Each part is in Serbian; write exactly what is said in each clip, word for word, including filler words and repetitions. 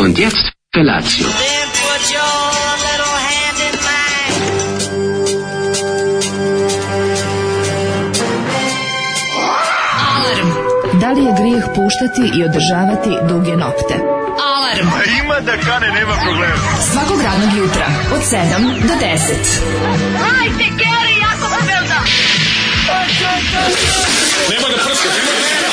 Und jetzt Felatio. Then put your little hand in mine. Alarm. Da li je grijeh puštati i održavati duge nokte? Alarm. A ima da kane, nema problema. Svakog radnog jutra od sedam do deset. Hajde, Geri, jako se velda. Nema da prska, nema da prska.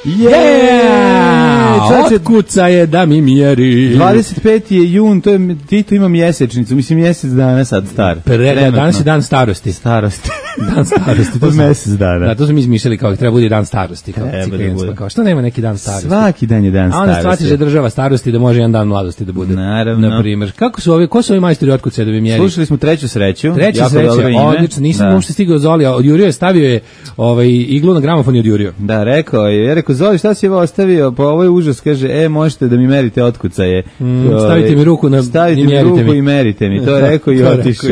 Yeah! Otkuca je da mi mjeri. dvadeset peti je jun, to je, Tito ima mjesečnicu, mislim mjesec dana sad star. Pre, danas je dan starosti. Starosti. Dan starosti. Od mjesec dana. Da, to smo mi izmišljali kao treba bude dan starosti. Kao, da kao, što nema neki dan starosti? Svaki dan je dan starosti. A onda shvatiš da država starosti da može jedan dan mladosti da bude. Naravno. Na primjer. Kako su ovi, ko su ovi majstori otkuca da bi mjeri? Slušali smo treću sreću. Treća sreća, odlično, nisam uopšte stigao Zoli, odjurio je, stavio je ovaj, iglu na gramofon i odjurio. Da, rekao je, ja rekao, Zoli, šta si ovo ostavio? Pa ovo je užas, kaže, e, možete da mi merite otkucaje. Mm, stavite mi ruku na, stavite i mi ruku mi. i merite mi. To je rekao i otišao.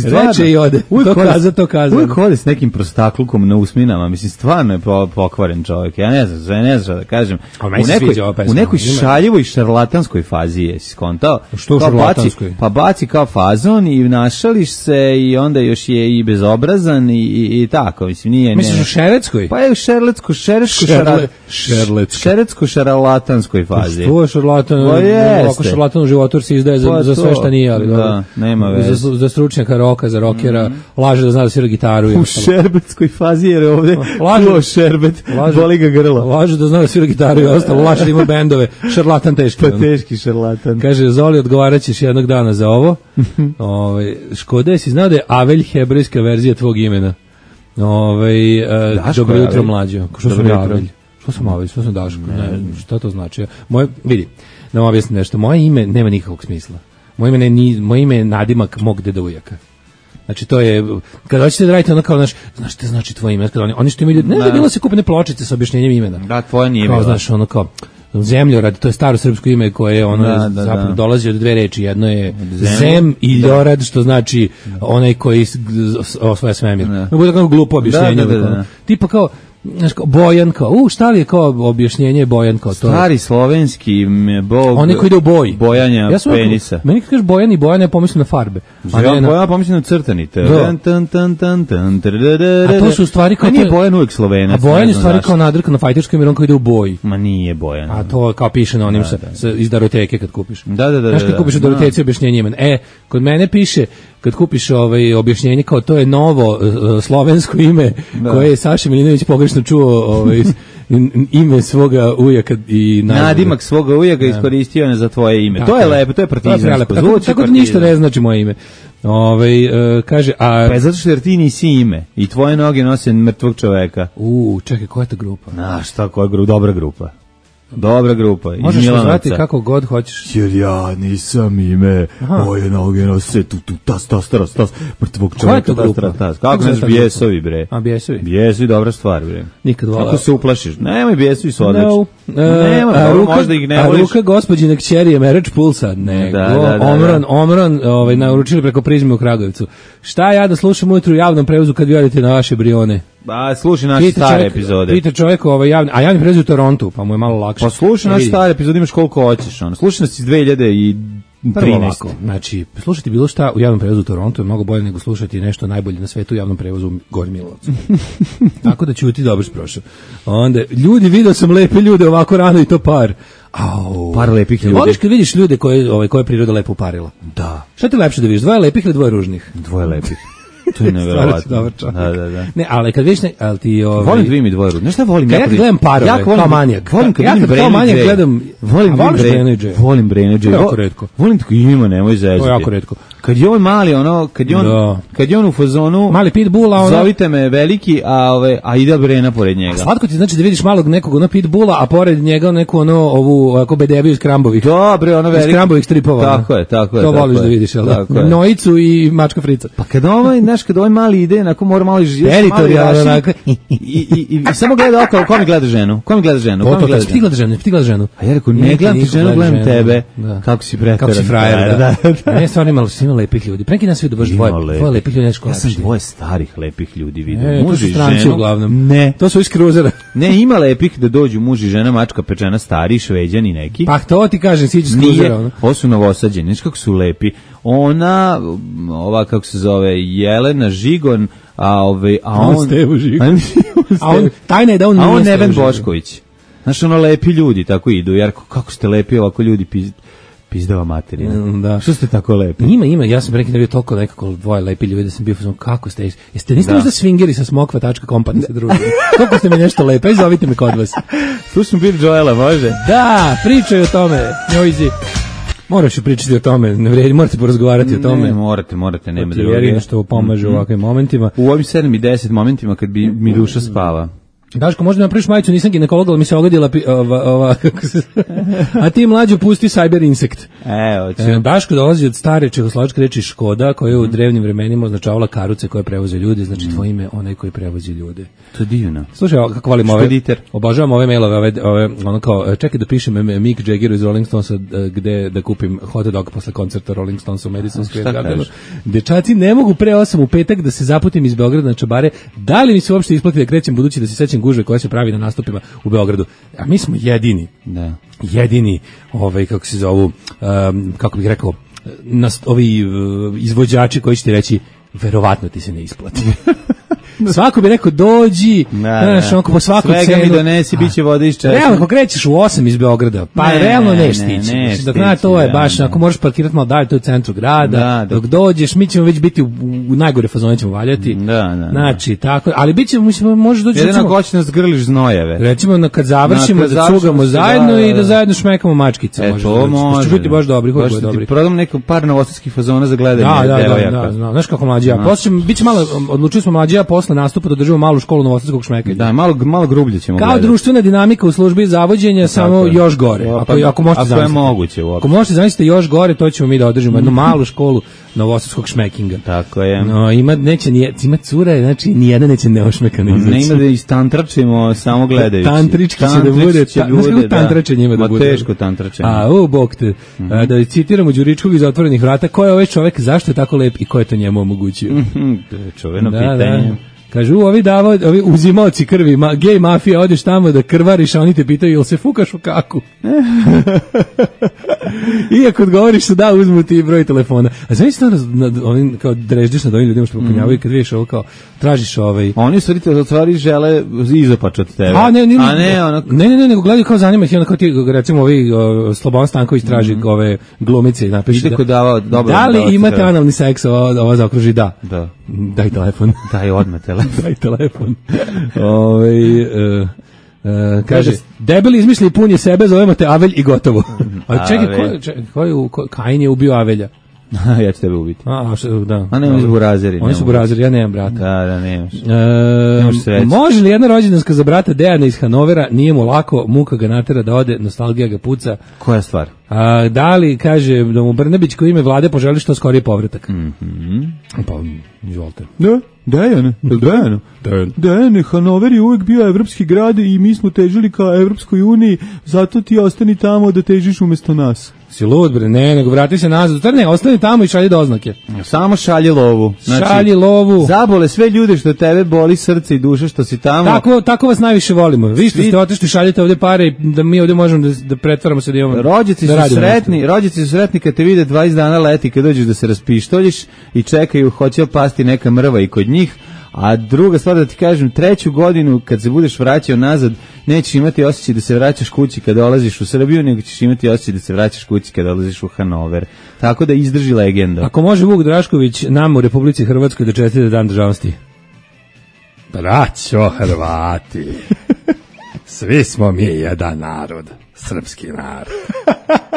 Reče i ode. To kaza, to kaza. Uvijek hodi s nekim prostaklukom na usminama. Mislim, stvarno je pokvaren čovjek. Ja ne znam, ja ne znam da kažem. U nekoj, u nekoj šaljivoj šarlatanskoj fazi je, si skontao? Što u šarlatanskoj? Pa baci kao fazon i našališ se i onda još je i bezobrazan i, i, i tako. Mislim, nije... Misliš u šereckoj? Pa je u šerlecko, šerečko, Šerle, šerlecko. šerecko šarlatanskoj fazi. Što je šarlatan? Ovako šarlatan u životu se izdaje za, pa za sve šta nije, ali da, nema veze. Za, za stručnjaka roka, za rokera, mm. laže da zna da svira gitaru. U šerbetskoj fazi jer ovdje laže šerbet, laže, boli ga grlo. Laže da zna da svira gitaru i ostalo, laže da ima bendove, šarlatan teški. Pa teški šarlatan. Kaže, Zoli, odgovarat ćeš jednog dana za ovo. Ove, Škoda, si znao da je Avelj hebrejska verzija tvog imena? Ove, uh, dobro jutro mlađo. Što sam ja Avelj? Što sam Avelj? Što sam Daško? Ne, ne, šta to znači? Moje, vidi, da vam objasnim nešto. Moje ime nema nikakvog smisla. Moje ime, ni, moje ime je nadimak mog deda ujaka. Znači to je, kada hoćete da radite ono kao, znaš, znaš šta znači tvoje ime? Kada oni, oni što imaju, ne, ne, bilo se kupene pločice sa objašnjenjem imena. Da, tvoje nije kao, znaš, ono kao, Zemljorad, to je staro srpsko ime koje je ono da, da, zapravo da. dolazi od dve reči, jedno je Zem, Zem i Ljorad, što znači onaj koji osvaja svemir. Ne bude kao glupo objašnjenje. Da, da, da, da. Tipa kao, znaš, kao Bojan, kao, u, šta li je kao objašnjenje Bojan, kao to? Stari slovenski bog. Oni koji ide u boj. Bojanja ja penisa. Meni kad kažeš Bojan i Bojan, ja pomislim na farbe. A ja na... Bojan pomislim na crtanite. A to su u stvari kao... A nije Bojan uvijek Slovenac. A Bojan je stvari kao nadrka na fajterskom jer on kao ide u boj. Ma nije Bojan. A to kao piše na onim da, sa, da. sa, iz Daroteke kad kupiš. Da, da, da. Znaš kad kupiš u Daroteci objašnjenje imena. E, kod mene piše, kad kupiš ovaj objašnjenje kao to je novo uh, slovensko ime da. koje je Saša Milinović pogrešno čuo ovaj, ime svoga ujaka i naziv. Nadimak svoga ujaka iskoristio je za tvoje ime. Da, to je lepo, to je partizansko. Tako, tako da ništa ne znači moje ime. Ovaj uh, kaže a pa zato što jer ti nisi ime i tvoje noge nose mrtvog čoveka. U, čekaj, koja je ta grupa? Na, šta, koja je grupa? Dobra grupa. Dobra grupa. Možeš zvati kako god hoćeš. Jer ja nisam ime, aha. moje noge nose tu, tu, tas, tas, tas, tas, mrtvog čoveka, tas, tas, tas. Kako znaš Bijesovi, bre? A, Bijesovi? Bijesovi, dobra stvar, bre. Nikad volao. Kako se uplašiš? Nemoj, Bijesovi su odlični. No. Uh, Nema, a, dobro, ruka, možda ih ne a voliš. A ruka gospođine kćeri je Merač Pulsa. Nego, da, da, da, Omran, da. Omran, ovaj, naručili preko Prizme u Kragujevcu. Šta ja da slušam ujutru u javnom prevozu kad vi odete na vaše Brione? Ba, slušaj naše pita stare čovjek, epizode. Pita čovjek ovaj javni, a javni prevoz u Torontu, pa mu je malo lakše. Pa slušaj naše stare epizode, imaš koliko hoćeš, ono. Slušaj nas iz dve hiljade trinaeste. Znači, slušati bilo šta u javnom prevozu u Torontu je mnogo bolje nego slušati nešto najbolje na svetu u javnom prevozu u Gornjem Milanovcu. Tako da ćuti, dobro si prošao. Onda, ljudi, video sam lepe ljude ovako rano i to par. Au. Par lepih ljudi. Voliš kad vidiš ljude koje, ovaj, koje priroda lepo uparila? Da. Šta ti lepše da vidiš, dvoje lepih ili dvoje ružnih? Dvoje lepih. To je nevjerovatno. Da, da, da. Ne, ali kad vidiš, ne, ali ti ovaj volim dvije mi dvoje ružne. Znaš šta volim? Ja kad gledam parove, ja kao manijak. Volim kad ja vidim kao manijak gledam, volim Brene. Volim Brene. Jako retko. Volim tako ima, nemoj zezati. To je jako retko. Kad je on mali, ono, kad je on, da. kad je on u fazonu, mali pitbulla, ono, zovite me veliki, a ove, a ide Brena pored njega. A slatko ti znači da vidiš malog nekog ono pitbulla, a pored njega neku ono ovu ako bedebiju iz Krambovih. Dobre, ono veliki. Iz Krambovih stripova. Tako je, tako je. To voliš da vidiš, al da? Nojicu i mačka Frica. Pa kad ovaj, znaš, kad ovaj mali ide, onako mora malo živjeti. Teritorijalno, onako. I, i, i, i samo gleda okolo, ko mi gleda ženu? Ko mi gleda ženu? Ko mi gleda ženu? Ti gledaš ženu, ti gledaš ženu. A ja rekao, ne gledam ti ženu, gledam tebe. Kako si preteran. Kako si frajer, da. Ne, stvarno imalo si lepih ljudi. Pre neki dan se vidio baš dvoje, dvoje lepih ljudi. Ja sam dvoje starih lepih ljudi vidio. E, muž i žena. Uglavnom. Ne. To su iz kruzera. Ne, ima lepih da dođu muž i žena, mačka pečena, stari, šveđani neki. Pa to ti kažem, siđu iz kruzera. Nije, ovo su novosađeni, znaš kako su lepi. Ona, ova kako se zove, Jelena Žigon, a, ove, a on... on Stevo Žigon. A on, tajna je da on nije A on Neven Bošković. Znaš, ono lepi ljudi tako idu, jer kako ste lepi ovako ljudi piz, pizdava materina. Mm, da. Što ste tako lepi? Ima, ima, ja sam pre neki dan bio toliko nekako dvoje lepi ljudi da sam bio fazon, kako ste, jeste, niste da. možda swingeri sa smokva tačka com pa da se družili? Kako ste mi nešto lepe, aj zovite me kod vas. Slušam Bill Joela, može? Da, pričaj o tome, njojzi. Moraš pričati o tome, ne vredi, morate porazgovarati o tome. Ne, morate, morate, nema druge. Jer što pomaže mm-hmm. u ovakvim momentima. U ovim sedam i deset momentima kad bi mi duša spava. Daško, možda napraviš majicu, nisam ginekolog, ali mi se ogadila pi, ova, ova, kako se... A ti mlađo pusti Cyber Insect. E, hoću. E, Daško dolazi od stare čehoslovačke reči Škoda, koja je u drevnim vremenima označavala karuce koje prevoze ljude, znači tvoje ime onaj koji prevozi ljude. To je divno. Slušaj, kako volim ove, obožavam ove mailove, ove, ove, ono kao, čekaj da pišem Mick Jaggeru iz Rolling Stonesa gde da kupim hot dog posle koncerta Rolling Stonesa u Madison Square Gardenu. Dečaci, ne mogu pre osam u petak da se zaputim iz Beograda na čabare, da li mi se uopšte isplati da krećem budući da se sećam gužve koja se pravi na nastupima u Beogradu. A mi smo jedini. Da. Jedini, ovaj kako se zovu, um, kako bih rekao, nas, ovi uh, izvođači koji će ti reći verovatno ti se ne isplati. Svako bi rekao dođi, znaš, onako po svaku cenu. Svega mi donesi, bit će vode iz češnje. Realno, ako krećeš u osam iz Beograda, pa ne, realno neš stići. Ne, dok na to je baš, ako možeš parkirati malo dalje, to je u centru grada, da, dok dođeš, mi ćemo već biti u, u najgore fazone ćemo valjati. Da, da, znači, tako, ali bit ćemo, mislim, možeš doći... Jedino ako hoće nas grliš znojeve. Recimo, kad završimo, na, kad da cugamo zajedno da, i da zajedno šmekamo mačkice. E, to može. Će biti baš dobri, baš će dobri. Prodam neko par novosadskih fazona za gledanje. Da, da, da, da, znaš kako mlađi ja. Posle biće malo, odlučili smo mlađi ja posle nastupa da držimo malu školu novosadskog šmekanja. Da, malo malo grublje ćemo kao gledati. Društvena dinamika u službi zavođenja, samo je. Još gore. Ako ako možete zamisliti. Ako je moguće uopšte. Ako možete zamisliti još gore, to ćemo mi da održimo jednu malu školu novosadskog šmekinga. Tako je. No, ima neće ni ima cure, znači ni jedna neće neošmekana izaći. Ne ima da istantračimo samo gledajući. Tantrički će da bude, će bude tantrače njima da bude. Teško tantračenje. A u bog te. Mm-hmm. A, da citiramo Đuričkog iz Otvorenih vrata, ko je ovaj čovjek, zašto je tako lep i ko je to njemu omogućio? Mm-hmm. To je čuveno da, pitanje. Da. Kažu, ovi davao, ovi uzimaoci krvi, ma, gej mafija, odeš tamo da krvariš, a oni te pitaju, jel se fukaš u kaku? I ako odgovoriš se da, uzmu ti broj telefona. A znaš to, oni kao dreždiš nad ovim ljudima što popunjavaju, kad vidiš ovo kao, tražiš ovaj... Oni su te otvari žele izopač od tebe. A ne, ne, a ne, ono... ne, ne, ne, nego gledaju kao zanima ih, ono kao ti, recimo ovi o, Slobodan Stanković traži mm. ove glumice i napiše da, dava, dobro, da li imate treba. Analni seks, ova, ova zaokruži da. Da. Daj telefon. Daj odmah telefon. Daj telefon. Ove, uh, Uh, kaže, debeli izmišlji pun je sebe, zovemo te Avelj i gotovo. A čekaj, ko, čekaj, ko je, ko, Kain je ubio Avelja? Ja ću tebe ubiti. A, što, da. A ne, oni su burazeri. Oni su burazeri, ja nemam brata. Da, da, nemaš. E, nemaš sreće. Može li jedna rođendanska za brata Dejana iz Hanovera, nije mu lako, muka ga natera da ode, nostalgija ga puca. Koja stvar? A, da li, kaže, da mu Brnabić koji ime vlade poželi što skorije povratak? Mhm. Pa, izvolite. Da, Dejane, Dejane. Dejane, Hanover je uvek bio evropski grad i mi smo težili ka Evropskoj uniji, zato ti ostani tamo da težiš umesto nas. Si lud, bre, ne, nego vrati se nazad. Ne, ostani tamo i šalji doznake. Samo šalji lovu. Znači, šalji lovu. Zabole sve ljude što tebe boli srce i duša što si tamo. Tako, tako vas najviše volimo. Vi što ste otišli, šaljete ovde pare i da mi ovde možemo da, da pretvaramo se da imamo. Rođaci da su sretni, rođaci su sretni kad te vide dvadeset dana leti, kad dođeš da se raspištoljiš i čekaju, hoće pasti neka mrva i kod njih. A druga stvar da ti kažem, treću godinu kad se budeš vraćao nazad, nećeš imati osjećaj da se vraćaš kući kada dolaziš u Srbiju, nego ćeš imati osjećaj da se vraćaš kući kada dolaziš u Hanover. Tako da izdrži legenda. Ako može Vuk Drašković nam u Republici Hrvatskoj da čestita Dan državnosti. Braćo Hrvati, svi smo mi jedan narod, srpski narod.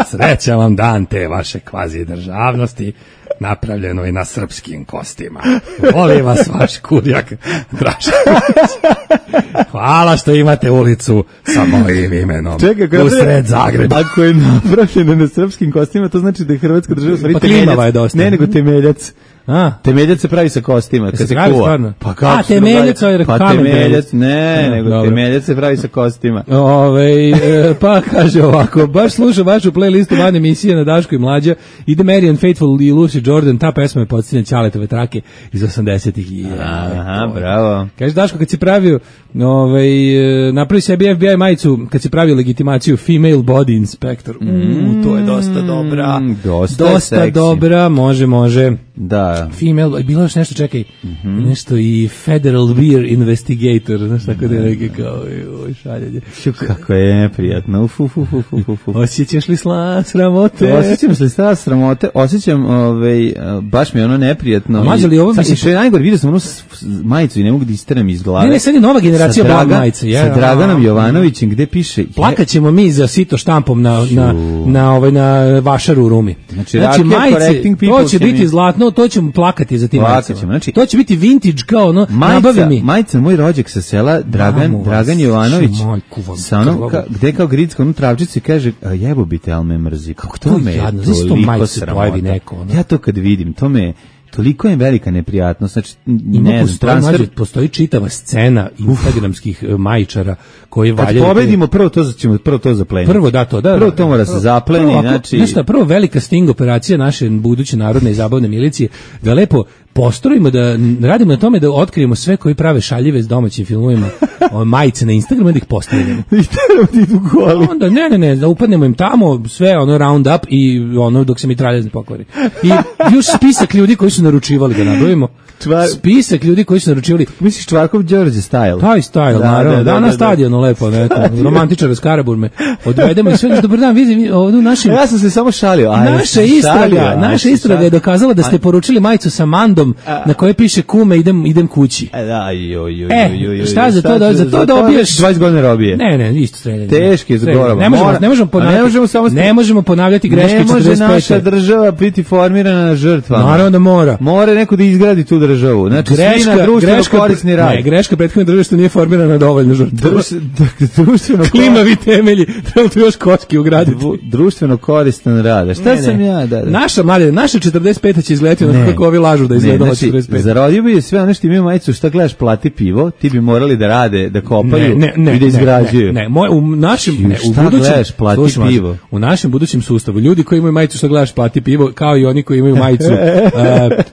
Srećan vam dan te vaše kvazi državnosti, napravljeno i na srpskim kostima. Voli vas vaš kurjak Drašković. Hvala što imate ulicu sa mojim imenom. Čekaj, u sred Zagreba. Ako je napravljeno na srpskim kostima, to znači da je Hrvatska država stvari pa temeljac. Je dosta. Ne, nego temeljac. A? Temeljac se pravi sa kostima, kad se pravi kuva. stvarno? Pa kako A, temeljac, ovaj pa kamen temeljac, ne, A, nego dobro. temeljac se pravi sa kostima. Ove, e, pa kaže ovako, baš slušam vašu playlistu van emisije na Daško i Mlađa, ide Marian Faithfull i Lucy Jordan, ta pesma je podsjeća Ćaletove trake iz osamdesetih. Aha, bravo. Kaže Daško, kad si pravio ovaj, napravi sebi F B I majicu, kad si pravio legitimaciju Female Body Inspector, u, to je dosta dobra, dosta, dosta seksi. dobra, može, može. Da. Female, bilo još nešto, čekaj, mm-hmm. nešto i Federal Beer Investigator, znaš tako da je neke kao, oj, šaljenje. Šu, kako je neprijatno, uf, uf, uf, uf, uf. Osjećaš li sla, sramote? Osjećam se sla, sramote, osjećam, ovaj, baš mi je ono neprijatno. Mađo li ovo sad, misliš? što je najgore, vidio sam onu s- s- majicu i ne mogu da isteram iz glave. Ne, ne, sad je nova generacija Sa blog Dragan- majice. Je, Sa Draganom Jovanovićem, gde piše... Plakat ćemo mi za sito štampom na, na, na, ovaj, na vašaru u Rumi. Znači, Rakija Correcting to People će će biti mi- zlatno, to ćemo plakati za tim Plakat majicama. ćemo, znači- To će biti vintage kao ono, nabavi Majica, mi. majica moj rođak sa sela Dragan, Mamu vas, Dragan Jovanović majku vam sa onom, krvavu. ka, gde kao gridska onu travčici kaže a jebo bite, al me mrzi. Kako to me je jadno, znaš što toliko majice pojavi sramota. neko, ono? Ja to kad vidim, to me toliko je velika neprijatnost, znači Ima ne znam, postoji, transfer. mlađe, postoji čitava scena instagramskih e, majičara koji Kad valjaju. pobedimo, prvo to ćemo prvo to zapleniti. Prvo da to, da. Prvo da, to mora se zapleni, prvo, ako- znači znaš šta, prvo velika sting operacija naše buduće narodne i zabavne milicije, da lepo postrojimo, da n- radimo na tome da otkrijemo sve koji prave šaljive s domaćim filmovima, o, majice na Instagramu, da ih postavljamo. i treba ti idu goli. Onda, ne, ne, ne, da upadnemo im tamo, sve ono round up i ono dok se mitraljez ne pokvari. I još spisak ljudi koji su naručivali da nabrojimo. Čvar- Spisak ljudi koji su naručivali. Misliš Čvarkov Đorđe style? Taj style, Da, naravno. da, Da, da, na da, stadionu lepo, neko, romantičar iz Karaburme. Odvedemo i sve, znači, dobar dan, vidi, ovdje u našim... Ja sam se samo šalio. A, Naša šalio, istraga, a, naša si istraga je šalio. dokazala da ste poručili majicu sa mandom na kojoj piše kume idem idem kući. E, da, joj, joj, E, joj, joj, šta za to šta da- će- za to dobiješ- dvadeset godina robije. Ne, ne, isto streljanje. Teški je Streljanje. zgorava. Ne možemo, Mora- ne možemo a ponavljati. ne možemo samo- ne možemo ponavljati greške Ne može četrdeset pete. naša država biti formirana na žrtvama. Naravno da mora. Mora neko da izgradi tu državu. Znači, svi na društveno korisni rad. Ne, greška prethodne države što nije formirana dovoljno žrtva. Druš- dakle, društveno Klimavi temelji, treba tu još kocki ugraditi. Dru- društveno koristan rad. A šta Ne, ne. sam ja? Da, da. Naša mlade, naša četrdeset peta će izgledati onako Ne. kako ovi lažu da izgleda Ne, ova znači, četrdeset peta. zarodio bi sve ono što imaju majicu, šta gledaš, plati pivo, ti bi morali da rade, da kopaju i da izgrađuju. Ne, ne, moj, u našem, Ju, ne, u šta budućem, gledaš, plati slušaj, mlađe, pivo. u našem budućem sustavu, ljudi koji imaju majicu što gledaš plati pivo, kao i oni koji imaju majicu, uh,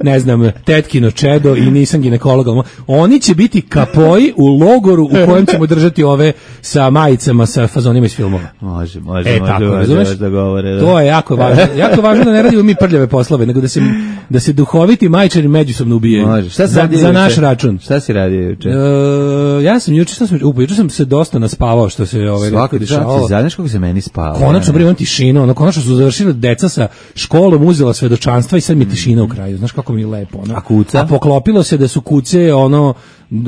ne znam, tetkino čedo i nisam ginekolog, ali mo- oni će biti kapoji u logoru u kojem ćemo držati ove sa majicama sa fazonima iz filmova. Može, može, E, može, tako, može, razumeš? može da govore. Da. To je jako važno. Jako važno da ne radimo mi prljave poslove, nego da se, da se duhoviti majčari međusobno ubijaju. Može. Šta si za, radio za juče? naš račun. Šta si radio juče? E, ja sam juče, šta sam, upo, juče sam se dosta naspavao što se ovaj Svaki retko dan dešavalo. ti znaš kako se meni spava. Konačno bre imam tišinu, ono konačno su završili deca sa školom, uzela svedočanstva i sad mi je tišina u kraju. Znaš kako mi je lepo, ono. A kuca? A poklopilo se da su kuce ono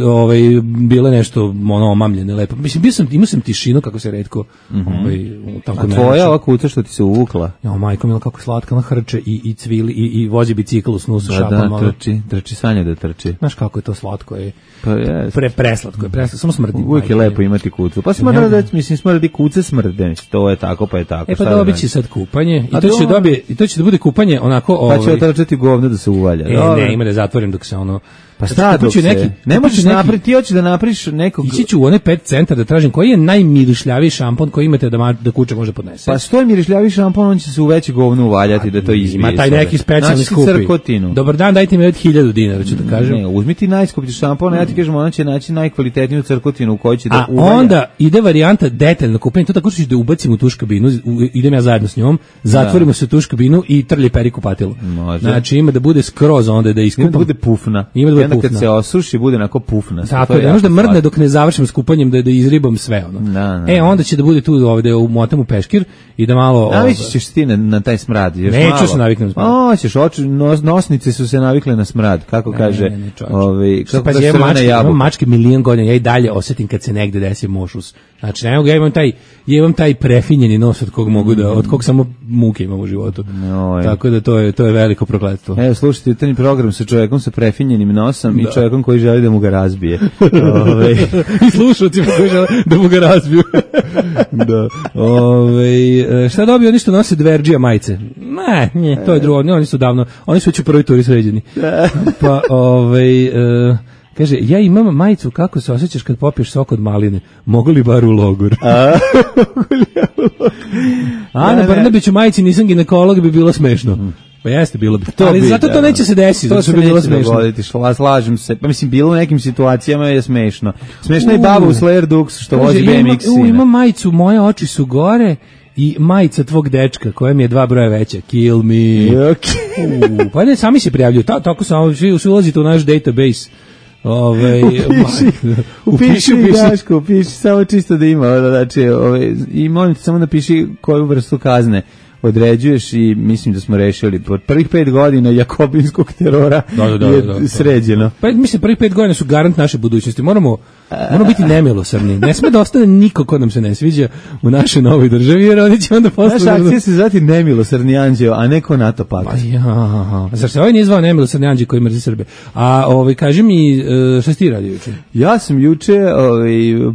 ovaj bile nešto ono omamljene lepo. Mislim bio sam imao sam tišinu kako se retko ovaj u tako A tvoja ova kuca što ti se uvukla? Ja, majko mila kako slatka, ona hrče i i cvili i i vozi bicikl u snusu Da, šapom. da, ono. trči, trči Sanja da trči. Znaš kako je to slatko je. Pa jes. Pre preslatko je, preslatko, samo smrdi. Uvijek je majko lepo mila. imati kucu. Pa smrdi, da, mislim, smrdi kuce smrde. Mislim, to je tako, pa je tako. E pa Šta da dobit radim? će sad kupanje i A to će dobro. dobije i to će da bude kupanje onako Pa će ovaj otrčati govno da se uvalja. e, Dobro. ne, ima da zatvorim dok se ono Pa šta dok kupuću se? neki, ne kupuću možeš neki- napraviti, ti hoćeš da napraviš nekog... Ići ću u onaj pet centar da tražim koji je najmirišljaviji šampon koji imate da, ma, da kuća može podnese. Pa što je mirišljavi šampon, on će se u veće govno uvaljati da to izbije. Ima taj iz neki toga. specijalni Naći skupi. crkotinu. Dobar dan, dajte mi od hiljadu dinara, ću da kažem. Ne, uzmi ti najskuplji šampon, a ja ti kažem, ona će naći najkvalitetniju crkotinu u kojoj će da A uvalja. onda ide varijanta detaljno kupljenje, to tako što ćeš da ubacim u tuš kabinu, u- idem ja zajedno s njom, zatvorimo se u tuš kabinu i trlje peri kupatilo. Može. Znači ima da bude skroz onda da Ima iskupam. da bude pufna. Ima da bude I onda kad pufna. se osuši, bude onako pufna. Tako To je, da možda jako mrdne slatko. dok ne završim s kupanjem da, da izribam sve ono. Da, da, E, da. onda će da bude tu ovde u motam u peškir i da malo... Navići ovaj, ćeš ti na, na taj smrad. Još Neću malo. se naviknem na smrad. O, ćeš, oči, nos, nosnice su se navikle na smrad, kako kaže, Ne, ne, čovječe. ovaj, Što kako pa kaže ja crvena mačke, imam jabuka. mačke milion godina, ja i dalje osetim kad se negde desi mošus. Znači, ne mogu, ja imam taj, ja imam taj prefinjeni nos od kog mogu da, od kog samo muke imam u životu. Oj. Tako da to je, to je veliko prokletstvo. Evo, slušajte jutarnji program sa čovjekom sa prefinjenim nosom da. I čovjekom koji želi da mu ga razbije. Ove. I slušalcima koji žele da mu ga razbiju. Da. Ove, šta dobio oni što nose dverđija majice? Ne, nije, to je drugo, oni su davno, oni su već u prvoj turi sređeni. Pa, ovaj... Uh, kaže, ja imam majicu, kako se osjećaš kad popiješ sok od maline? Mogu li bar u logor? A, A na Brnabiću majici nisam ginekolog, bi bilo smešno. Pa jeste, bilo bi. To ali bi, zato to neće se desiti. To se bi bilo smešno. Dogoditi, slažem se. Pa mislim, bilo u nekim situacijama je smešno. Smešno je baba u Slayer Dux što vozi B M X. U, ima majicu, moje oči su gore i majica tvog dečka koja mi je dva broja veća. Kill me. Okay. U, pa ne, sami se prijavljuju. Ta, tako samo, svi ulazite u naš database. Ove, upiši, upiši, upiši, Daško, upiši, samo čisto da ima, znači, ove, i molim te samo napiši koju vrstu kazne određuješ i mislim da smo rešili pod prvih pet godina jakobinskog terora da, da, da, je da, da, sređeno. Pa mislim, prvih pet godina su garant naše budućnosti. Moramo, moramo biti nemilosrdni. Ne sme da ostane niko ko nam se ne sviđa u našoj novoj državi, jer oni će onda postati... Naša akcija se zvati nemilosrdni anđeo, a ne ko NATO pakt. Ja, zar se ovaj nije zvao nemilosrdni anđeo koji mrzi Srbe? A ovaj, kaži mi, šta si ti radio juče? Ja sam juče ovaj,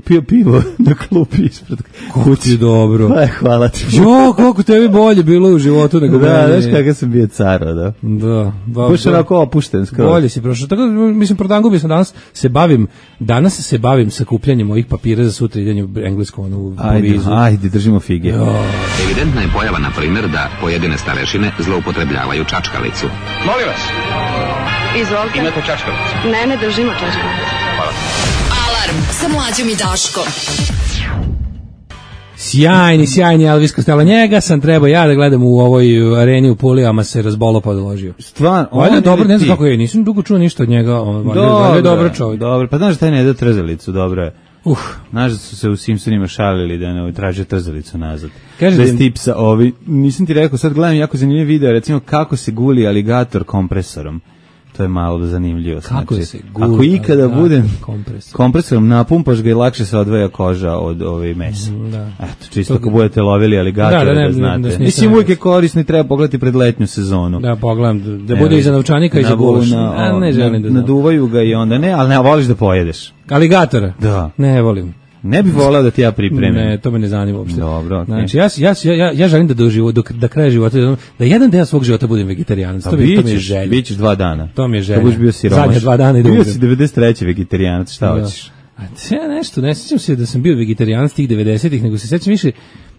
pio pivo na klupi ispred kući. Dobro. Pa, hvala ti. Jo, koliko tebi bolje bilo u životu nego da, meni. Da, znaš kakav sam bio caro, da. Da. Baš onako opušten skoro. Bolje si prošao. Tako, mislim, prodangubio sam danas, se bavim, danas se bavim sakupljanjem ovih papira za sutra idanje u englesku, onu u povizu. Ajde, držimo fige. Jo. Evidentna je pojava, na primjer, da pojedine starešine zloupotrebljavaju čačkalicu. Molim vas. Izvolite. Imate čačkalicu? Ne, ne držimo čačkalicu. Hvala. Alarm sa mlađom i Daškom. Sjajni, sjajni Elvis Costello. Njega sam trebao ja da gledam u ovoj areni u Pulijama, se razbolo pa odložio. Stvarno, on je dobro, ne znam kako je, nisam dugo čuo ništa od njega, on je dobro čovjek. Dobro, pa znaš da taj ne da trzalicu, dobro je. Uh. Znaš da su se u Simpsonima šalili da ne traže trzalicu nazad. Kaže bez tipsa, ovi, nisam ti rekao, sad gledam jako zanimljiv video, recimo kako se guli aligator kompresorom. To je malo zanimljivo. Kako znači, se guli, ako ikada budem kompresor. kompresorom napumpaš ga i lakše se odvaja koža od ove mesa. Da. Eto, čisto ako budete lovili aligatora, da, da, ne, da znate. Da, da, mislim, uvijek je korisno i treba pogledati pred letnju sezonu. Da, pogledam, da bude i za novčanika i za gulaš. A ne želim da znam. Naduvaju ga i onda ne, ali ne, voliš da pojedeš. Aligatora? Da. Ne volim. Ne bih voleo da ti ja pripremim. Ne, to me ne zanima uopšte. Dobro, okay. Znači, ja, ja, ja, ja želim da do života, do, da kraja života, da jedan deo svog života budem vegetarijanac. To, mi, to mi je želja. Bićeš dva dana. To mi je želja. To budeš bio siromaš. Zadnje dva dana i da bio si devedeset treće vegetarijanac, šta da. Hoćeš? A ja nešto, ne sjećam se da sam bio vegetarijanac tih devedesetih, nego se sjećam više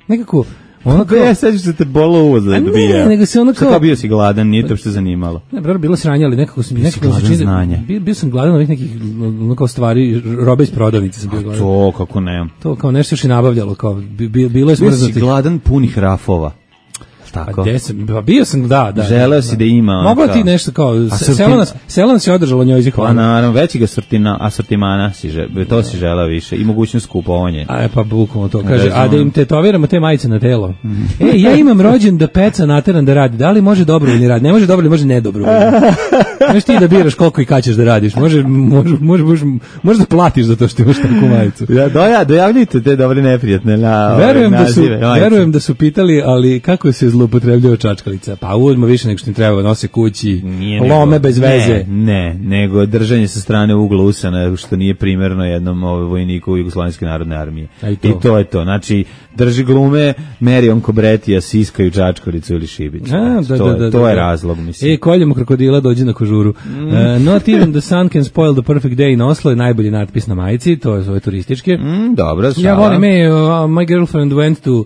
nekako... Ono kao, ja sećam se te bolo uvo za ne, nego se ono kao... Kao bio si gladan, nije to što zanimalo. Ne, bro, bilo sranje, ali nekako sam... Bio si gladan znanja. Bio, bio sam gladan ovih nekih ono kao stvari, robe iz prodavnice sam bio gladan. To, kako ne. To kao nešto još i nabavljalo, kao bilo je smrznutih. Bio si gladan punih rafova. Tako. Pa sam, bio sam, da, da. Želeo da, si da ima. Moglo ti nešto kao, selo nas, selo nas je održalo njoj zihvala. Pa naravno, većega sortina, asortimana, si že, to da. Si želeo više i mogućnost kupovanja. A pa bukvalno to kaže, a da im tetoviramo te majice na telo. Mm. E, ja imam rođen da peca nateran da radi, da li može dobrovoljni rad? Ne može dobrovoljni, može nedobrovoljni. Možeš ti da biraš koliko i kad ćeš da radiš, može, može, može, može, može da platiš za to što imaš takvu majicu. Ja, doja, dojavljujte te dobre neprijatne na verujem da su, nazive, verujem da su pitali, ali kako se zloupotrebljava čačkalica? Pa uzmo više nego što im treba, nose kući, nije lome nego, bez veze. Ne, ne, nego držanje sa strane ugla usana, što nije primerno jednom ovaj, vojniku Jugoslovenske narodne armije. I to. I to je to. Znači, drži glume, meri on kobretija, siskaju čačkalicu ili šibić. A, da, to, da, da, to da, je da. razlog, mislim. E, koljemo krokodila, dođi na kožuru. Mm. Uh, not even the sun can spoil the perfect day in Oslo je najbolji natpis na majici, to je ove turističke. Mm, dobro, šala. Ja volim, e, uh, my girlfriend went to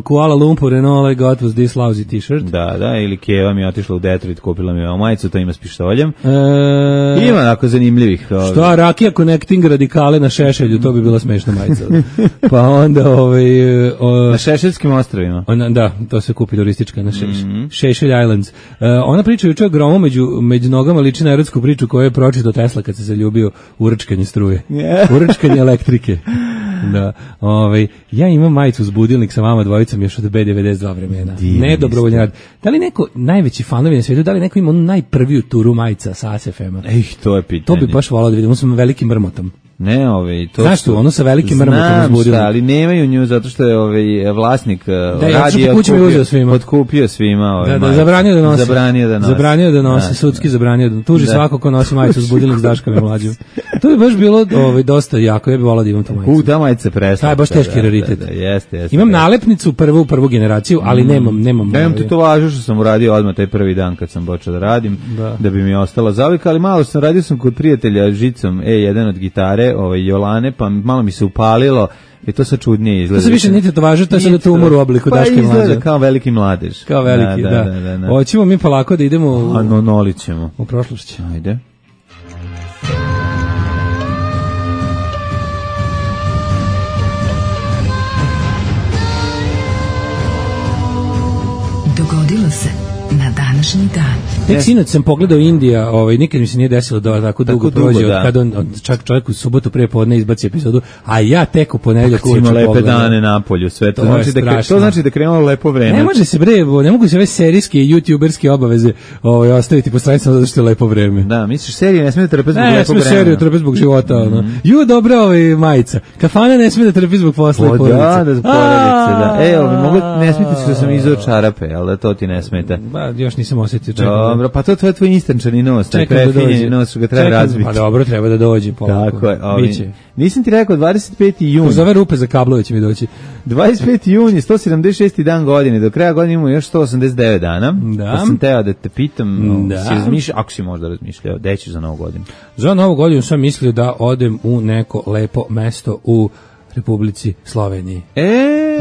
Kuala Lumpur and all I got was this lousy t-shirt. Da, da, ili Keva mi je otišla u Detroit, kupila mi je majicu, to ima s pištoljem. E, ima onako zanimljivih. Što, Rakija Connecting radikale na Šešelju, to bi bila smešna majica. Pa onda ovaj... O, na Šešeljskim ostrovima. Ona, da, to se kupi turistička na Šeš, mm-hmm. Šešelj Islands. Uh, ona priča juče o gromu među, među nogama, liči na erotsku priču koju je pročitao Tesla kad se zaljubio u rčkanje struje. Yeah. U rčkanje elektrike. Da, ovaj, ja imam majicu s budilnik sa vama dvojicom još od B devedeset dva vremena. Ne dobrovoljni rad. Da li neko, najveći fanovi na svijetu, da li neko ima onu najprviju turu majica sa A S F M-a? Ej, to je pitanje. To bi baš volao da vidim, on sam velikim mrmotom. Ne, ovaj to. Znaš tu, ono sa velikim mrmotom uzbudilo. Znam, ali nemaju nju zato što je ovaj vlasnik da, radi je otkupio svima. Otkupio svima, ovaj. Da, da, zabranio da nosi. Zabranio da nosi. Zabranio da nosi, da, sudski da. zabranio da tuži da. svako ko nosi majicu s budilnik s Daškom mlađim. To je baš bilo ovaj dosta jako, ja bih voleo da imam tu majicu. U, ta majica presta. Taj baš teški raritet. Da, da, jeste, jeste. Imam nalepnicu prvu prvu generaciju, ali nemam, nemam. Nemam tetovažu što sam uradio odmah taj prvi dan kad sam počeo da radim, da, da bi mi ostala zavika, ali malo sam radio sam kod prijatelja žicom E jedan od gitare, ovaj Jolane, pa malo mi se upalilo i to sa čudnije izgleda. To se više niti to važe, to je sada tumor u obliku Daške mlađe. Pa izgleda kao veliki mladež. Kao veliki, da. da. da, da, da. Hoćemo mi polako da idemo u... A no, nolićemo. U prošlošće. Ajde. Dogodilo se na današnji dan. Tek sinoć sam pogledao Indija, ovaj, nikad mi se nije desilo da tako dugo, dugo prođe, da. Kad on, čak čovjek u subotu pre podne izbaci epizodu, a ja tek u ponedeljak uveče pogledam. Ima lepe dane na polju, sve to, to znači da to znači da krenulo lepo vreme. Ne može se bre, ne mogu se ove serijske i youtuberske obaveze ovaj ostaviti po stranicama zato što je lepo vreme. Da, misliš serije ne smije da trpe zbog ne, lepog vremena. Ne, seriju trpe zbog života, mm -hmm. ono. Ju dobra ovaj majica. Kafana ne smije da trpi zbog posla i porodice. Da, da zbog porodice, da. E, ovaj mogu ne smijete što sam izao čarape, al da to ti ne smeta. Ba, još nisam osetio čega. Dobro, pa to je tvoj instančani nos, taj prefinjeni nos što ga treba razbiti. Pa dobro, treba da dođe polako. Tako je, ovi, nisam ti rekao dvadeset peti jun. Kroz ove rupe za kablove će mi doći. dvadeset peti jun je sto sedamdeset šesti dan godine, do kraja godine imamo još sto osamdeset devet dana. Da. Pa sam teo da te pitam, da. Si razmišljao, ako si možda razmišljao, gde ćeš za novu godinu? Za novu godinu sam mislio da odem u neko lepo mesto u Republici Sloveniji. E,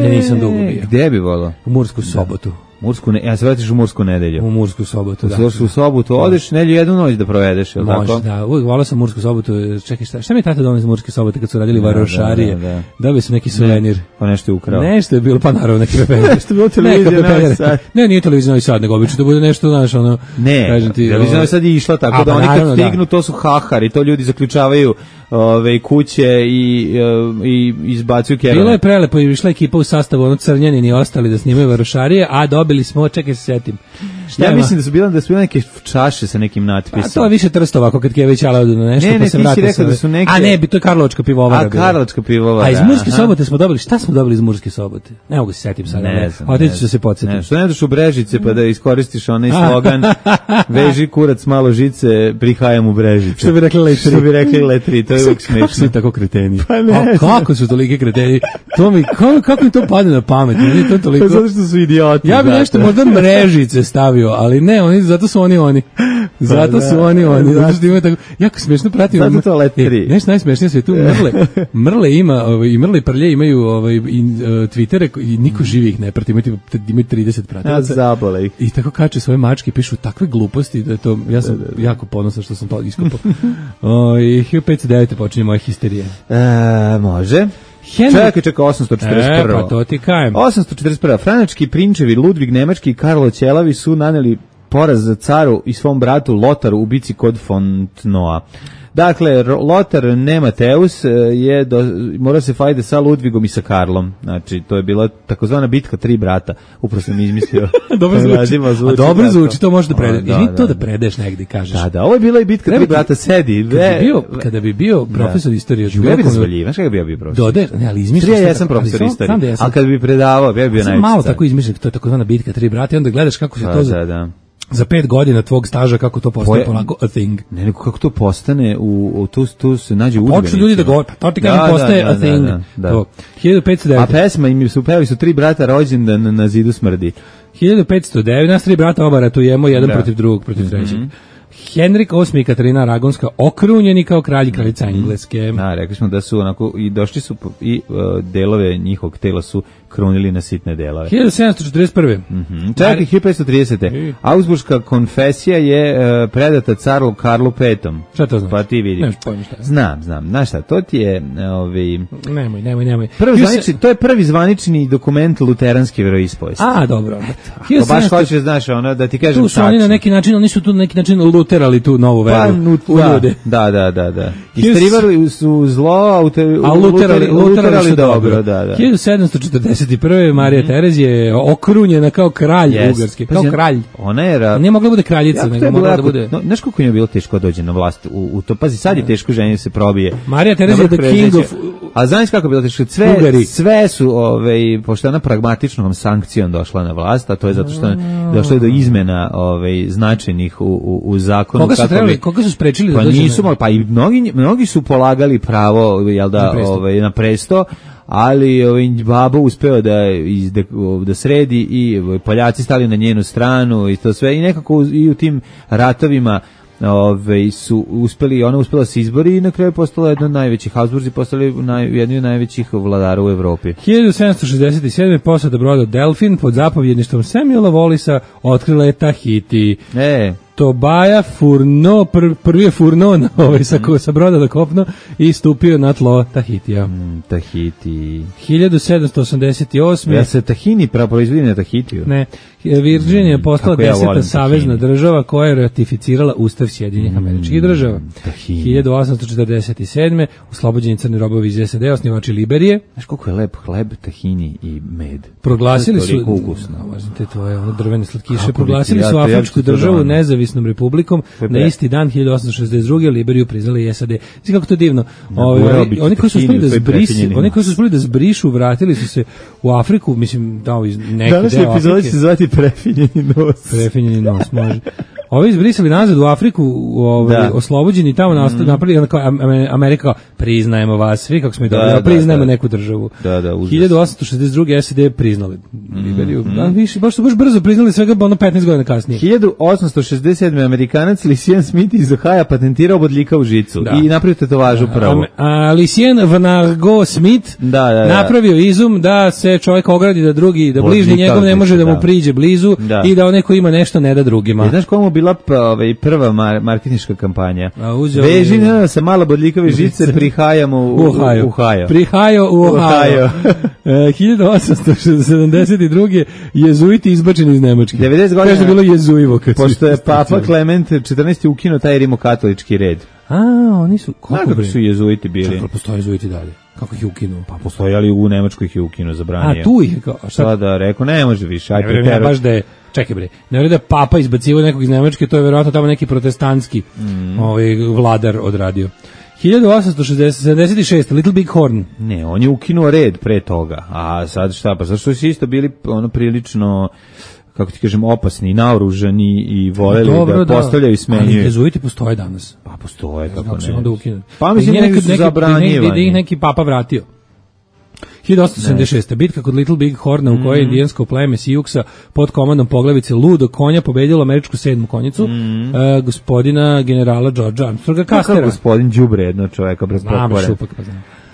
ja nisam dugo bio. Gde bi volao? U Mursku Sobotu. Mursku ne, ja se vratiš u Mursku nedelju. U Mursku Sobotu, da. U Mursku Sobotu, odeš nedelju jednu noć da provedeš, je li tako? Može, da, uvijek volao sam Mursku Sobotu. Čekaj, šta, šta mi je tata donio iz Murske Sobote kad su radili da, varošarije? Da, da, da. Dobio sam neki suvenir. Ne, pa nešto je ukrao. Nešto je bilo, pa naravno neki pepeljer. Nešto je bilo televizija Novi Sad. Ne, nije televizija Novi Sad, nego obično da bude nešto, znaš, ono... Ne, televizija Novi Sad je išla tako, da oni kad stignu, to su hahari, to ljudi zaključavaju ove kuće i, i izbacuju kerove. Bilo je prelepo, išla ekipa u sastavu, ono Crnjanin i ostali da snimaju varošarije, a dobili smo, čekaj se setim. Šta ja mislim da su bile da su bile neke čaše sa nekim natpisom. A to je više Trstova, ako kad Kević ala odu na nešto, ne, pa se vrati. Ne, ne, da su neke... A ne, to je Karlovačka pivovara. A Karlovačka pivovara. A iz Murske Sobote smo dobili, šta smo dobili iz Murske Sobote? Ne mogu se setim sad. Ne znam. Otići ću se podsjetiti. Ne, što ne doš u Brežice pa da iskoristiš onaj slogan veži kurac malo žice, prihajam u Brežice. Što bi rekli letri. Što bi rekli letri, to je uvijek smiješno. Kako su tako kreteni? Pa ne. A kako su toliki kreteni? To mi, kako, kako mi to padne na pamet? Meni to toliko... Pa zato što su idioti. Ja bi nešto možda Mrežice stavio, ali ne, oni, zato su oni oni. Zato su oni oni. Zato što imaju tako, jako smiješno pratimo. Zato to letri. E, nešto najsmešnije sve tu Mrle. Mrle ima, ovaj, i Mrle i Prlje imaju ovaj, i, uh, Twittere i niko živi ih ne prati. Imaju, imaju trideset pratilaca. Zabole ih. I tako kače svoje mačke, pišu takve gluposti da je to, ja sam da, da, da. jako ponosan što sam to iskupao. O, i hiljadu petsto devet. počinje moja histerija. E, može. Henry... Čekaj, čekaj, osamsto četrdeset prva. E, pa to ti kajem. osamsto četrdeset prva. Franački prinčevi Ludvig Nemački i Karlo Ćelavi su naneli poraz za caru i svom bratu Lotaru u bici kod Fontnoa. Dakle, Lotar Nemateus je do, mora se fajde sa Ludvigom i sa Karlom. Znači, to je bila takozvana bitka tri brata. Upravo sam izmislio. Dobro zvuči. zvuči. A dobro zvuči, to možeš da predeš. Da, da, to da predeš negdje, kažeš. Da, da, ovo je bila i bitka tri brata, sedi. Kada bi bio, kada bi bio profesor istorije, ja bih razvaljiv, znaš kada bi ja bio profesor? Dode, ne, ali izmišljaš. Ja sam profesor istorije, ali kada bi predavao, ja bi bio najveći. Malo tako izmišljam, to je takozvana bitka tri brata i onda gledaš kako se to za pet godina tvog staža kako to postane polako a thing. Ne, nego kako to postane u, u tu, tu se nađe u udžbenicima. Počnu ljudi da govore, pa to ti kažem postaje da, da, a thing. Da, da, da. hiljadu petsto devet. A pesma im su pevali su tri brata rođendan na, na zidu smrdi. hiljadu petsto devet, nas tri brata oba ratujemo, jedan da. protiv drugog, protiv mm-hmm. trećeg. Henrik osmi i Katarina Aragonska okrunjeni kao kralj i kraljica Engleske. Da, rekli smo da su onako i došli su i uh, delove njihovog tela su krunili na sitne delove. hiljadu sedamsto četrdeset prve. Mhm. Čekaj, hiljadu petsto tridesete. Augsburška konfesija je uh, predata caru Karlu petom. Šta to znači? Pa ti vidi. Nemaš pojma šta je. Znam, znam. Znaš šta, to ti je ovaj Nemoj, nemoj, nemoj. Prvi zvanični, se... to je prvi zvanični dokument luteranske veroispovesti. A, dobro. To baš hoćeš, znaš, ono da ti kažem tu su tačno. Oni na neki način, oni su tu na neki način odluterali tu novu veru pa, nut, u da, ljude. Da, da, da, da. Isterivali su zlo, a, ute, a luterali, luterali su dobro. dobro da, da. hiljadu sedamsto četrdeset prve. Marija mm-hmm. Terezija je okrunjena kao kralj yes. Ugarske, kao pa, kralj. Ona je ra... nije mogla bude kraljica, jako nego mogla da bude. No, znaš koliko je bilo teško dođe na vlast u, u to. Pazi, sad je teško ženje se probije. Marija Terezija je the king of. A znaš kako je bilo teško? Sve, Ugari. sve su, ovaj, pošto je ona pragmatičnom sankcijom došla na vlast, a to je zato što je došlo je do izmena ovaj, značajnih u, u, u zakonu. Koga su, trebali, koga su sprečili pa da dođe? Nisu, pa i mnogi, mnogi su polagali pravo jel da, na presto, ovaj, na presto ali ovaj, babo uspeo da, iz, da, da sredi i Poljaci stali na njenu stranu i to sve i nekako i u tim ratovima Ove, su uspeli, ona uspela se izbori i na kraju postala jedna od najvećih, Habsburzi postali naj, jedni od najvećih vladara u Evropi. hiljadu sedamsto šezdeset sedme. posada broda Delfin pod zapovjedništvom Samuela Wallisa otkrila je Tahiti. E. Tobaja Furno, pr, prvi je Furno na, ovaj, sa, sa broda do kopno i stupio na tlo Tahitija. Mm, Tahiti. hiljadu sedamsto osamdeset osme. Ja se Tahini proizvodi na Tahitiju. Ne. Virginia je postala mm, deseta ja savezna država koja je ratificirala Ustav Sjedinjenih mm, Američkih država. Tahini. hiljadu osamsto četrdeset sedme. Oslobođeni crni robovi iz S A D, osnivači Liberije. Znaš koliko je lep hleb, tahini i med. Proglasili su, ukusno. te tvoje ono drvene slatkiše, proglasili su Afričku državu nezavisnom republikom. Na isti dan hiljadu osamsto šezdeset druge. Liberiju priznali i S A D. Znači kako to divno. Ovi, oni koji su uspeli da zbrisi, oni koji su uspeli da zbrišu, vratili su se u Afriku, mislim, dao iz neki danas deo Afrike. Danas će zvati prefinjeni nos. Prefinjeni nos, može. Ovi izbrisali nazad u Afriku, ovaj, oslobođeni tamo mm. napravili Amerika, priznajemo vas svi, kako smo i dobili, da, priznajemo da, neku državu. Da, da, hiljadu osamsto šezdeset druge. S A D priznali Liberiju. Mm. Da, više, baš su baš brzo priznali, svega ono petnaest godina kasnije. hiljadu osamsto šezdeset sedme. Amerikanac Lucien Smith iz Ohaja patentirao bodljika u žicu da. I napravio tetovažu pravo. A, a Lucien Vanargo Smith da, da, da. napravio izum da se čovjek ogradi da drugi, da bližnji njegov ne može da mu priđe blizu da. I da onaj ko ima nešto ne da drugima. I znaš komu bila ovaj prva mar marketinška kampanja. Veži na sa malo bodljikove žice prihajamo u Ohio. U Ohio. Prihajo u Ohio. hiljadu osamsto sedamdeset druge. jezuiti izbačeni iz Nemačke. devedeset godina kaže bilo jezuivo kad pošto je papa Klement četrnaesti ukinuo taj rimokatolički red. A, oni su kako su jezuiti bili? Kako postoje jezuiti dalje? Kako ih je ukinuo? Pa postoji, ali u Nemačkoj ih je ukinuo, zabranio. A tu ih kao šta? Sada rekao ne može više. Ajde, ne, ne, baš da je čekaj bre. Ne vjerujem da papa izbacivao nekog iz Nemačke, to je verovatno tamo neki protestantski mm. ovaj vladar odradio. hiljadu osamsto sedamdeset šeste. Little Big Horn. Ne, on je ukinuo red pre toga. A sad šta, pa zašto su isto bili ono prilično kako ti kažem, opasni, naoružani i voleli dobro, da postavljaju i smenjuju. Ali jezuiti postoje danas. Pa postoje, kako znači, ne. Onda ukinu. Pa mislim da neki, su zabranjivani. Da ih neki papa vratio. hiljadu osamsto sedamdeset šeste. Bitka kod Little Big Horna u kojoj je indijansko pleme Siuksa pod komandom poglavice Ludo konja pobedilo američku sedmu konjicu, mm. uh, gospodina generala Georgea Armstronga Castera. Kako gospodin đubre jedno čoveka bez pokore.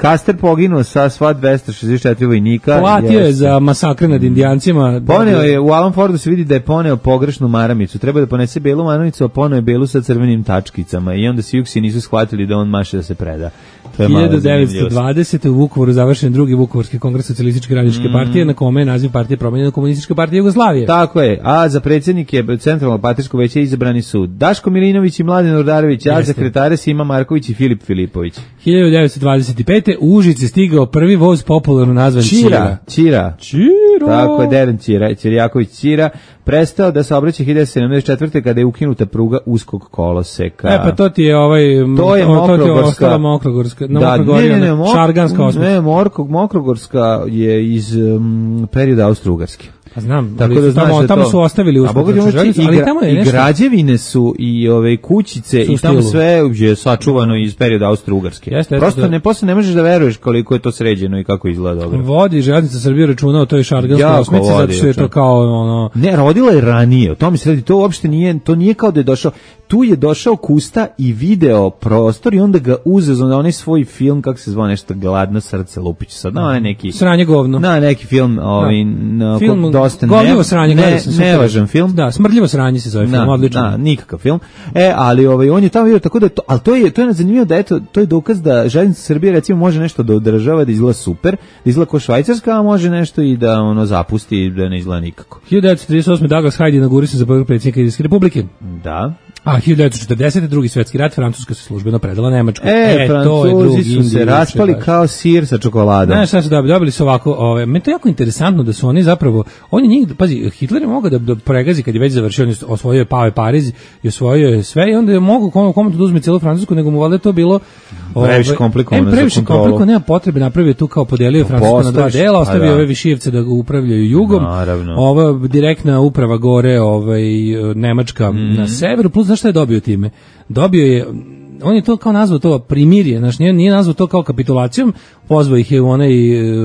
Caster poginuo sa sva dvesta šezdeset četiri vojnika. Platio je za masakre nad indijancima. Poneo je, u Alan Fordu se vidi da je poneo pogrešnu maramicu. Treba da ponese belu maramicu, a poneo je belu sa crvenim tačkicama. I onda Siuksi nisu shvatili da on maše da se preda. hiljadu devetsto dvadesete. u Vukovaru završen drugi Vukovarski kongres Socijalističke radničke mm. partije, na kome je naziv partije promenjen na Komunistička partija Jugoslavije. Tako je. A za predsjednike Centralnog partijskog veća izabrani su Daško Milinović i Mladen Urdarević, a sekretare Sima Marković i Filip Filipović. hiljadu devetsto dvadeset pete. u Užice stigao prvi voz popularno nazvan Čira. Čira. Čira. Tako je, Deren Čira, Čirjaković Čira, prestao da se obraća hiljadu sedamdeset četvrte. kada je ukinuta pruga uskog koloseka. E pa to ti je ovaj to je Mokrogorska, Mokrogorska, no, da, ne, ne, ne, Šarganska osma. Ne, Morkog, Mokrogorska je iz um, perioda Austro-Ugarske. Pa znam, tako da tamo, da tamo to, su ostavili uskog železnicu, ali gra, tamo je i nešto. građevine su i ove kućice i tamo sve je sačuvano iz perioda Austro-Ugarske. Jeste, prosto da, ne posle ne možeš da veruješ koliko je to sređeno i kako izgleda dobro. Vodi železnica Srbije računa o toj Šarganskoj osmici zato što je to kao ono ne, rodila je ranije. O tome se radi, to uopšte nije, to nije kao da je došao. Tu je došao Kusta i video prostor i onda ga uzeo na onaj svoj film, kako se zvao, nešto Gladno srce Lupić sad, na onaj neki Sranje govno. Na neki film, ovaj no, film dosta govno sranje, ne, nevažan film. Da, Smrdljivo sranje se zove film, odlično. Da, nikakav film. E, ali ovaj on je tamo video tako da to, al to je to je zanimljivo da eto to je dokaz da železnica Srbije recimo može nešto da održava, da izgleda super, da izgleda kao Švajcarska, a može nešto i da ono zapusti i da ne izgleda nikako. hiljadu devetsto trideset osme. Douglas Hyde inaugurisan za prvog predsjednika Indijske Republike. Da. A hiljadu devetsto četrdesete. drugi svetski rat, Francuska se službeno predala Nemačkoj. E, e Francuzi su se raspali kao sir sa čokoladom. Znaš šta su dobili? Dobili su ovako, ove, meni to jako interesantno da su oni zapravo, oni njih, pazi, Hitler je mogao da, da pregazi kad je već završio, on osvojio je Pave Pariz i osvojio je sve i onda je mogao komu, komu da uzme cijelu Francusku, nego mu valjda to bilo previše komplikovano za previše komplikovano, nema potrebe, napravio tu kao podelio Francusku na dva dela, ostavio da. ove Višijevce da upravljaju jugom, naravno. Ova direktna uprava gore, ovaj, Nemačka mm. na severu, plus znaš šta je dobio time? Dobio je, on je to kao nazvao to primirje, znači nije, nije nazvao to kao kapitulacijom, pozvao ih je u onaj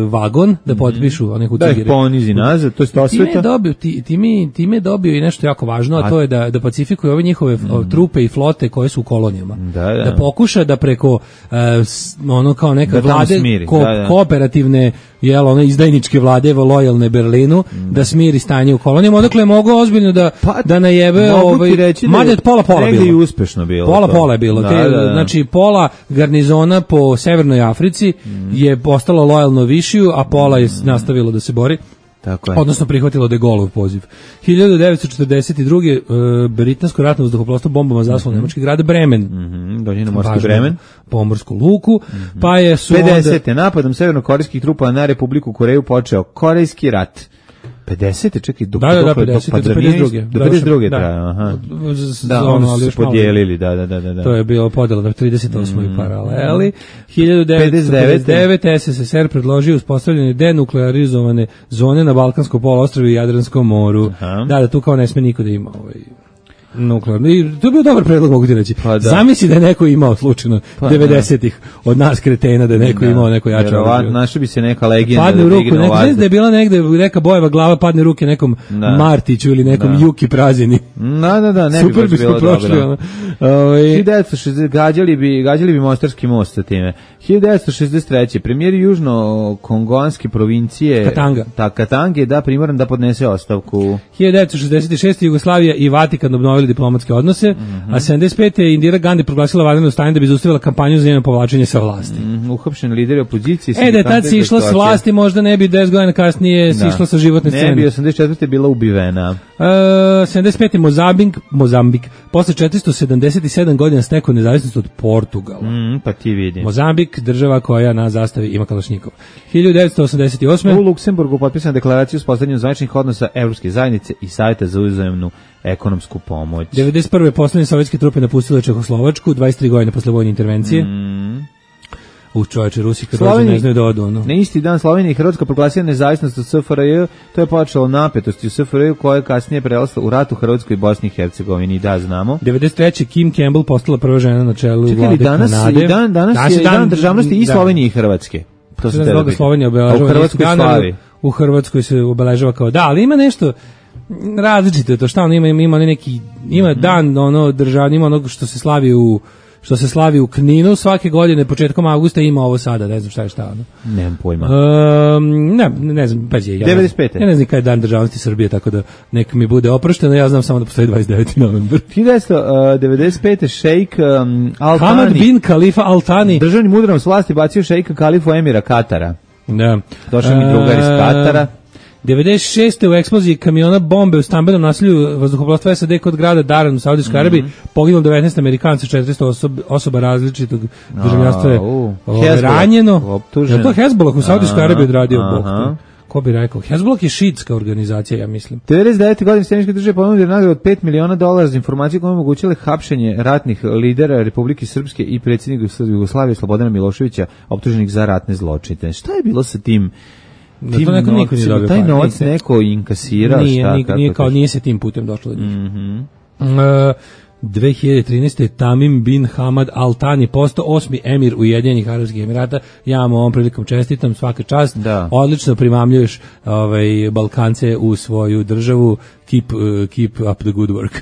vagon da potpišu mm. one hucigire. Da ih ponizi nazad, to je to time je dobio, ti, time, time je dobio i nešto jako važno, a, a to je da, da pacifikuje ove njihove mm. trupe i flote koje su u kolonijama. Da, da. Da pokuša da preko uh, ono kao neka da vlade ko, da, da. kooperativne jel, one izdajničke vlade lojalne Berlinu, mm. da smiri stanje u kolonijama, odakle je mogao ozbiljno da, pa, da najebe ovaj, mada je pola pola bilo. I uspešno bilo. Pola to. pola je bilo. Da, Te, da, da. Znači pola garnizona po Severnoj Africi mm. je postalo lojalno Višiju, a pola je mm. nastavilo da se bori. Tako je. Odnosno prihvatilo de Gaulleov poziv. hiljadu devetsto četrdeset druge. Uh, britansko ratno vazduhoplovstvo bombama zaslo mm-hmm. nemački grad Bremen. Mhm. Dođeno morski Bremen, pomorsku luku, mm-hmm. pa je su pedesete. Onda napadom severnokorejskih trupa na Republiku Koreju počeo Korejski rat. pedesete čekaj, dok da, da, da, pedesete, do pedeset druge do pedeset druge traja, aha. Da, oni su se podijelili, da, da, da, da. To je bilo podela na trideset osmoj mm. paraleli. hiljadu devetsto pedeset devete. es es es er predložio uspostavljanje denuklearizovane zone na Balkanskom poluostrvu i Jadranskom moru. Aha. Da, da tu kao ne sme niko da ima ovaj nuklearno. I to je bio dobar predlog, mogu ti reći. Pa da. Zamisli da je neko imao slučajno pa devedesetih od nas kretena, da je neko da. imao neko jače oružje. Našla bi se neka legenda. Padne u ruku, neka, da je bila negde neka bojeva glava, padne u ruke nekom da. Martiću ili nekom da. Juki Prazini. Da, da, da, ne super bi bilo prošli, dobro. hiljadu devetsto šezdeset gađali bi, gađali bi Mostarski most sa time. hiljadu devetsto šezdeset treće premijer južno-kongoanske provincije Katanga. Ta Katange, da, primoran da podnese ostavku. hiljadu devetsto šezdeset šeste. Jugoslavija i Vatikan obnovili diplomatske odnose, mm-hmm. a sedamdeset pete. je Indira Gandhi proglasila vanredno stanje da bi zaustavila kampanju za njeno povlačenje sa vlasti. Mm, uhapšeni lideri opozicije. E, da je tad si išla s vlasti, možda ne bi deset godina kasnije si išla sa životne scene. Ne bi, osamdeset četvrte. bila ubivena. Uh, sedamdeset pete. Mozambik, Mozambik, posle četiristo sedamdeset sedam godina stekao nezavisnost od Portugala. Mm, pa ti vidi. Mozambik, država koja na zastavi ima kalašnjikov. hiljadu devetsto osamdeset osme. U Luksemburgu potpisana deklaracija o uspostavljanju zvaničnih odnosa Evropske zajednice i Savjeta za uzajamnu ekonomsku pomoć. devedeset prve. poslednje sovjetske trupe napustile Čehoslovačku, dvadeset tri godine posle vojne intervencije. Mm. U čovječe, Rusi kad dođe ne znaju da odu. Ono. Na isti dan Slovenija i Hrvatska proglasila nezavisnost od S F R J, to je počelo napetosti u S F R J koja je kasnije prelazila u rat u Hrvatskoj i Bosni i Hercegovini, da znamo. devedeset treće. Kim Campbell postala prva žena na čelu Čekaj, vlade danas, Kanade. Dan, danas, danas je dan, dan državnosti i Slovenije i Hrvatske. To se da Slovenija obeležava. U Hrvatskoj slavi. U Hrvatskoj se obeležava kao da, ali ima nešto različito je to, šta on ima, ima neki, ima dan ono državni, ima onog što se slavi u što se slavi u Kninu svake godine početkom avgusta, ima ovo sada, ne znam šta je šta ono. Nemam pojma. Um, ne, ne znam, pa je ja. devedeset pete. Ja ne znam kada je dan državnosti Srbije, tako da neka mi bude oprošteno, ja znam samo da postoji dvadeset deveti novembar. hiljadu devetsto devedeset pete. šejk um, Al Thani, Hamad bin Khalifa Al Thani, državni mudrom s vlasti bacio šejka Khalifu Emira Katara. Da. Došao mi drugar iz Katara. devedeset šeste. u eksploziji kamiona bombe u stambenom naselju vazduhoplovstva S A D kod grada Daran u Saudijskoj mm-hmm. Arabiji poginulo devetnaest Amerikanca, četiristo osoba, osoba različitog državljanstva je uh, ranjeno. Je to Hezbollah u Saudijskoj Arabiji odradio Bog? Ko bi rekao? Hezbollah je šiitska organizacija, ja mislim. devedeset devete. godine Sjemeničke države ponudili nagradu od pet miliona dolara za informacije koje omogućile hapšenje ratnih lidera Republike Srpske i predsjednika Jugoslavije Slobodana Miloševića optuženih za ratne zločine. Šta je bilo sa tim? Da to neko niko nije dobio. Taj novac neko inkasirao, nije, šta? Nije, kako nije, kao, nije se tim putem došlo do njih. Mm-hmm. Uh, dve hiljade trinaeste. Tamim bin Hamad Al Thani postao osmi emir Ujedinjenih Arapskih Emirata. Ja vam ovom prilikom čestitam, svaka čast. Da. Odlično primamljuješ ovaj, Balkance u svoju državu. Keep, uh, keep up the good work.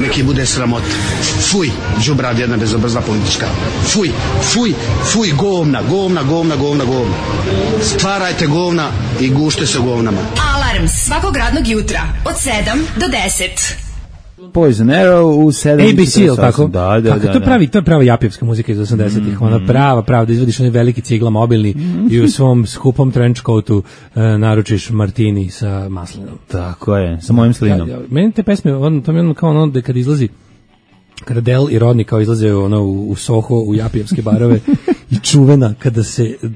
Neki bude sramot. Fuj, džubrad jedna bezobrazna politička. Fuj, fuj, fuj, govna, govna, govna, govna, govna. Stvarajte govna i gušte se govnama. Alarm svakog radnog jutra od sedam do deset. Poison Arrow u sedam A B C, ili tako? Da, da, Kako, da. to je pravi, to je prava japijevska muzika iz osamdesetih, mm, ona prava, prava, da izvodiš onaj veliki cigla mobilni mm. i u svom skupom trench coatu uh, naručiš martini sa maslinom. Tako je, sa mojim slinom. Ja, ja, meni te pesme, on, to mi je ono kao ono da kad izlazi, kada Del i Rodney kao izlaze ono, u, u Soho, u japijevske barove i čuvena kada se uh,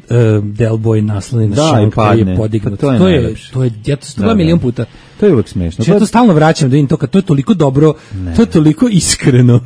Del Boy nasloni na šank koji je podignut. Pa to je to je, najlepše. to je, ja to sto dva milion puta. To je uvek smešno. Ja to stalno vraćam da vidim to, kad to je toliko dobro, ne. To je toliko iskreno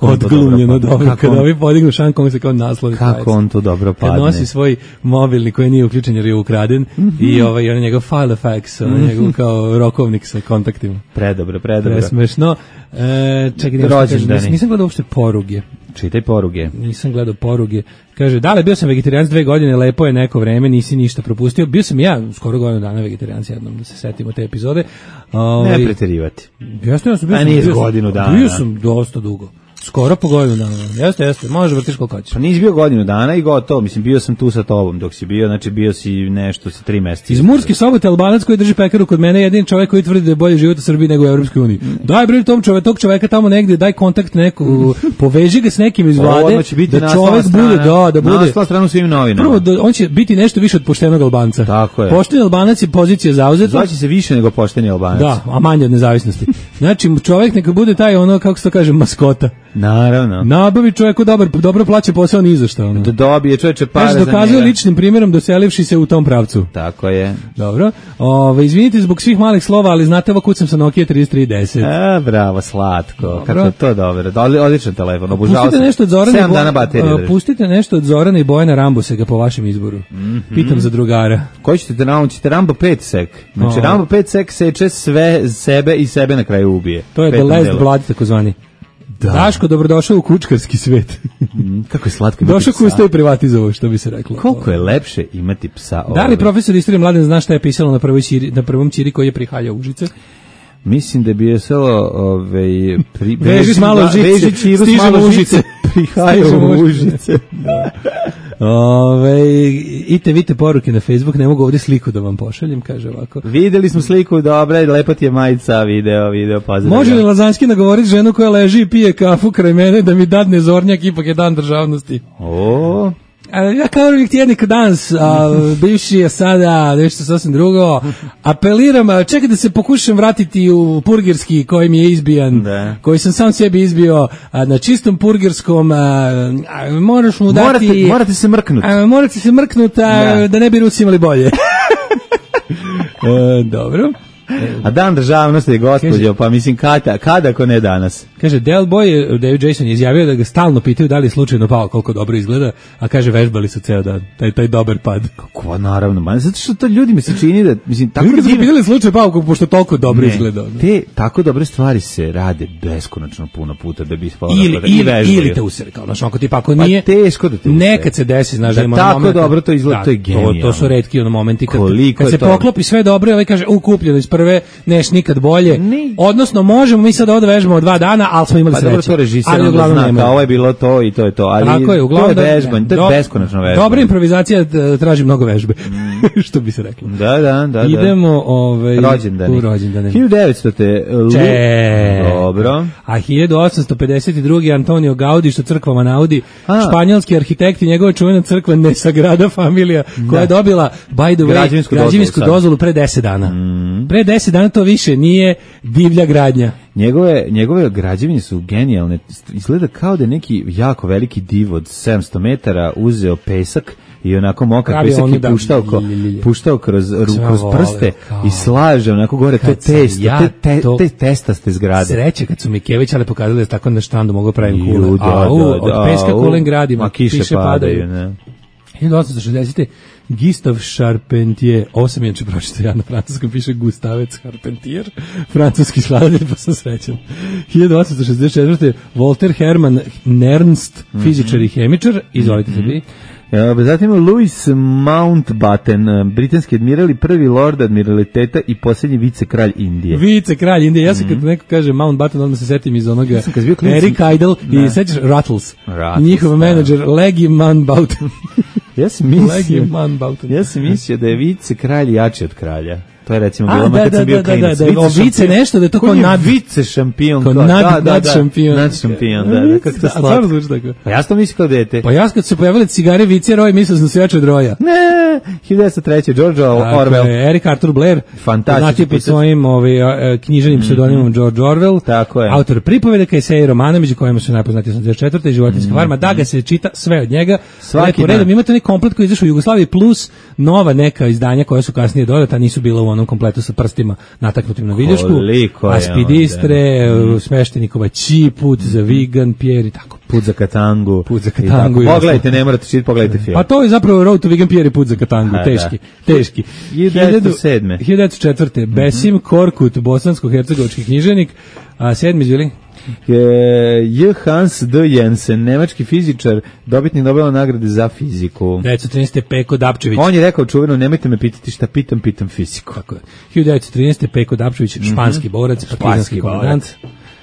odglumljeno dobro, dobro kada on, ovi podignu šank, on se kao nasloni. Kako on to dobro padne. Kad nosi svoj mobilni koji nije uključen jer je ukraden mm-hmm. i ovaj, on je njegov file fax, on je njegov kao rokovnik sa kontaktima. Predobro, predobro. Presmešno. E, čekaj, nisam, nisam gledao uopšte poruge. Čitaj poruge. Nisam gledao poruge. Kaže, da li bio sam vegetarijanc dve godine, lepo je neko vreme, nisi ništa propustio. Bio sam ja skoro godinu dana vegetarijanc jednom, da se setimo te epizode. Ove, ne preterivati. Jasno, ja sam bio, A nije bio, godinu dana. Bio sam dosta dugo. Skoro po godinu dana. Jeste, jeste. Može vrtiš koliko hoćeš. Pa nisi bio godinu dana i gotovo. Mislim, bio sam tu sa tobom dok si bio, znači bio si nešto sa tri meseca. Iz Murske Sobote Albanac koji drži pekaru kod mene, jedin čovjek koji tvrdi da je bolje život u Srbiji nego u Evropskoj uniji. Daj bre tom čovjek, tog čovjeka tamo negdje, daj kontakt neku, poveži ga s nekim iz vlade, da čovjek bude, da, da bude. Nasla stranu svim novinama. Prvo, da, on će biti nešto više od poštenog Albanca. Tako je. Pošteni Albanac je pozicija zauzeta. Zvaće se više nego pošteni Albanac. Da, a manje od nezavisnosti. Znači, čovjek neka bude taj ono, kako se to kaže, maskota. Naravno. Nabavi čovjeku dobar, dobro plaća posao ni za šta. Ono. Da dobije čovječe pare za njega. Dokazuje ličnim primjerom doselivši se u tom pravcu. Tako je. Dobro. Ove, izvinite zbog svih malih slova, ali znate ovo kucam sa Nokia trideset tri deset. A, bravo, slatko. Dobro. Kako je to dobro. Odličan telefon, obožavao pustite sam. Nešto od Zorana sedam dana baterije drži. Pustite nešto od Zorana i Bojana Rambusega po vašem izboru. Mm-hmm. Pitam za drugara. Koji ćete naučiti? Rambo pet sek. Znači, o. Rambo pet sek seče sve sebe i sebe na kraju ubije. To je The Last Blood, takozvani. Da. Daško, dobrodošao u kučkarski svet. Mm, kako je slatko imati Došao psa. Došao kusta i privatizovao, što bi se reklo. Koliko je lepše imati psa. Da li profesor istorije Mladen zna šta je pisalo na, prvoj ćiri, na prvom ćiri koji je prihaljao Užice? Mislim da je bio selo ovaj pri veži malo Užice, veži Čiru s malo Užice, prihaljao Užice. Da. Ove, ite vidite poruke na Facebook, ne mogu ovdje sliku da vam pošaljem, kaže ovako. Videli smo sliku, dobra, lepo ti je majica, video, video, pozdrav. Može li Lazanski nagovoriti ženu koja leži i pije kafu kraj mene da mi dadne zornjak, ipak je dan državnosti? O. Ja kao uvijek tjednik danas, a, bivši je sada nešto sasvim drugo, apeliram, čekaj da se pokušam vratiti u purgirski koji mi je izbijan, da. Koji sam sam sebi izbio a, na čistom purgirskom, a, a, moraš mu dati... Morate, morate se mrknuti. Morate se mrknuti, da. da ne bi Rusi imali bolje. e, dobro. A dan državnosti je gospođo, pa mislim kada, kada ako ne danas. Kaže, Del Boy, David Jason je izjavio da ga stalno pitaju da li je slučajno pao, koliko dobro izgleda, a kaže vežbali su ceo dan, taj, taj dobar pad. Kako, naravno, man, zato što to ljudi mi se čini da, mislim, tako ljudi divno... su pitali slučaj pao, pošto toliko dobro ne, izgleda. Ne. Te tako dobre stvari se rade beskonačno puno puta da bi ispao ili, da ili, ili te usere, kao, znaš, ako ti pa ako nije, pa teško da te usere. Nekad se desi, znaš, da, da tako moment, dobro to izgleda, da, to je genijalno. To, to su retki ono momenti kad, Koliko kad se to... poklopi sve dobro i ovaj kaže, ukupljeno iz prve, neš nikad bolje. Ne. Odnosno, možemo mi sad ovdje vežbamo dva dana, ali smo imali pa sreće. Pa dobro, to režisir ali onda zna, kao ovo je bilo to i to je to. Ali tako je, uglavnom, to je vežbanje, to je do, beskonačno vežbanje. Dobra improvizacija traži mnogo vežbe, mm. što bi se reklo. Da, da, da. Idemo ovaj, rođendani. u rođendane. hiljadu devetsto. Lu... Dobro. A hiljadu osamsto pedeset druge. Antonio Gaudi, što crkvama naudi, a. španjolski arhitekt i njegova čuvena crkva Nesagrada Familia, koja da. je dobila, by the way, građevinsku, građevinsku dozvolu, dozvolu pre deset dana. Mm. Pre deset dana to više nije divlja gradnja. Njegove, njegove građevine su genijalne. Izgleda kao da je neki jako veliki div od sedamsto metara uzeo pesak i onako mokar pesak i puštao, ko, puštao kroz, kroz prste kao. I slaže onako gore to testo, ja te, te, te testaste zgrade. Sreće kad su mi Kević ali pokazali da tako na štandu mogu pravim kule. Ju, da, a, u, da, od da, peska kulen gradimo, a kiše, kiše padaju. padaju ne. hiljadu osamsto šezdesete. Gustave Charpentier, ovo sam inače pročitao ja na francuskom, piše Gustavec Charpentier, francuski skladatelj, pa sam srećan. hiljadu osamsto šezdeset četvrte. Walter Hermann Nernst, mm-hmm. fizičar i hemičar, izvolite mm-hmm. se vi. Ja, zatim Louis Mountbatten, britanski admiral i prvi lord admiraliteta i posljednji vicekralj Indije. Vicekralj Indije, ja sam mm-hmm. kad neko kaže Mountbatten, odmah se setim iz onoga ja Eric Idle i sećaš Rattles, Rattles njihov menadžer Leggy Mountbatten. Ja sam mislio, ja sam mislio da je vicekralj jači od kralja. to je recimo A, bilo da, kad da, sam bio da, klinac. da, da, o, vice nešto, da je to kao nad- vice šampion. Kao kao- nad- da, da, nad da, šampion. nad šampion, da, da, kako to A, stvarno slatko. zvuči tako. Pa ja sam mislio kao dete. Pa ja kad se pojavile cigare vice Roy, mislio sam da se jače od Roja. Ne, hiljadu devetsto treće. George Orwell. Je, Eric Arthur Blair, Fantastičan znači pod pisac. svojim ovaj, a, književnim pseudonimom George Orwell, Tako je. autor pripovedaka, eseja i romana, među kojima su najpoznatiji osamdeset četvrte i Životinjska farma, da ga se čita sve od njega. Svaki Lepo dan. redom, imate onaj komplet koji je izašao u Jugoslaviji plus nova neka izdanja koja su kasnije dodata, nisu bila u onom kompletu sa prstima nataknutim na viljušku. Koliko je Aspidistre, Sveštenikova Ći, Put za Vigan, Pierre i tako. Put za Katangu. Put za I tako. Katangu i Pogledajte, ne morate čitati, pogledajte film. Pa to je zapravo Road to Vegan Pierre i Put za Katangu, A, teški, da. teški. hiljadu devetsto sedme. hiljadu devetsto četvrte. Besim Korkut, bosansko-hercegovački književnik, a sedmi izvili? Je J. Hans D. Jensen, nemački fizičar, dobitnik Nobelove nagrade za fiziku. devetsto trinaeste. Peko Dapčević. On je rekao čuveno, nemojte me pitati šta pitam, pitam fiziku. Tako je. hiljadu devetsto trinaeste. Peko Dapčević, španski borac, partizanski komandant.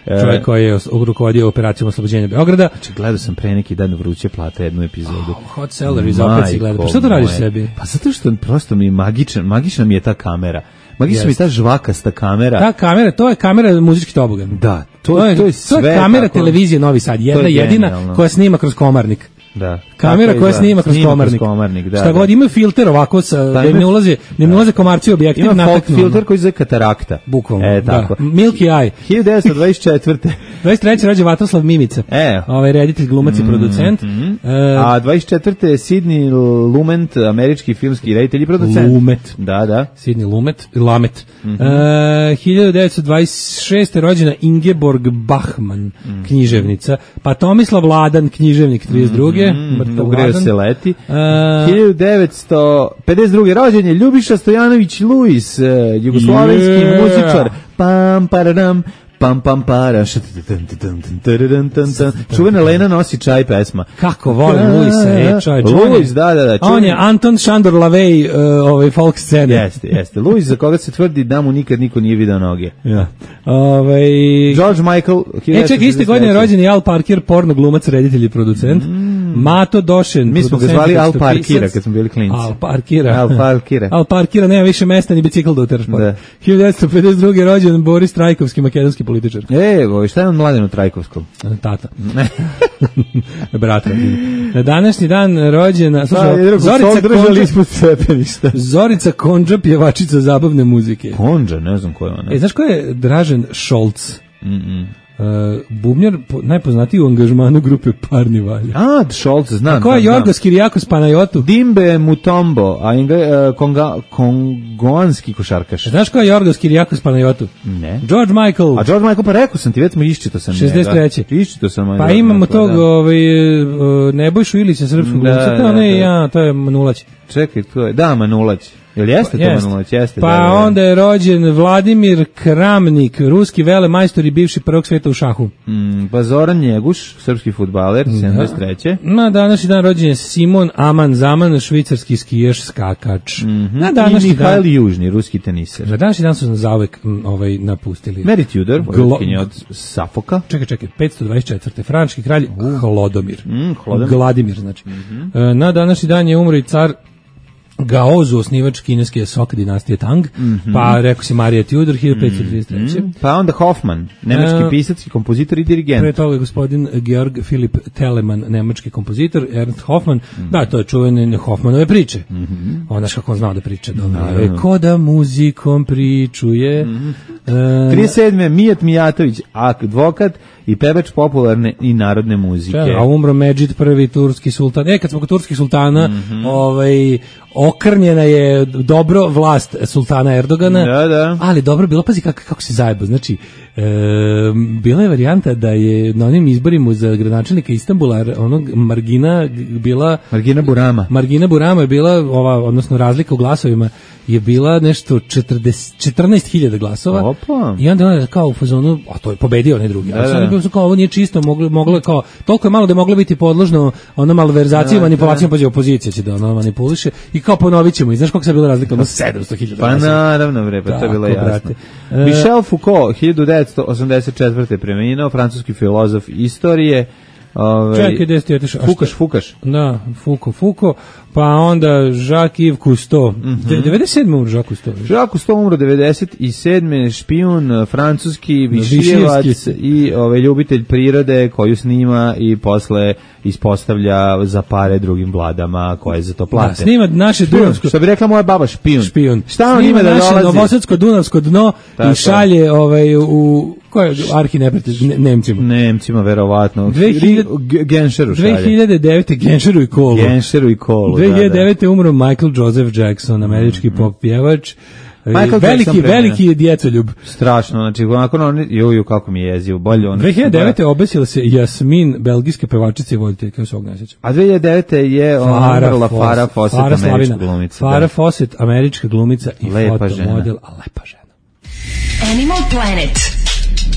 E. Čovjek koji je os- rukovodio operacijom oslobođenja Beograda. Znači, gledao sam pre neki dan Vruće plate jednu epizodu. Oh, hot Celeries, opet si gledao. Pa šta to radiš moje. sebi? Pa zato što prosto mi je magičan, magična mi je ta kamera. Magična mi je Jeste. ta žvakasta kamera. Ta kamera, to je kamera muzički tobogan. Da, to, To je, to je to sve je kamera tako- televizije Novi Sad, jedna je jedina genijalno. koja snima kroz komarnik. Da. Kamera Tako koja izgleda. snima kroz Snima komarnik. komarnik, da, Šta da. god, ima filter ovako, sa, da im ima- ne ulaze, ne im ulaze komarci objektiv, Ima folk nataknu. filter koji zove katarakta. Bukvalno, E, tako. da. Milky Eye. hiljadu devetsto dvadeset četvrte. dvadeset treće rođen Vatroslav Mimica. E. Ovaj reditelj, glumac i producent. E, A dvadeset četvrte je Sidney Lumet, američki filmski reditelj i producent. Lumet. Da, da. Sidney Lumet, Lamet. E, hiljadu devetsto dvadeset šeste. rođena Ingeborg Bachmann, književnica. Pa Tomislav Ladan, književnik, trideset druge. Mrtav Ugreo Ladan. se leti. E, hiljadu devetsto pedeset druge. rođen je Ljubiša Stojanović Luis, eh, jugoslovenski Yeah. muzičar. Pam, paradam, pam, pam, para. Čuvena Lena nosi čaj pesma. Kako volim Luisa, e, čovječ. on je- Luis, da, da, da. On je čuveni- Anton Šandor Lavej, uh, ovaj folk scene. Jeste, jeste. Luis za koga se tvrdi da mu nikad niko nije video noge. Ja. Ovaj George Michael. E, čekaj, iste godine je rođen i Al Parker, porno glumac, reditelj i producent. Mato Došen, Mi smo ga producent, zvali Al tekstopisac. Parkira kad smo bili klinci. Al Parkira. Al Parkira. Al Parkira, nema više mesta ni bicikl da uteraš. Da. hiljadu devetsto pedeset druge. rođen Boris Trajkovski, makedonski političar. E, evo, šta je on Mladenu Trajkovskom? Tata. Brat. Na današnji dan rođena, Pa, slušaj, jednog Zorica sol držali Konđa, ispod stepeništa. Zorica Konđa, pjevačica zabavne muzike. Konđa, ne znam ko je ona. E, znaš ko je Dražen Šolc? Mm-mm. Uh, bubnjar, po, najpoznatiji u angažmanu grupe Parni Valja. A, Scholz, znam. A ko je znam, znam. Jorgos Kirijakos Panajotu? Dimbe Mutombo, a ingle, uh, konga, kongoanski košarkaš. Znaš ko je Jorgos Kirijakos Panajotu? Ne. George Michael. A George Michael, pa rekao sam ti, već smo iščito sam šezdeset treće. njega. Iščito sam. Pa George imamo Michael, tog da. ovaj, uh, Nebojšu Ilića, srpskog Da, glumca, da, to ne, da. ja, to je Manulać. Čekaj, to je, da, Manulać. Jel jeste to Jeste. Manulać? Jeste, Pa da, da, da. onda je rođen Vladimir Kramnik, ruski velemajstor i bivši prvog sveta u šahu. Mm, pa Zoran Njeguš, srpski fudbaler, sedamdeset treće. Na današnji dan rođen je Simon Aman Zaman, švicarski skijaš, skakač. Na I današnji Mihajl dan... Južni, ruski teniser. Na današnji dan su nas zauvek m, ovaj, napustili. Mary Tudor, Glo- vojvotkinja od Safoka. Čekaj, čekaj, petsto dvadeset četvrte. Frančki kralj Hlodomir. Mm, Hlodomir. Gladimir, znači. E, na današnji dan je umro i car Gaozu, osnivač kineske Sok dinastije Tang, pa rekao si Marija Tudor, hiljadu petsto trideset treće. Pa onda Hoffman, nemački E, pisac i kompozitor i dirigent. Pre toga je gospodin Georg Filip Telemann, nemački kompozitor, Ernst Hoffmann, da, to je čuvene Hoffmanove priče. On znaš kako on znao da priča. Dobro. E, ko da muzikom pričuje. E, trideset sedme Mijat Mijatović, advokat i pevač popularne i narodne muzike. a umro Medžid, prvi turski sultan. E, kad smo kod turskih sultana, ovaj, okrnjena je dobro vlast sultana Erdogana, Da, da. ali dobro bilo, pazi kako, kako se zajebo. Znači, e, bila je varijanta da je na onim izborima za gradonačelnika Istanbula onog Margina g- bila Margina Burama. Margina Burama je bila, ova, odnosno razlika u glasovima je bila nešto četrdeset, četrnaest hiljada glasova. Opa. I onda on je kao u fazonu, a to je pobedio onaj drugi. Da, A sad da. je bilo kao ovo nije čisto, moglo moglo je kao toliko je malo da je moglo biti podložno ono malverzacijama, Da, manipulacijama, pa opozicija će da ono manipuliše i kao ponovićemo. I znaš koliko se bila razlika? Ono sedamsto hiljada Pa glasova. naravno, bre, pa to je bilo Tako, jasno. brate. E, Michel Foucault, hiljadu devetsto osamdeset četvrte preminuo, francuski filozof istorije. Ove, Čekaj, gde si ti otišao? A Fukaš, šta- Fukaš. Da, Fuko, Fuko. Pa onda Jacques-Yves Cousteau. Mm -hmm. devedeset sedme umro Jacques Cousteau. Jacques Cousteau umro devedeset sedme špijun, francuski, višijevac i ovaj, ljubitelj prirode koju snima i posle ispostavlja za pare drugim vladama koje za to plate. Da, snima naše dunavsko... Što bi rekla moja baba, špijun. Špijun. Šta on ima da dolazi? Snima naše novosadsko-dunavsko dno tako. I šalje ovaj, u... Ko je arhi neprijatelj? Ne, Nemcima. Nemcima, verovatno. dve hiljade Genšeru šalje. dve hiljade devete. Genšeru i kolu. Genšeru i kolu, dve hiljade devete. da, da. umro Michael Joseph Jackson, američki mm, pop pjevač. Michael veliki, veliki djecoljub. Strašno, znači, onako, on, juju, kako mi je jezivo, bolje on. dve hiljade devete. obesila se Jasmin, belgijska pevačica i voditeljka, svog ne sjećam. A dve hiljade devete. je umrla Farah Fawcett, američka glumica. Farah Fawcett, američka glumica i fotomodel, a lepa žena. Animal Planet.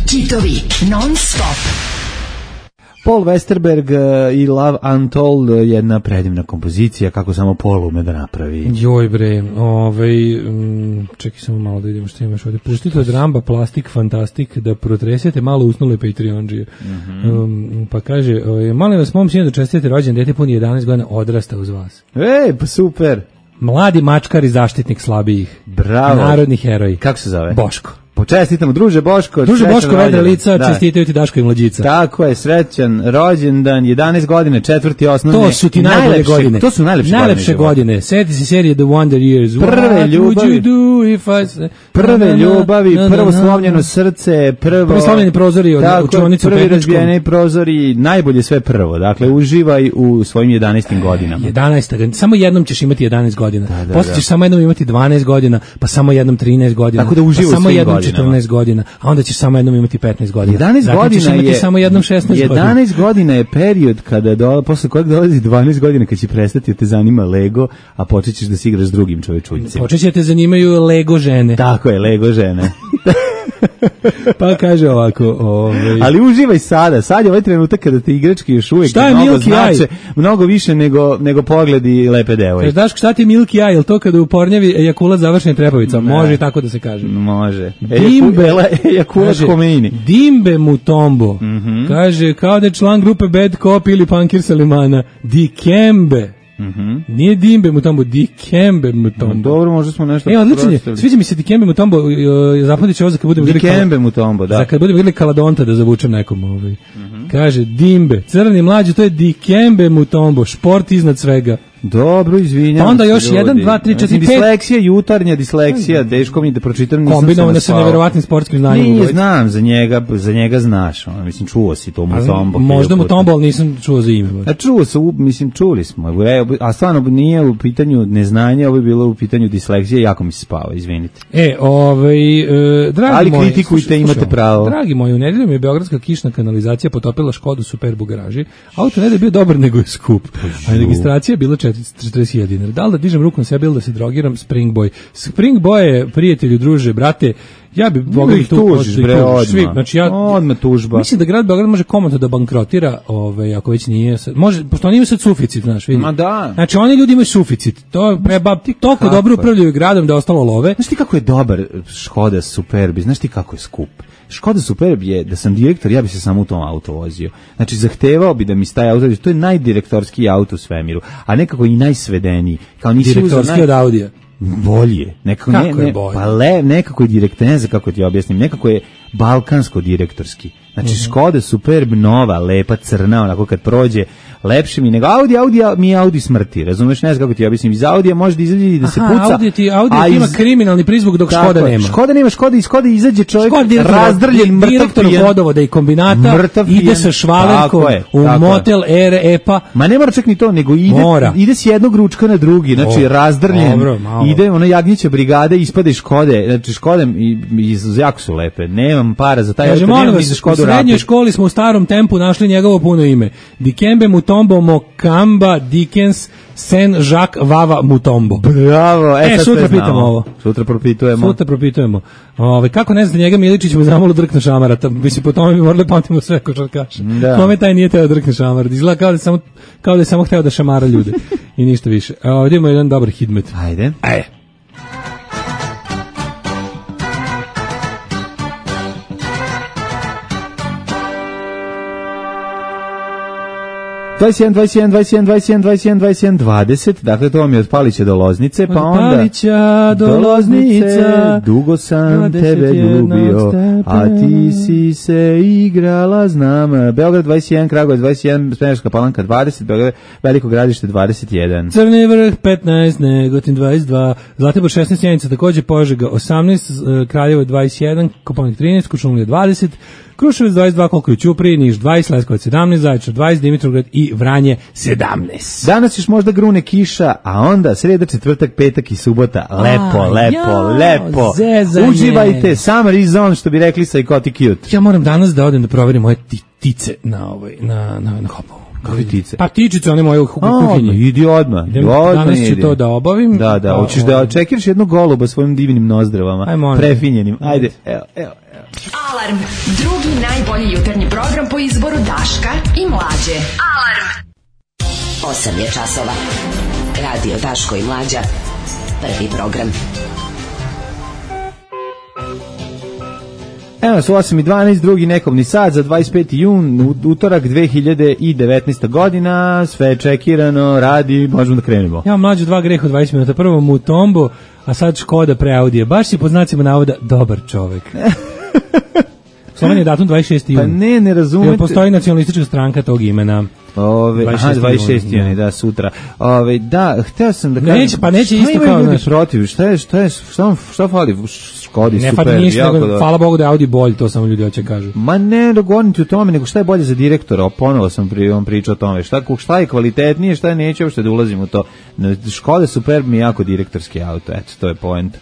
Kitovi non stop. Paul Westerberg i Love Untold, jedna predivna kompozicija, kako samo Paul ume da napravi. Joj bre, ovaj, um, čekaj samo malo da vidimo što imaš ovdje. Puštite od Ramba Plastik Fantastik da protresete malo usnule Patreonđije. Mm -hmm. um, pa kaže, ovaj, molim vas, mom sinu da čestite rođen, dete puni jedanaest godina, odrasta uz vas. Ej, pa super. Mladi mačkar i zaštitnik slabijih. Bravo. Narodni heroj. Kako se zove? Boško. Počestitamo, druže Boško. Druže Boško, vedre lica, da. Čestitaju ti Daško i mlađica. Tako je, srećan rođendan, jedanaest godine, četvrti osnovne. To su ti najbolje najlepše, godine. To su najlepše, najlepše godine. godine. Seti se serije The Wonder Years. Prve ljubavi. I... Prve ljubavi, prvo slomljeno srce, prvo... Prvo slomljeni prozori od učionice u Prvi razbijeni prozori, najbolje sve prvo. Dakle, uživaj u svojim jedanaestim godinama. jedanaest Samo jednom ćeš imati jedanaest godina. Da, da, Posle ćeš samo jednom imati dvanaest godina, pa samo jednom trinaest godina. Tako da uživaj pa samo jednom godinama. četrnaest godina. A onda ćeš samo jednom imati petnaest godina. jedanaest dakle, godina je samo jednom šesnaest godina. jedanaest godina je period kada do, posle kojeg dolazi dvanaest godina kad će prestati da te zanima Lego, a počećeš da se igraš s drugim čovečuljcima. Počeće da te zanimaju Lego žene. Tako je, Lego žene. Pa kaže ovako, ovaj. Ali uživaj sada, sad je ovaj trenutak kada te igračke još uvijek mnogo znače, mnogo više nego, nego pogledi lepe devojke. Znaš šta ti Milky Eye, je to kada u pornjavi ejakulat završen trepavicom? Može i tako da se kaže. Može. Dimbe, ejakulat Khomeini. Dimbe Mutombo, mm -hmm. kaže kao da je član grupe Bad Cop ili Punkir Salimana, Dikembe. Mhm. Nije Dimbe Mutombo, Dikembe Mutombo. Dobro, možda smo nešto. E, odlično je. Sviđa mi se Dikembe Mutombo, zapamtit ću ovo za kad budemo vidjeli. Dikembe Mutombo, da. Za kad budemo vidjeli Kaladonta da zavučem nekom ovaj. Mm-hmm. Kaže Dimbe, crni mlađi, to je Dikembe Mutombo, šport iznad svega. Dobro, izvinjam. Pa onda još jedan, dva, tri, četiri, pet. Disleksija, jutarnja disleksija, teško mi da pročitam, nisam se kombinovano sa neverovatnim sportskim znanjem. Nije, znam, za njega, za njega znaš, ono, mislim, čuo si to Mutombo. Možda Mutombo, ali nisam čuo za ime. A čuo se, mislim, čuli smo, a stvarno nije u pitanju neznanja, ovo je bilo u pitanju disleksije, jako mi se spava, izvinite. E, ovaj, e, dragi ali moji, kritikujte, slušaj, imate pravo. Dragi moji, u nedelju mi je beogradska kišna kanalizacija potopila Škodu Superb u garaži. Auto ne da je bio dobar, nego je skup. A registracija je bila četrdeset hiljada dinara. Da li da dižem ruku na sebe ili da se drogiram? Springboy. Springboy je, prijatelju, druže, brate, ja bi Bogdan tu tužiš, bre, odmah. Znači, ja, odmah tužba. Mislim da grad Beograd može komotno da bankrotira, ovaj, ako već nije, može, pošto oni imaju sad suficit, znaš, vidi. Ma da. Znači, oni ljudi imaju suficit. To je preba, toliko dobro upravljaju gradom da je ostalo love. Znaš ti kako je dobar Škoda Superbi? Znaš ti kako je skup? Škoda Superb je, da sam direktor, ja bi se samo u tom auto vozio. Znači, zahtevao bi da mi staje auto, to je najdirektorski auto u svemiru, a nekako i najsvedeniji. Kao nisi direktorski naj... od Audija. Bolje. Nekako, kako ne, je ne, bolje? Pa le, nekako je direkt, ne znam kako ti objasnim, nekako je balkansko direktorski. Znači, uh-huh. Škoda Superb nova, lepa, crna, onako kad prođe, lepše mi nego Audi, Audi mi je Audi smrti, razumeš, ne znam kako ti objasnim, iz Audija može da izađe i da se Aha, puca. Audi ti, Audi ti ima iz... kriminalni prizvuk dok tako, Škoda nema. Škoda nema, Škoda iz Škoda izađe čovjek razdrljen, mrtav direktor vodovoda i kombinata, mrtav ide sa švalerkom u motel Air Epa. Ma ne mora čak ni to, nego ide, ide s jednog ručka na drugi, znači razdrljen, ide ono jagnjeća brigade, ispade iz Škode, znači Škodem i, i jako su lepe, nemam para za taj auto, nemam ni za Škodu. U srednjoj školi smo u starom tempu našli njegovo puno ime. Dikembe Mutombo Mokamba Dickens Saint Jacques Vava Mutombo. Bravo, e, e sutra pitamo ovo. Sutra propitujemo. Sutra propitujemo. Ove, kako ne znate njega Miličić mu zamalo drkne šamarata. Mislim, po tome bi morali pamtimo sve košarkaše. Da. Kome taj nije teo drkne šamarat. Izgleda kao da je samo, kao da je samo hteo da šamara ljude. I ništa više. A ovdje imamo jedan dobar hidmet. Ajde. Ajde. dvadeset jedan, dvadeset jedan, dvadeset jedan, dvadeset jedan, dvadeset jedan, dvadeset jedan, dvadeset, dakle to vam je od Palića do Loznice, pa onda... Od Palića do Loznica, dugo sam tebe ljubio, a ti si se igrala, znam. Beograd dvadeset jedan, Kragujevac dvadeset jedan, Smederevska Palanka dvadeset, Beograd, Veliko Gradište dvadeset jedan. Crni Vrh petnaest, Negotin dvadeset dva, Zlatibor šesnaest, Sjenica takođe, Požega osamnaest, Kraljevo dvadeset jedan, Kopaonik trinaest, Kuršumlija dvadeset, Kruševac dvadeset dva, koliko je u Ćupriji, Niš dvadeset, Leskovac sedamnaest, Zaječar dvadeset, Dimitrovgrad i Vranje sedamnaest. Danas još možda grune kiša, a onda sreda, četvrtak, petak i subota. Lepo, a, lepo, ja, lepo. Zezanje. Uživajte, summer is on, što bi rekli Psychotic Youth. Ja moram danas da odem da proverim moje tice na ovoj, na, na, na Hopovu. Kakve tice? Pa tičice, one moje u kuhinji. Idi odmah. Idem, odmah danas ću idi. to da obavim. Da, da, hoćeš da čekiraš jednog goluba svojim divnim nozdravama, prefinjenim. Ajde, evo, evo. Alarm, drugi najbolji jutarnji program po izboru Daška i Mlađe. Alarm. osam je časova. Radio Daško i Mlađa. Prvi program. Evo su osam i dvanaest, drugi nekobni sat za dvadeset peti jun, utorak dve hiljade devetnaesta godina, sve je čekirano, radi, možemo da krenemo. Ja Mlađu dva greha od dvadeset minuta, prvo Mutombo, a sad Škoda pre Audije. Baš si po znacima navoda dobar čovek. Slovan je datum dvadeset šesti jun. Pa ne, ne razumete. Postoji nacionalistička stranka tog imena. Ove, aha, dvadeset šesti jun, da, sutra. Ove, da, hteo sam da kažem... Neće, pa neće isto kao... Šta imaju ljudi protiv? Šta je, šta je, šta, šta fali? Škodi, ne super, fali ništa, jako nego, da... hvala Bogu da je Audi bolj, to samo ljudi hoće kažu. Ma ne, govorim ti o tome, nego šta je bolje za direktora, ponovo sam pri vam pričao o tome, šta, šta je kvalitetnije, šta je, neće uopšte da ulazim u to. Škoda Superb mi je jako direktorski auto, eto, to je point.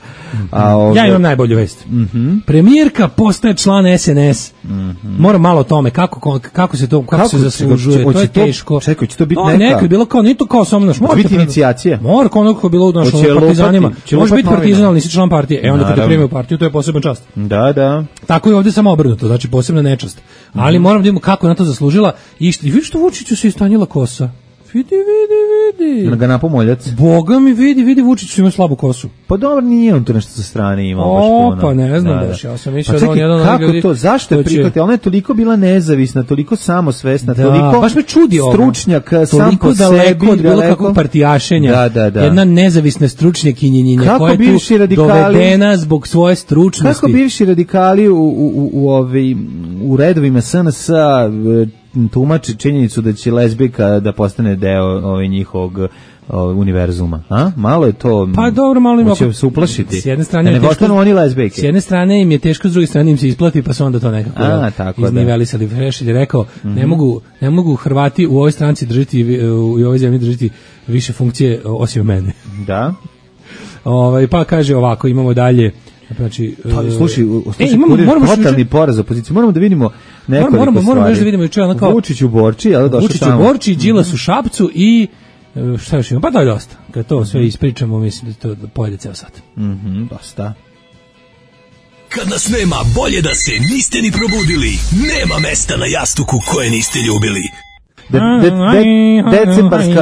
A, ove... Ja imam najbolju vest. Mm-hmm. Premijerka postaje član S N S. Mm-hmm. Moram malo o tome, kako, kako se to, kako, kako se zaslužuje, to je teško. Čekaj, će to biti neka? Neko je bilo kao, nije to kao samo naš. Može biti inicijacija. Mora kao neko je bilo u našom partizanima. Može biti partizan, ali nisi član partije. E onda kad te prime u partiju, to je poseban čast. Da, da. Tako je ovdje samo obrnuto, znači posebna nečast. Ali mm. moram da vidimo kako je na to zaslužila. I što, vidiš što Vučiću se istanjila kosa. Vidi, vidi, vidi. Na ga napomoljac. Boga mi vidi, vidi, Vučić ima slabu kosu. Pa dobro, nije on to nešto sa strane imao o, baš puno. Pa ne znam baš, ja sam mislio pa da on jedan kako ljudi, to, zašto je prihvatila? Ona je toliko bila nezavisna, toliko samosvesna, da, toliko baš me čudi stručnjak ovo. sam po sebi. Toliko od bilo kakvog partijašenja. Da, da, da. Jedna nezavisna stručnjakinjenja koja je tu radikali, dovedena zbog svoje stručnosti. Kako bivši radikali u, u, u, u, ovi, u redovima S N S-a tumači činjenicu da će lezbijka da postane deo ovaj njihovog univerzuma, a? Malo je to. Pa dobro, malo im će se uplašiti. S jedne strane, ne postanu oni lezbijke. S jedne strane im je teško, s druge strane im se isplati, pa se onda to nekako a, tako iznivelisali. Frešelj je rekao, mm-hmm. ne mogu, ne mogu Hrvati u ovoj stranci držati, u ovoj zemlji držati više funkcije osim mene. Da. Ovaj pa kaže ovako, imamo dalje. Znači, pa, slušaj, slušaj, moramo totalni poraz opozicije. Moramo da vidimo nekoliko moramo, stvari. Moramo da vidimo juče onako Vučić u Borči, al došao Vučić u Borči, Đilas u Šapcu i šta još ima? Pa da je dosta. Kad to sve ispričamo, mislim da to da pojede ceo sat. Mhm, dosta. Kad nas nema, bolje da se niste ni probudili. Nema mesta na jastuku koje niste ljubili. De, de, de, decembarska,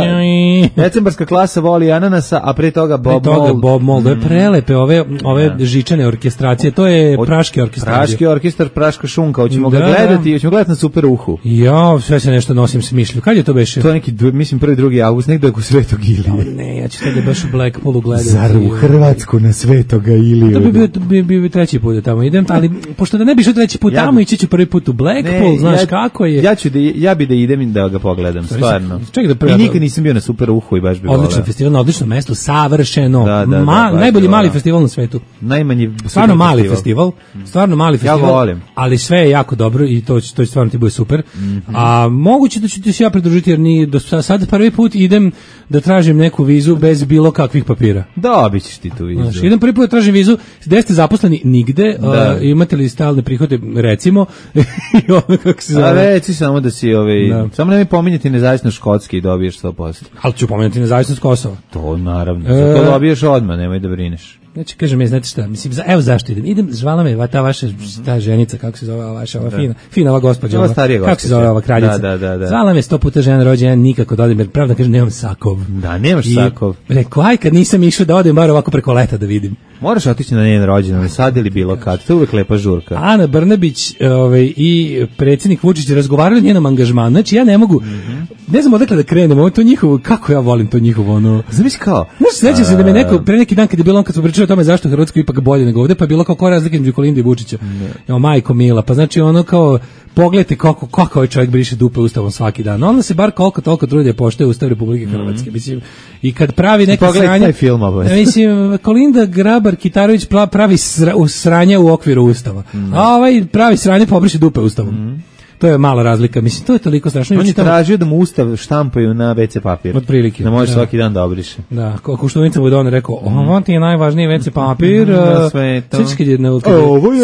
decembarska klasa voli ananasa, a pre toga Bob pre toga Mold. Bob Mold, mm. prelepe ove, ove da. žičane orkestracije, to je praški orkestar. Praški orkestar, praška šunka, hoćemo da. ga gledati, hoćemo gledati na Super Uhu. Ja, sve se nešto nosim s mišlju. Kad je to beše? To je neki, mislim, prvi, drugi avgust, nekdo je oko Svetog Ilije. No, ne, ja ću tada baš u Blackpoolu gledati. Zar u Hrvatsku na Svetoga Iliju? To bi bio, bi, bi, bi treći put da tamo idem, ali pošto da ne bi išao treći put ja tamo, ići ću prvi put u Blackpool, ne, znaš ja, kako je. Ja, ću da, ja bi da idem i da ga pogledam, stvarno. Čekaj da pre... I nikad nisam bio na Super Uhu i baš bi voleo. Odličan festival na odličnom mestu, savršeno. Da, da, Ma, da, najbolji mali festival na svetu. Najmanji stvarno mali festival. Stvarno mali festival. Ja volim. Ali sve je jako dobro i to to stvarno ti bude super. Mm-hmm. A moguće da ću ti se ja pridružiti jer ni do sad prvi put idem da tražim neku vizu bez bilo kakvih papira. Dobićeš ti tu vizu. Znači, idem prvi put da tražim vizu, gde ste zaposleni nigde, uh, imate li stalne prihode, recimo, i ono kako se zove. A reci samo da si, ovaj, da. samo ne mi pominjati nezavisno Škotski i dobiješ sto posto. Ali ću pominjati nezavisnost Kosova. To naravno, e... to dobiješ odmah, nemoj da brineš. Znači, kažem, je, znate šta, mislim, evo zašto idem, idem, zvala me ta vaša, ta ženica, kako se zove ova vaša, ova da. fina, fina ova gospođa, ova, starija kako se zove ova kraljica, da, da, da. zvala me sto puta žena rođena, nikako da odem, jer pravda kažem, nemam sakov. Da, nemaš I sakov. Rekao, aj, kad nisam išao da odem, bar ovako preko leta da vidim. Moraš otići na njen rođendan, sad ili bilo kad, to je uvijek lepa žurka. Ana Brnabić ovaj, i predsjednik Vučić razgovarali o njenom angažmanu, znači ja ne mogu, mm-hmm. ne znam odakle da krenemo, to njihovo, kako ja volim to njihovo, ono... Zamisli kao... Znaš, sećam se da me neko, pre neki dan kad je bilo on, kad smo pričali o tome zašto Hrvatsko ipak bolje nego ovde, pa je bilo kao koja razlika između Kolinde i Vučića. Jo, majko mila, pa znači ono kao... Pogledajte kako, kako ovaj čovjek briše dupe ustavom svaki dan. Onda se bar koliko toliko trudi da poštuje Ustav Republike Hrvatske. Mislim, i kad pravi neke sranje... Film, mislim, Kolinda Grabar-Kitarović pravi sra, sranje u okviru Ustava. Mm. A ovaj pravi sranje pobriše dupe ustavom. Mm. To je mala razlika. Mislim, to je toliko strašno. On je tražio da mu ustav štampaju na ve ce papir. Od prilike. Da može da. Svaki dan da obriše. Da, kako što Vinca Budon rekao, ovo ti je najvažniji ve ce papir. Na svetu. Svički je,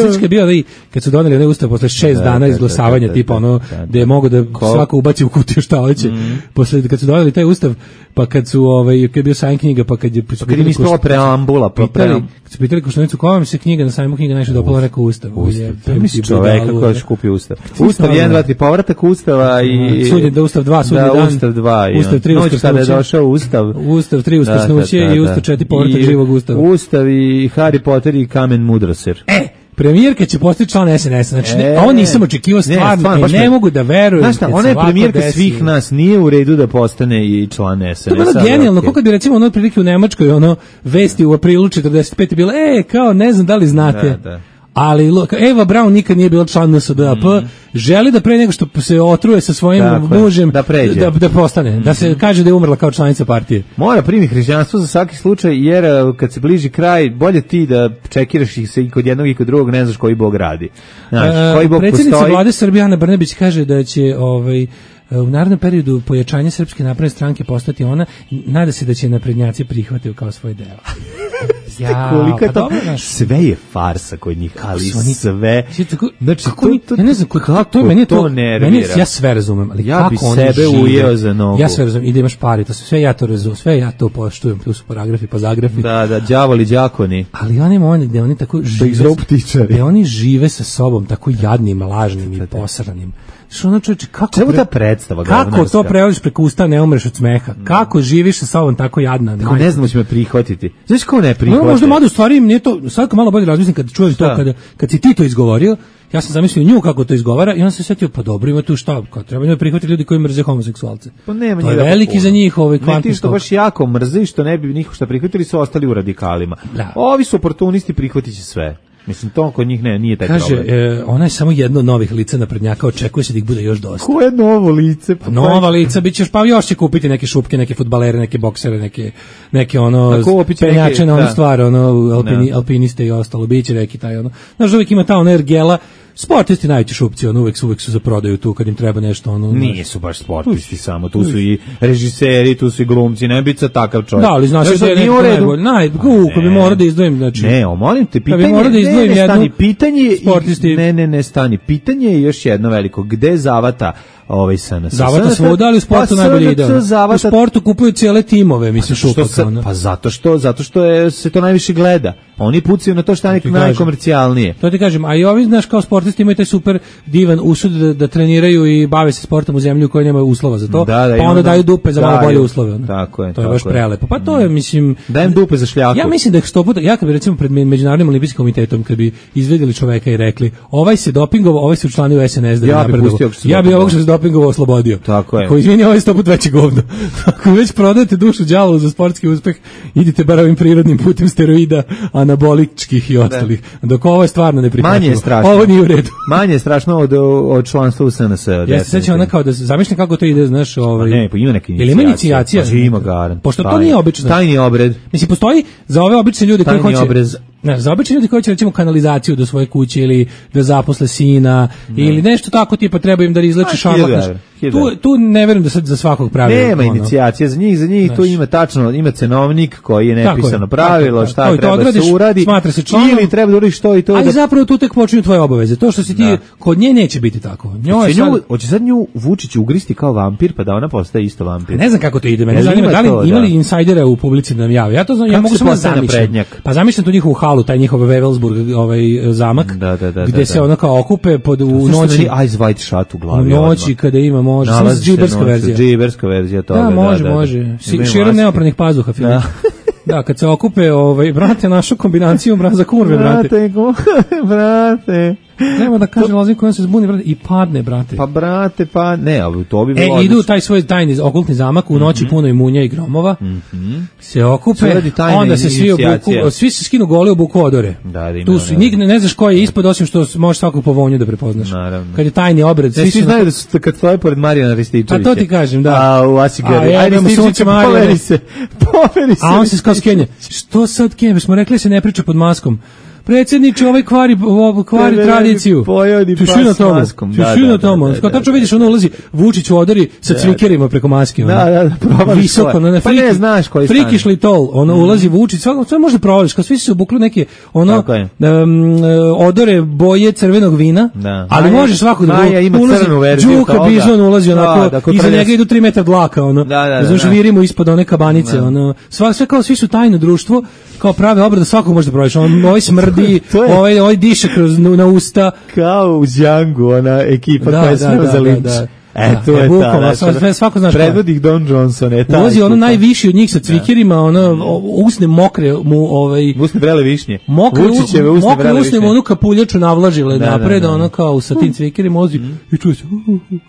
Svički je bio da i kad su doneli onaj ustav posle šest da, dana izglasavanja, da, da, tipa ono, da, da, gde je mogo da Ko? svako ubaci u kutiju šta hoće. Mm. Posle, kad su doneli taj ustav, pa kad su, ovaj, kad je bio sajam knjiga, pa kad je... Pa kad je ispala preambula, pa pitali, kad su pitali Koštunicu, koja vam se knjiga, na sajmu knjiga najviše dopala, rekao ustav. Ustav. Misli čoveka koja će kupi ustav. Ustav jedan, dva, tri, povratak Ustava i... Sudnje da Ustav dva, sudnji dan. Ustav dva. Ustav tri, uskrsnuće. Noć kada je došao Ustav. Ustav tri, uskrsnuće i Ustav četiri, povratak živog Ustava. Ustav i Harry Potter i Kamen Mudroser. E! Premijerka će postati član es en es, znači ne, a on nisam očekivao stvarno, ne, stvarno, ne, ne mogu da verujem. Znaš šta, ona je premijerka desi. Svih nas, nije u redu da postane i član es en es. To je bilo genijalno, okay. Kako bi recimo ono prilike u Nemačkoj, ono vesti u aprilu četrdeset pete bilo, e, kao ne znam da li znate. Da, da. Ali Eva Braun nikad nije bila član en es de a pe, mm. želi da pre nego što se otruje sa svojim dakle, mužem da, da, da postane, mm. da se kaže da je umrla kao članica partije. Mora primi hrišćanstvo za svaki slučaj, jer kad se bliži kraj, bolje ti da čekiraš ih se i kod jednog i kod drugog, ne znaš koji Bog radi. Znaš, koji Bog predsjednica postoji. Vlade Srbije Ana Brnabić kaže da će ovaj u narednom periodu pojačanje Srpske napredne stranke postati ona, nada se da će naprednjaci prihvatiti kao svoj deo. Ja, kolika pa to, dobro, sve je farsa kod njih, ali oni, sve. Znači, kako oni, to, ja ne znam, kako to, meni to, to nervira. Meni, ja sve razumem, ali ja kako bi oni sebe žive, ujeo za nogu. Ja sve razumem, i da imaš pari, to sve ja to razumem, sve ja to poštujem, tu su paragrafi, pa zagrafi. Da, da, đavoli, đakoni. Ali oni oni gde oni tako žive, gde oni žive sa sobom tako jadnim, lažnim i posranim. Što ono čovječe, kako, pre... ta predstava, kako to prelaziš preko usta, ne umreš od smeha? Kako živiš sa sobom tako jadna? Tako ne znamo će me prihvatiti. Znaš ko ne prihvati? No, možda malo u stvari nije to, sad kao malo bolje razmislim kad čujem to, kad, kad si ti to izgovorio, ja sam zamislio nju kako to izgovara i on se setio, pa dobro, ima tu šta, kao treba njoj prihvatiti ljudi koji mrze homoseksualce. Pa nema to je veliki za njih ovaj kvantni skok. Ne, ti što baš jako mrze, što ne bi niko šta prihvatili, su ostali u radikalima. Da. Ovi su oportunisti, prihvatit će sve. Mislim, to kod njih ne, nije taj kaže, problem. Kaže, e, ona je samo jedno od novih lica naprednjaka, očekuje se da ih bude još dosta. Koje novo lice? Pa nova lica, bit ćeš, pa još će kupiti neke šupke, neke fudbalere, neke boksere, neke, neke ono, penjače na onu stvar, ono, alpini, alpiniste i ostalo, bit će neki taj, ono. Znaš, uvijek ima ta ona ergela, sportisti najveći šupci, ono, uvijek su, uvijek su za prodaju tu, kad im treba nešto, ono. Nije su baš sportisti samo, tu su i režiseri, tu su i glumci, ne biti tav čovjek. Da, ali znaš da je neko najbolji, naj, ko bi morao da izdvojim, znači. Ne, o, molim te, pitanje, ne, ne, stani, pitanje, sportisti. ne, ne, ne, stani, pitanje je još jedno veliko, gde zavata ovaj es en es? Zavata svuda, ali u sportu najbolje ide. U sportu kupuju cijele timove, mislim, šupaka. Pa zato što, zato što je, se to najviše gleda. Oni pucaju na to što je najkomercijalnije. To ti kažem, a i ovi, znaš, kao sportisti imaju taj super divan usud da, da treniraju i bave se sportom u zemlji u kojoj nemaju uslova za to, da, da, pa onda daju dupe za malo bolje uslove. Ono. Tako je. To je baš prelepo. Pa to je, mislim... Dajem dupe za šljaku. Ja mislim da je sto puta, ja kad bi recimo pred Međunarodnim olimpijskim komitetom, kad bi izvedeli čoveka i rekli, ovaj se dopingovao, ovaj se učlanio u es en es da ja bi napredovao. Ja bi ovog što se dopingovao oslobodio. Tako je. Koji izvini, ovaj sto puta veći govno. Ako već prodajete dušu đavolu za sportski uspeh, idite bar ovim prirodnim putem steroida, anaboličkih i ostalih. Dok ovo je stvarno neprihvatljivo. Manje je strašno. Ovo nije u redu. Manje je strašno od, od članstva u es en es. Ja se sećam ona kao da zamišljam kako to ide, znaš, ovaj. Ne, pa ima neka inicijacija. Ili ima inicijacija? Pa ima garant. Pošto to nije obično. Tajni obred. Mislim, postoji za ove obične ljude koji hoće obrez. Ne, za obične ljudi koji će recimo kanalizaciju do svoje kuće ili da zaposle sina ne. Ili nešto tako tipa treba im da izleče šamak. Tu, tu ne verujem da sad za svakog pravila. Nema ono. Inicijacije za njih, za njih tu ima tačno, ima cenovnik koji je nepisano pravilo, tako, šta tako, treba odradiš, se uradi, smatra se članom, ili treba da uradiš to i to. Ali da... zapravo tu tek počinju tvoje obaveze. To što si ti, da. Kod nje neće biti tako. Hoće sad... Nju, sad nju Vučić ugristi kao vampir, pa da ona postaje isto vampir. Ne znam kako to ide, mene zanima da li imali insajdere u publici da nam jave. Ja to znam, ja mogu samo zamišljati. Pa zamišljam tu njihovu halu, taj njihov Wewelsburg, ovaj zamak, da, da, da, gde da, se da. Ono kao okupe pod u noći Eyes Wide Shut u glavi. U noći kada ima može, samo džiberska verzija. Džiberska verzija toga. Da, može, da, može. Da. Širom neopranih pazuha, Filip. Da. Da, kad se okupe, ovaj, brate, našu kombinaciju mraza kurve, brate. Brate, brate. Nema da kaže Lozin koja se zbuni, brate, i padne, brate. Pa, brate, pa, ne, to bi bilo... E, idu taj svoj tajni okultni zamak, u noći mm-hmm. puno i munja i gromova, mm-hmm. se okupe, onda se svi obuku, svi se skinu gole, obuku odore. Da, da, tu su, nik, ne znaš ko je ispod, osim što možeš svakog po vonju da prepoznaš. Naravno. Kad je tajni obred, svi, svi su... znaju da su kad stoje pored Marijana Rističevića. A to ti kažem, da. A, u Asigari. Ajde, Rističevića, poveri se, poveri se. A on se skao skenje. Što sad kenje? Smo rekli se ne priča pod maskom. Predsjedniče, ovaj kvari, ovaj kvari ne, tradiciju. Tišina tomu. Tišina tomu. Kao tačno vidiš, ono ulazi Vučić u odori sa cvikerima preko maske. Da, da, da. Visoko, na pa ne znaš koji stane. Frikišli tol, ono, ulazi Vučić, svako, sve možda provališ, kao svi su se obukli neke, ono, um, odore boje crvenog vina, da. Ali Maja, može svako da Maja ima ulazi, crvenu verziju Đuka Bizon ulazi, onako, da, da, iza njega idu tri metra dlaka, ono, da, da, da, znaš, virimo ispod one kabanice, da. Ono, sva, sve kao, svi su tajno društvo, kao prave obrade, svakog može da provališ, on, ovaj smrdi, ovaj ovaj diše kroz na usta kao u Django, ona ekipa da, koja je sve za linč. E, to je ta, sve, svako znaš predvodnik Don Johnson je taj. Ulazi ono najviši od njih sa cvikirima, ono, usne mokre mu, ovaj... Usne vrele višnje. Mokre, Vučićeve usne mokre vrele višnje. Mokre usne mu onu kapuljaču navlažile da, napred, da, da, ono kao sa tim cvikirima ulazi mm. i čuje se... Uh, uh, uh.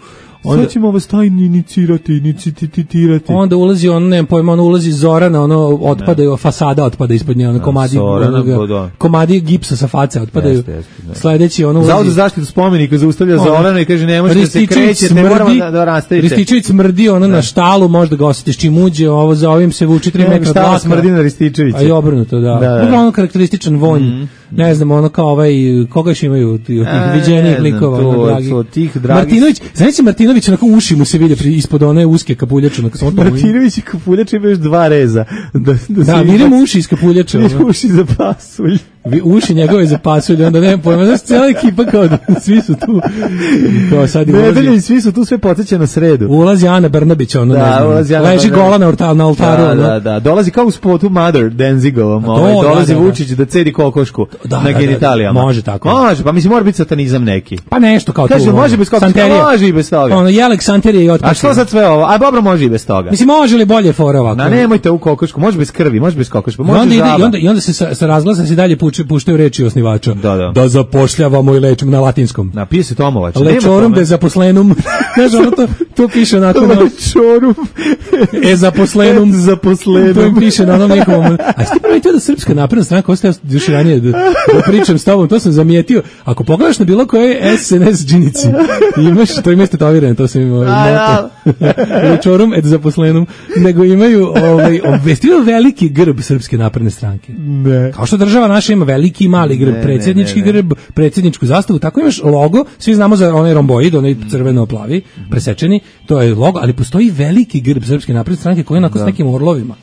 Onda, sad ćemo vas tajni inicirati, inicitirati. Onda ulazi on, ne pojma, ono ulazi Zorana, ono otpadaju, ne. Fasada otpada ispod nje, ono komadi, Zorana, onoga, komadi gipsa sa face otpadaju. Jeste, jeste, sledeći ono ulazi... Zavod za zaštitu spomenika zaustavlja Zorana i kaže ne možete da se krećete, moramo da, da rastavite. Rističević smrdi ono da. Na štalu, možda ga osjetiš čim uđe, ovo za ovim se vuči tri metra dlaka. Smrdi na Rističevića. A i obrnuto, da. da, da. Ono karakterističan vonj. Mm. Ne znam, ono kao ovaj, koga još imaju tih viđenih likova, ono, dragi. Martinović, znači Martinović, onako uši mu se vide ispod one uske kapuljače. Martinović i kapuljače ima još dva reza. Da, da, da vidimo uši iz kapuljače. Uši za pasulj. Uši njegove za pasulj, onda nemam pojma, znaš, cijela ekipa kao da svi su tu. Kao sad ne, ulazi. Ne, svi su tu, sve podsjeća na sredu. Ulazi Ana Brnabić, ono, da, ne znam, ulazi Ana leži gola na, orta, na oltaru. Da, ono. da, da, dolazi kao u spotu Mother, Denzigovom, ovaj, dolazi da, da, Vučić da cedi kokošku da, na genitalijama. Da, da, može tako. Može, pa mislim, mora biti satanizam neki. Pa nešto kao kaže, tu. Kaže, može bez kokoška, može i bez toga. Ono, Jelek Santerije i otpašno. A što sad sve ovo? A dobro, može i bez toga. Mislim, može li bolje fora ovako? Na, nemojte u kokošku, može bez krvi, može bez kokoška, može onda žaba. I onda, i onda se sa, sa razglasa se dalje puče, puštaju reči osnivača. Da, da. Da zapošljavamo i lečimo na latinskom. Napije se Tomovač. Lečorum de zaposlenum. Znaš, ono to, to piše onako. Lečorum. E zaposlenum. E zaposlenum. To im piše na onom nekom. A ste primetio da Srpska napredna stranka, ostaje još ranije da, da pričam s tobom, to sam zamijetio. Ako pogledaš na bilo koje S N S džinici, imaš, to imate tetovirano, to sam imao. Lečorum et zaposlenum. Nego imaju ovaj, obvestio veliki grb Srpske napredne stranke. Ne. Kao što država naša ima veliki i mali grb, predsjednički ne, ne, ne. grb, predsjedničku zastavu, tako imaš logo, svi znamo za onaj romboid, onaj crveno-plavi, presečeni, to je logo, ali postoji veliki grb Srpske napredne stranke koji je onako da. S nekim orlovima.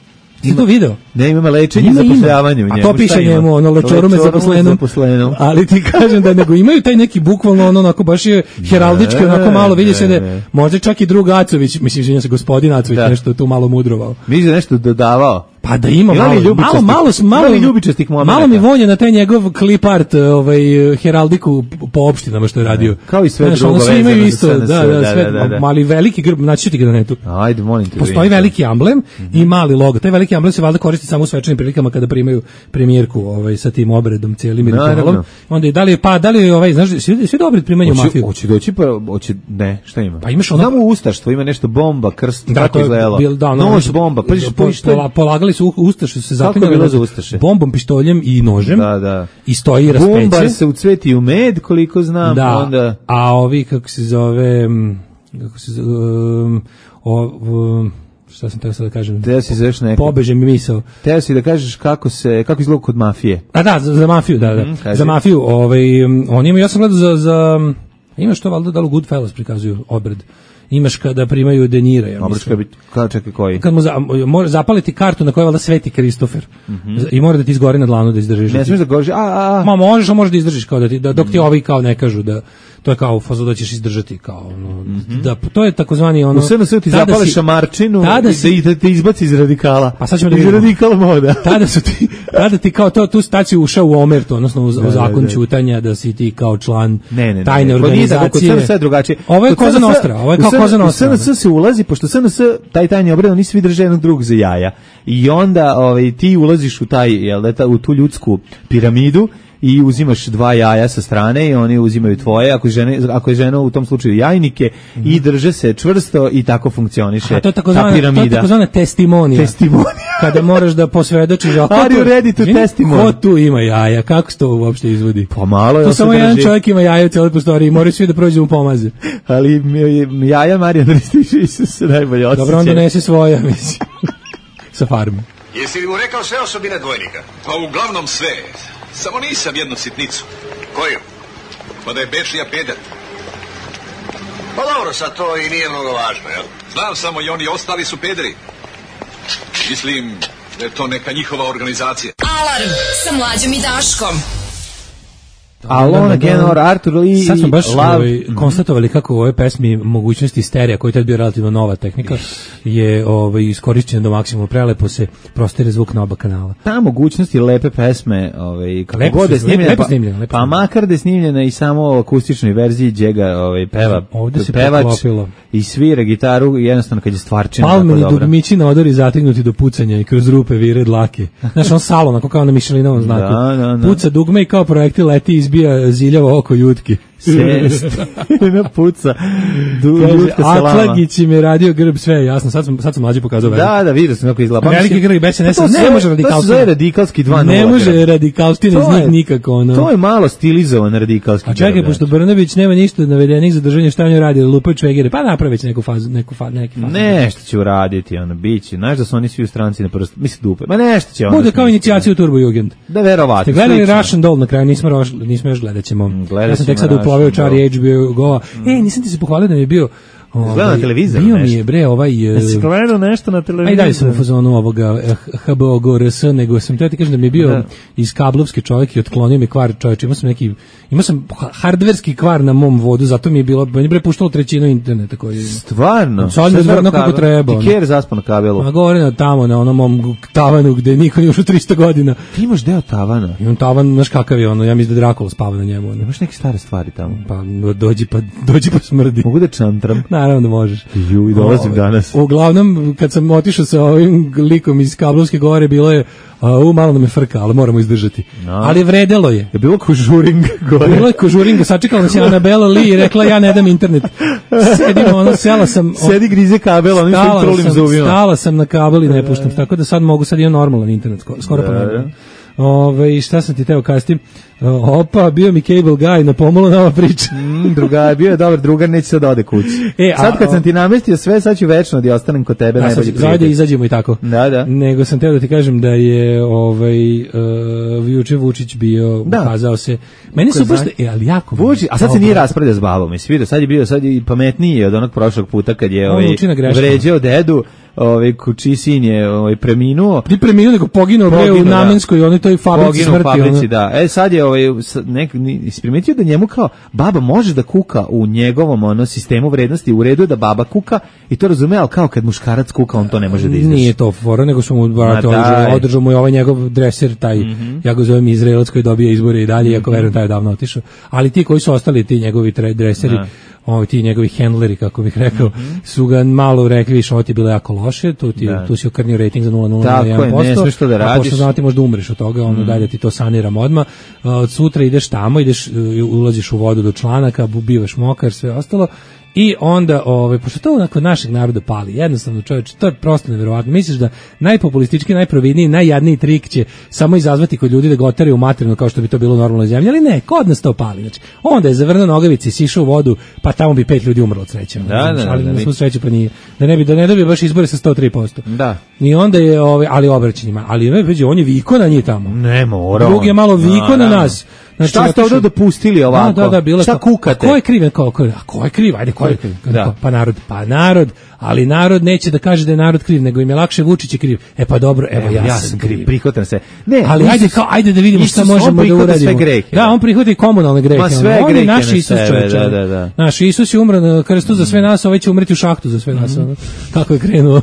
Ti to video? Ne, ima lečenje i zapošljavanje u njemu. A to piše njemu, ono, lečorume zaposlenom. Ali ti kažem da nego imaju taj neki bukvalno, ono, onako, baš je heraldički, onako malo vidi se da možda čak i drug Acović, mislim, žinja se gospodin Acović, da. Nešto tu malo mudrovao. Misliš da nešto dodavao? Pa da ima malo, malo, malo, malo, ljubičastih momenata. Malo mi vonja na taj njegov clip art, ovaj, heraldiku po opštinama što je radio. Kao i sve znaš, drugo vezano imaju isto, da, da, da, sve, da, da, da. Mali veliki grb, naći ću ti ga na netu. Ajde, molim te. Postoji veliki amblem mm-hmm. i mali logo. Taj veliki amblem se valjda koristi samo u svečanim prilikama kada primaju premijerku, ovaj, sa tim obredom, cijelim ritualom. Onda i da li je, pa, da li je, ovaj, znaš, svi, svi dobri primaju mafiju. Hoće doći, pa, hoće, ne, šta ima? Pa imaš ono... Znamo ustaštvo, ima nešto bomba, krst, da, tako izgledalo. Da, nož bomba, pa, pa, polagali su ustaše se zaklinjali bombom, pištoljem i nožem. Da, da. I stoji i raspeće. Bombar se ucveti u med, koliko znam. Da, onda... a ovi, kako se zove, kako se zove, um, o, um, šta sam tako sad da kažem? Teo si zoveš neko. Pobeže mi misao. Teo si da kažeš kako se, kako izgleda kod mafije. A da, za, za mafiju, da, da. Mm, za mafiju, ovaj, oni imaju, ja sam gledao za, za, imaš to valjda da li u Goodfellas prikazuju obred. Imaš kada primaju denira, ja mislim. Biti, kada čekaj koji? Kad mu za, mora zapaliti kartu na kojoj valjda sveti Kristofer. Mm-hmm. I mora da ti izgori na dlanu da izdržiš. Ne smiješ da goriš, a, a, a. Ma možeš, a možeš da izdržiš, kao da ti, da, dok ti ovi kao ne kažu da, to je kao fazo da ćeš izdržati, kao ono, mm-hmm. da, to je takozvani ono... U sve na sve ti zapališ šamarčinu i da te izbaci iz radikala. Pa sad ćemo da iz radikala moda. Tada su ti, tada ti kao to, tu staciju ušao u omertu, odnosno u, u zakon ćutanja, da si ti kao član ne, ne, tajne ne, ne. organizacije. Kod sve drugačije. Ovo je Koza Nostra, ovo je kao Koza Nostra. U S N S se ulazi, pošto S N S, taj tajni obred, oni svi drže jednog drugog za jaja. I onda ovaj, ti ulaziš u taj, jel, u tu ljudsku piramidu i uzimaš dva jaja sa strane i oni uzimaju tvoje, ako je žena, ako je žena u tom slučaju jajnike mm. i drže se čvrsto i tako funkcioniše. A to je ta piramida. To je takozvana testimonija. Testimonija. Kada moraš da posvedočiš, a Are you ready to testimony? Ko tu ima jaja? Kako se to uopšte izvodi? Pa malo je. To samo jedan čovjek ima jaja u cijeloj prostoriji i moraju svi da prođu mu pomaze. Ali jaja Marijana Rističevića se najbolje osjeća. Dobro, on donese svoja, mislim. Sa farme. Jesi li mu rekao sve osobine dvojnika? Pa uglavnom sve. Samo nisam jednu sitnicu. Koju? Pa da je Bečija peder. Pa dobro, sad to i nije mnogo važno, jel? Znam samo i oni ostali su pederi. Mislim da je to neka njihova organizacija. Alarm sa Mlađom i Daškom. Alone Again or Arthur Lee. Sad smo baš ovaj, konstatovali kako u ovoj pesmi mogućnosti sterija, koja je tad bio relativno nova tehnika, je ovaj, iskorišćena do maksimuma. Prelepo se prostire zvuk na oba kanala. Ta mogućnosti lepe pesme, ovaj, kako lepo god je snimljena, lepo pa, snimljena, lepo pa makar da je snimljena i samo u akustičnoj verziji gdje ga ovaj, peva, ovdje se pevač poklopilo. I svira gitaru, jednostavno kad je stvarčina. Palmeni dugmići na odori zategnuti do pucanja i kroz rupe vire dlake. Znaš, on salo, onako kao na Mišelinovom znaku. Da, da, da. Puca dugme i kao projektil leti izbija ziljavo oko jutki. Sestina puca du, ljutka salama. Atlagić im je radio grb, sve je jasno. Sad sam, sad sam Mlađi pokazao vezu. Da, da, vidio sam kako izgleda. Veliki grb i B S N S, ne može radikalstina. To se zove radikalski dva nula. Ne može radikalstina iz njih nikako. Ono. To je malo stilizovan radikalski grb. A čekaj, pošto Brnović nema ništa navedenih za držanje, šta on je radio, lupaju čvegere, pa napravi već neku fazu, neku fazu, neki fazu. Nešto će uraditi, ono, biće. Znaš da su oni svi u stranci na prst, misli dupe. Ma nešto će ono. Bude kao inicijaciju Turbo Jugend. Da, verovatno. Ste gledali Russian Doll na kraju, nismo, nismo još gledat ćemo. Ja sam tek sad uploveo čari H B O Go. Mm. E, nisam ti se pohvalio da mi je bio Ovaj, na televizoru bio nešto. Mi je bre ovaj Jesi gledao nešto na televizoru? Aj dalje sam u fazonu ovoga H B O Go R S, nego sam teo ti kažem da mi je bio da. Iz kablovske čovjek i otklonio mi kvar čovječe. Imao sam neki, imao sam hardverski kvar na mom vodu, zato mi je bilo, meni bre puštalo trećinu interneta koji je. Stvarno? Sad je stvarno kako treba. Ti kjer zaspo na kabelu? Ma gore na tamo, na onom mom tavanu gde niko nije ušao tristo godina. Ti imaš deo tavana? Imam tavan, znaš kakav je ono, ja mislim da Drakula spava na njemu. Ono. Imaš neke stare stvari tamo? Pa dođi pa, dođi pa smrdi. Mogu da čantram? Naravno da možeš. Ju, i dolazim danas. Uglavnom, kad sam otišao sa ovim likom iz Kablovske gore, bilo je, u malo nam je frka, ali moramo izdržati. No. Ali vredelo je. Je bilo kožuring gore? Bilo je kožuring, sačekala nas je Anabela Lee i rekla, ja ne dam internet. Sedim, ono, sela sam... Sedi grize kabel, onim što im trulim zubima. Stala sam na kabel i ne puštam, tako da sad mogu, sad imam normalan internet, skoro pa normalan. Ove, šta sam ti teo kastim? Opa, bio mi cable guy, na pomalo nama priča. Mm, druga, bio je dobar drugar, neće sad ode kući. E, sad kad a, sam ti namestio sve, sad ću večno da ostanem kod tebe. Najbolji prijatelj. Zajde izađemo i tako. Da, da. Nego sam teo da ti kažem da je ovaj, uh, Vuče Vučić bio, da. Ukazao se. Meni su baš, e, ali jako. Vučić, a sad se nije raspravljao s babom, jesi vidio, sad je bio, sad je pametniji od onog prošlog puta kad je ovaj, vređao dedu. Ovaj kući sin je ovaj preminuo. Ti preminuo nego poginuo bre u Namenskoj i onoj toj fabrici smrti. Fabrici, ono. Da. E sad je ovaj nek isprimetio da njemu kao baba može da kuka u njegovom ono sistemu vrednosti, u redu je da baba kuka i to razume, al kao kad muškarac kuka on to ne može da izdrži. Nije to fora, nego su mu brate održao, održao mu je ovaj njegov dreser taj, mm -hmm. Ja ga zovem Izraelac koji dobija izbore i dalje, mm -hmm. Iako verujem taj je davno otišao. Ali ti koji su ostali ti njegovi dreseri, da. Ovi ti njegovi handleri, kako bih rekao, mm -hmm. su ga malo rekli, više ovo ti je bilo jako loše, tu, ti, tu si okrnio rating za nula zarez nula jedan posto. Tako je, ne što da radiš. A pošto znati možda umreš od toga, ono mm -hmm. dalje ti to saniram odmah. Od sutra ideš tamo, ideš, ulaziš u vodu do članaka, bivaš mokar, sve ostalo. I onda, ovaj, pošto to onako našeg naroda pali, jednostavno čovječe, to je prosto neverovatno. Misliš da najpopulistički, najprovidniji, najjadniji trik će samo izazvati kod ljudi da ga otare u materinu kao što bi to bilo u normalnoj zemlji, ali ne, kod nas to pali. Znači, onda je zavrnuo nogavice i sišao u vodu, pa tamo bi pet ljudi umrlo od sreće. Da, da, da, ali da, na svu sreću pa nije. Da ne bi, da ne dobije baš izbore sa sto tri posto. Da. I onda je, ovaj, ali obraćanjima, ali on je viko na njih tamo. Ne mora. Drugi je malo viko na nas. Znači, šta ste ovdje dopustili ovako? Da, da, da, bilo šta ko, kukate? Ko je kriv? Ko, ko, a ko je kriv? Ajde, ko je kriv? Da. Pa narod, pa narod, ali narod neće da kaže da je narod kriv, nego im je lakše Vučić je kriv. E pa dobro, evo, evo ja, ja sam kriv. Prihvatam se. Ne, ali ajde, kao, ajde da vidimo šta možemo da uradimo. Grehe, da, on prihvata i komunalne grehe. Ma sve on grehe je naš Isus čovječ. Da, da, da. Naš Isus je umro na krstu za sve nas, ovaj će umreti u šahtu za sve nas. Mm. Kako je krenuo.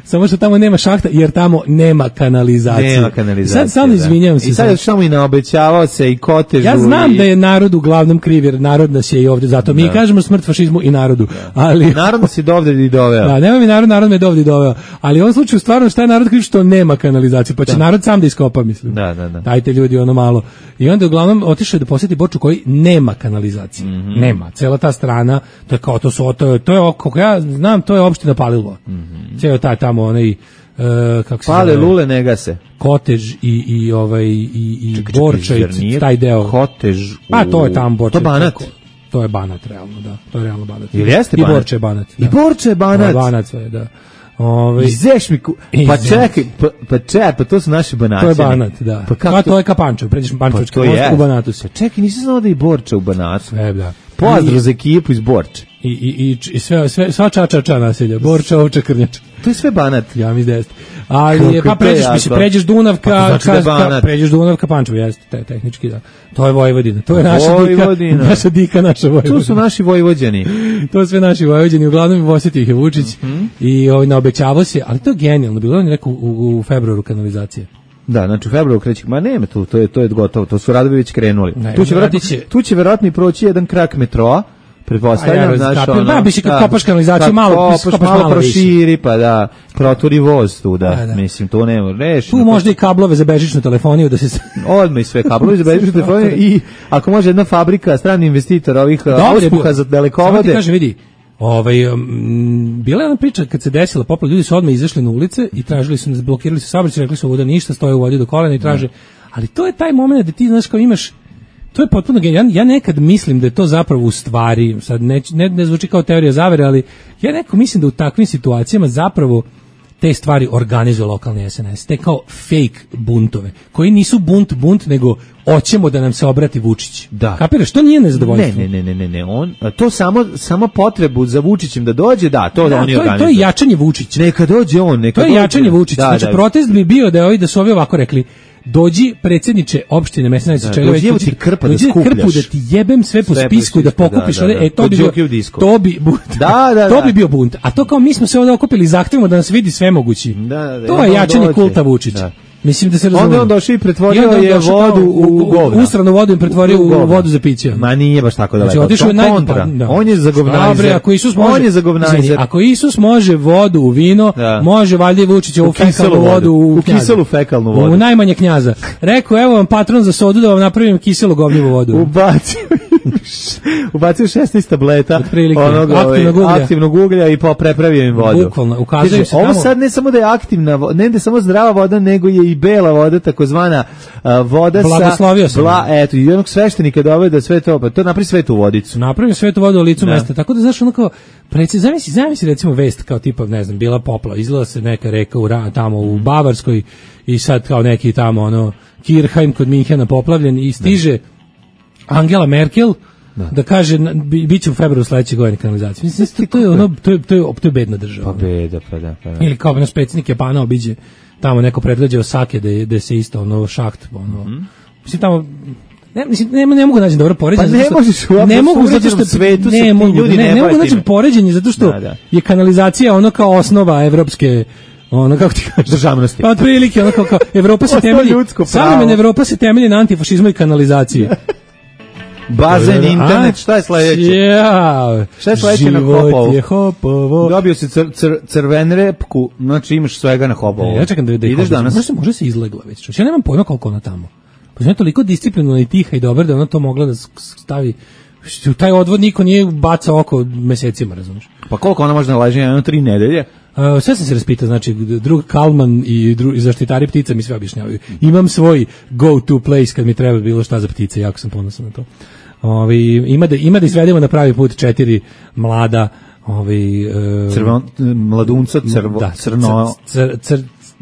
Samo što tamo nema šahta, jer tamo nema kanalizacije. Nema kanalizacije. Sad samo izvinjavam se. I sad je što mu i naobećavao se i kotežu. Ja znam da je narod uglavnom kriv, jer narod nas je i ovdje, zato mi kažemo smrt fašizmu i narodu. Ali narod nas je dovde i doveo. Da, nema mi narod, narod me dovde i doveo. Ali u ovom slučaju stvarno šta je narod kriv što nema kanalizacije, pa će da. narod sam da iskopa, mislim. Da, da, da. Dajte ljudi ono malo. I onda uglavnom otišao da posjeti Borču koji nema kanalizacije. Mm-hmm. Nema. Cela ta strana, to je kao to su, to je, to je kako ja znam, to je opština Palilula. Mm-hmm. Ceo taj tamo onaj Uh, kako se Pale zove? Lule ne gase. Kotež i i ovaj i i čekaj, Borča i taj deo. Kotež. U... Pa to je tamo Borča. To Banat. Tako, to je Banat realno, da. To je realno Banat. Ili jeste I Banat? Borča je Banat. Da. I Borča je Banat. Da, Banat sve, da. Ovaj Izeš mi ku... pa čekaj, pa, pa čekaj, pa to su naši Banaćani. To je Banat, da. Pa, kako pa to je Kapančev, pređeš Pančevački pa most u Banatu se. Pa čekaj, nisam znao da je i Borča u Banatu. Sve, da. Pozdrav za ekipu iz Borče. I i i, i sve sve sva čačača naselja, Borča, Ovča, Krnjača. To je sve Banat. Ja mi desno. Ali je, pa pređeš, mislim, pređeš Dunav ka, pa znači ka, ka pređeš Dunav ka Pančevu, jeste, te, tehnički da. To je Vojvodina, to je naša Vojvodina. dika, naša dika, naša Vojvodina. To su naši Vojvođani. To su sve naši Vojvođani, uglavnom osjetio ih je Vučić mm-hmm. i ovaj, naobećavao se, ali to je genijalno, bilo on je rekao u, u februaru kanalizacije. Da, znači u februaru kreće, ma nema tu, to je, to je gotovo, to su radovi već krenuli. Ne, tu će vjerojatno, će... tu će vjerojatno i proći jedan krak metroa, pretpostavljam, ja znaš, ono... Da, bi se kad kopaš kanalizaciju, malo, kopaš, kopaš malo, malo proširi, pa da, proturi voz tu, da, da, da. mislim, to nema reši. Tu možda i kablove za bežičnu telefoniju, da se... Odmah i sve kablove za bežičnu telefoniju i ako može jedna fabrika, strani investitor ovih auspuha za dalekovode... Samo ti kaže, vidi, ovaj, um, bila je ona priča kad se desila poplava, ljudi su odmah izašli na ulice i tražili su, blokirali su saobraćaj, rekli su ovo da ništa, stoje u vodi do kolena i traže, ali to je taj moment da ti, znaš, kao imaš. To je potpuno genijalno. Ja, ja nekad mislim da je to zapravo u stvari, sad ne, ne, ne zvuči kao teorija zavere, ali ja nekako mislim da u takvim situacijama zapravo te stvari organizuje lokalni S N S. Te kao fake buntove, koji nisu bunt bunt, nego hoćemo da nam se obrati Vučić. Da. Kapiraš, to nije nezadovoljstvo. Ne, ne, ne, ne, ne, on, to samo, samo potrebu za Vučićem da dođe, da, to da, da oni to organizuju. To je jačanje Vučića. Neka dođe on, neka To je dođe. jačanje Vučića. Da, znači, da. protest bi bio da, ovi, da su ovi ovako rekli, dođi predsjedniče opštine Mesinac, čega već dođi ti krpa da skupljaš. Krpu da ti jebem sve po sve spisku da pokupiš, da, da, da. E to bi bio, to bi da, da, to bi bio bunt. A to kao mi smo se ovdje okupili i zahtevamo da nas vidi sve mogući. Da, da, da, to je jačanje dođe. Kulta Vučića. Da. Mislim da se razumije. Onda on došao i pretvorio je vodu u govno. Ustranu vodu im pretvorio u vodu za piće. Ma nije baš tako daleko. Znači, otišao je kontra. Da. On je za govnajzer. Ako Isus može, on je za govnajzer. Ako Isus može vodu u vino, da. Može valjda i Vučić ovu fekalnu vodu u, u kiselu fekalnu vodu. U najmanje knjaza. Rekao, evo vam patron za sodu da vam napravim kiselu govnjivu vodu. Ubacio ubacio šesnaest tableta onog aktivnog uglja. aktivnog uglja i prepravio im vodu. Bukvalno, ukazuje se ovo tamo. Sad ne samo da je aktivna, ne da je samo zdrava voda, nego je i bela voda, takozvana uh, voda Blagoslovio sa bla, eto, i onog sveštenika dovede da sve to, pa to napravi svetu vodicu. Napravi svetu vodu u licu da. Mesta. Tako da znaš ono kao preci, zamisli, zamisli recimo vest kao tipa, ne znam, bila poplava, izgleda se neka reka u tamo u Bavarskoj i sad kao neki tamo ono Kirchheim kod Minhena poplavljen i stiže da. Angela Merkel da, da kaže biće u februaru sledeće godine kanalizacija. Mislim to je ono to je to je to je bedna država. Pa beda, pa da, pa da. Ili kao naš predsjednik Japana obiđe tamo neko predgrađe Osake da je da se isto ono šaht ono. Mm-hmm. Mislim tamo ne mislim ne, ne mogu naći dobro poređenje. Pa ne možeš u ne mogu zato što svetu ne mogu ljudi ne, ne, ne mogu naći poređenje zato što da, da. Je kanalizacija ono kao osnova evropske ono kako ti kažeš državnosti. Pa otprilike ono kao, kao Evropa se temelji savremena Evropa se temelji na antifašizmu i kanalizaciji. Bazen, internet, šta je sledeće? Ja, šta je sledeće na Hopovu? Je Hopovo. Dobio si cr, cr, crven repku, znači imaš svega na Hopovu. Ja čekam da, da ideš danas. Može se, može se izlegla već. Ja nemam pojma koliko ona tamo. Pa je toliko disciplinovana i tiha i dobra da ona to mogla da stavi. U taj odvod niko nije bacao oko mesecima, razumiješ? Pa koliko ona može nalaži? Jedno tri nedelje? Uh, sve sam se raspitao, znači drug Kalman i, dru, i zaštitari ptica mi sve objašnjavaju. Imam svoj go-to place kad mi treba bilo šta za ptice, jako sam ponosan na to. Ovi, ima, da, ima da izvedemo na pravi put četiri mlada ovi, uh, Crvo, mladunca, crvo, da, crno... Cr, cr, cr,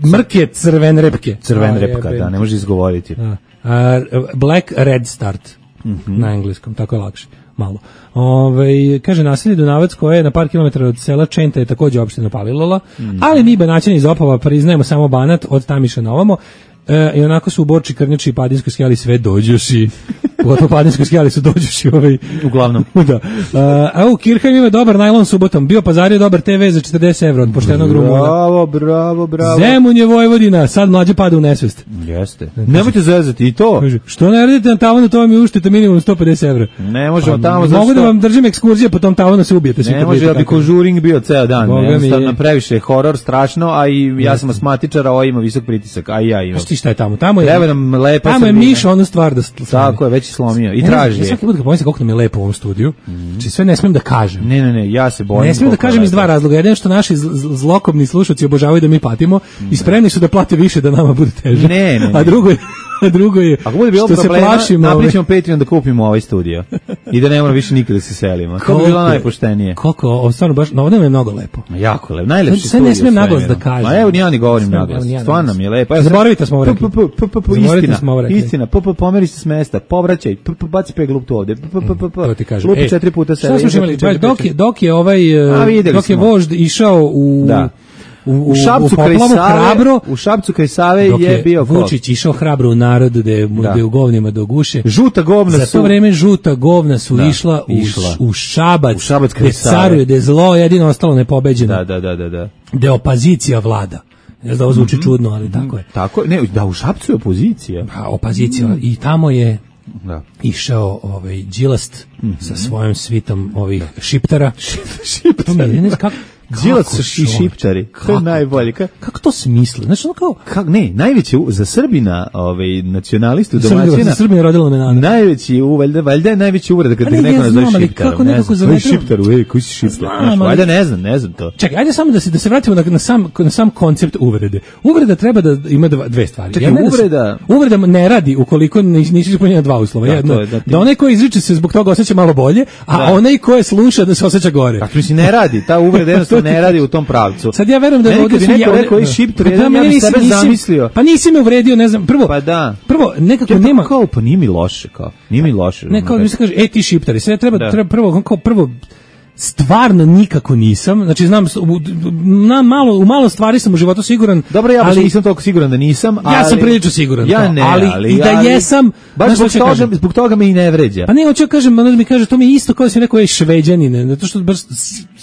mrke crven repke. Crven repka, da, ne može izgovoriti. Da. Uh, Black Red Start, mm-hmm. Na engleskom, tako je lakše. Malo. Ove, kaže naselje Dunavac koje je na par kilometara od sela Čenta je takođe opština Palilula, mm. ali mi Banaćani iz Opava priznajemo samo Banat od Tamiša na ovamo. E, i onako su u Borči, Krnjači i Padinskoj skijali sve dođoši. pogotovo padinskoj skijali su dođuši ovaj uglavnom. Da. A u Kirchheim ima dobar najlon subotom. Bio pazario dobar te ve za četrdeset evra od poštenog Rumuna. Bravo, bravo, bravo. Zemun je Vojvodina, sad mlađe pada u nesvest. Jeste. Nemojte zezati i to. Kaže, što ne radite na tavanu, to vam je uštete minimum sto pedeset evra. Ne možemo pa, tamo zato mogu da vam držim ekskurzije po tom tavanu, se ubijete. Ne može da bi konžuring bio ceo dan. Jednostavno previše horor, strašno, a i ja sam asmatičar, a ovo ima visok pritisak, a i ja imam. A šta je tamo? Tamo je, treba nam lepa tamo je miš onu stvar da slomi. Tako je, već je slomio i traži. Ja svaki put kad pomislim koliko nam je lepo u ovom studiju, znači sve ne smijem da kažem. Ne, ne, ne, ja se bojim. Ne smijem da kažem iz dva razloga. Jedan što naši zlokobni slušaoci obožavaju da mi patimo i spremni su da plate više da nama bude teže. Ne, ne, a drugo je a drugo je ako bude bilo što problema, se plašimo, napričamo Patreon da kupimo ovaj studio i da ne moramo više nikada se selimo. To bi bilo najpoštenije. Koliko, ovo stvarno baš, no ovo je mnogo lepo. Jako lepo, najlepši studio. Sve ne smijem naglas da kažem. Ma evo, ja ni govorim naglas, stvarno mi je lepo. Zaboravite smo ovo rekli. Istina, istina, p p pomeri se s mesta, povraćaj, p p baci peglu tu ovde, p p p p. To ti kažem. Lupi četiri puta sebe. Šta smo imali? Dok je, dok je ovaj, dok je vožd išao u... U, u, u Šapcu u kraj Save, hrabro, u Šapcu kraj Save je, je bio Vučić išao hrabro u narod da je, da. da je u govnima do guše. Žuta govna Za su... to vreme žuta govna su da, išla, išla u, u Šabac, u Šabac kraj gde caruje, gde je zlo jedino ostalo nepobeđeno. Da, da, da, da, da. Gde opozicija vlada. Ne znam da ovo zvuči mm-hmm. čudno, ali tako je. Tako je, ne, da u Šapcu je opozicija. A, opozicija mm. i tamo je da. išao ovaj Đilast mm-hmm. sa svojom svitom ovih da. šiptara. Šiptari. Ne znam kako Đilas i šipčari, to je najbolje. Kako, kako to smisle? Znači, ono kao... Kak, ne, najveći za Srbina, ovaj, nacionalistu, domaćina... Za Srbina rodila me nada. Najveći, valjda, valjda je najveći uvreda kad ne, neko ja nazove znam, šiptarom. Ne znam, koji šiptaru, ej, koji si šiptar? Valjda ne znam, ne znam to. Čekaj, ajde samo da se, da se vratimo na, na, sam, na sam koncept uvrede. Uvreda treba da ima dva, dve stvari. Čekaj, uvreda... Da se, uvreda ne radi ukoliko nisi ispunjena dva uslova. Da, jedno, je, da, ti... da onaj ko izriče se zbog toga osjeća malo bolje, a da. onaj ko je sluša da se osjeća gore. Dakle, si ne radi, ta uvreda jednostavno ne radi u tom pravcu. Sad ja verujem da je ovdje neko rekao i šiptar, ja bih sebe zamislio. Pa nisi me uvredio, ne znam, prvo. Pa da. Prvo nekako ja, nema kao pa nije mi loše, kao. Nije mi loše. Ne, kao mi se kaže, ej ti šiptari, sve treba da. treba prvo kao prvo stvarno nikako nisam, znači znam na malo u malo stvari sam u životu siguran. Dobro, ja baš nisam toliko siguran da nisam, ali ja sam prilično siguran. Ja ne, ali, ali i da ali, jesam, baš zbog toga, zbog toga me i ne vređa. Pa ne, hoću da kažem, ono da mi kaže, to mi je isto kao da sam rekao, ej Šveđanine, zato što baš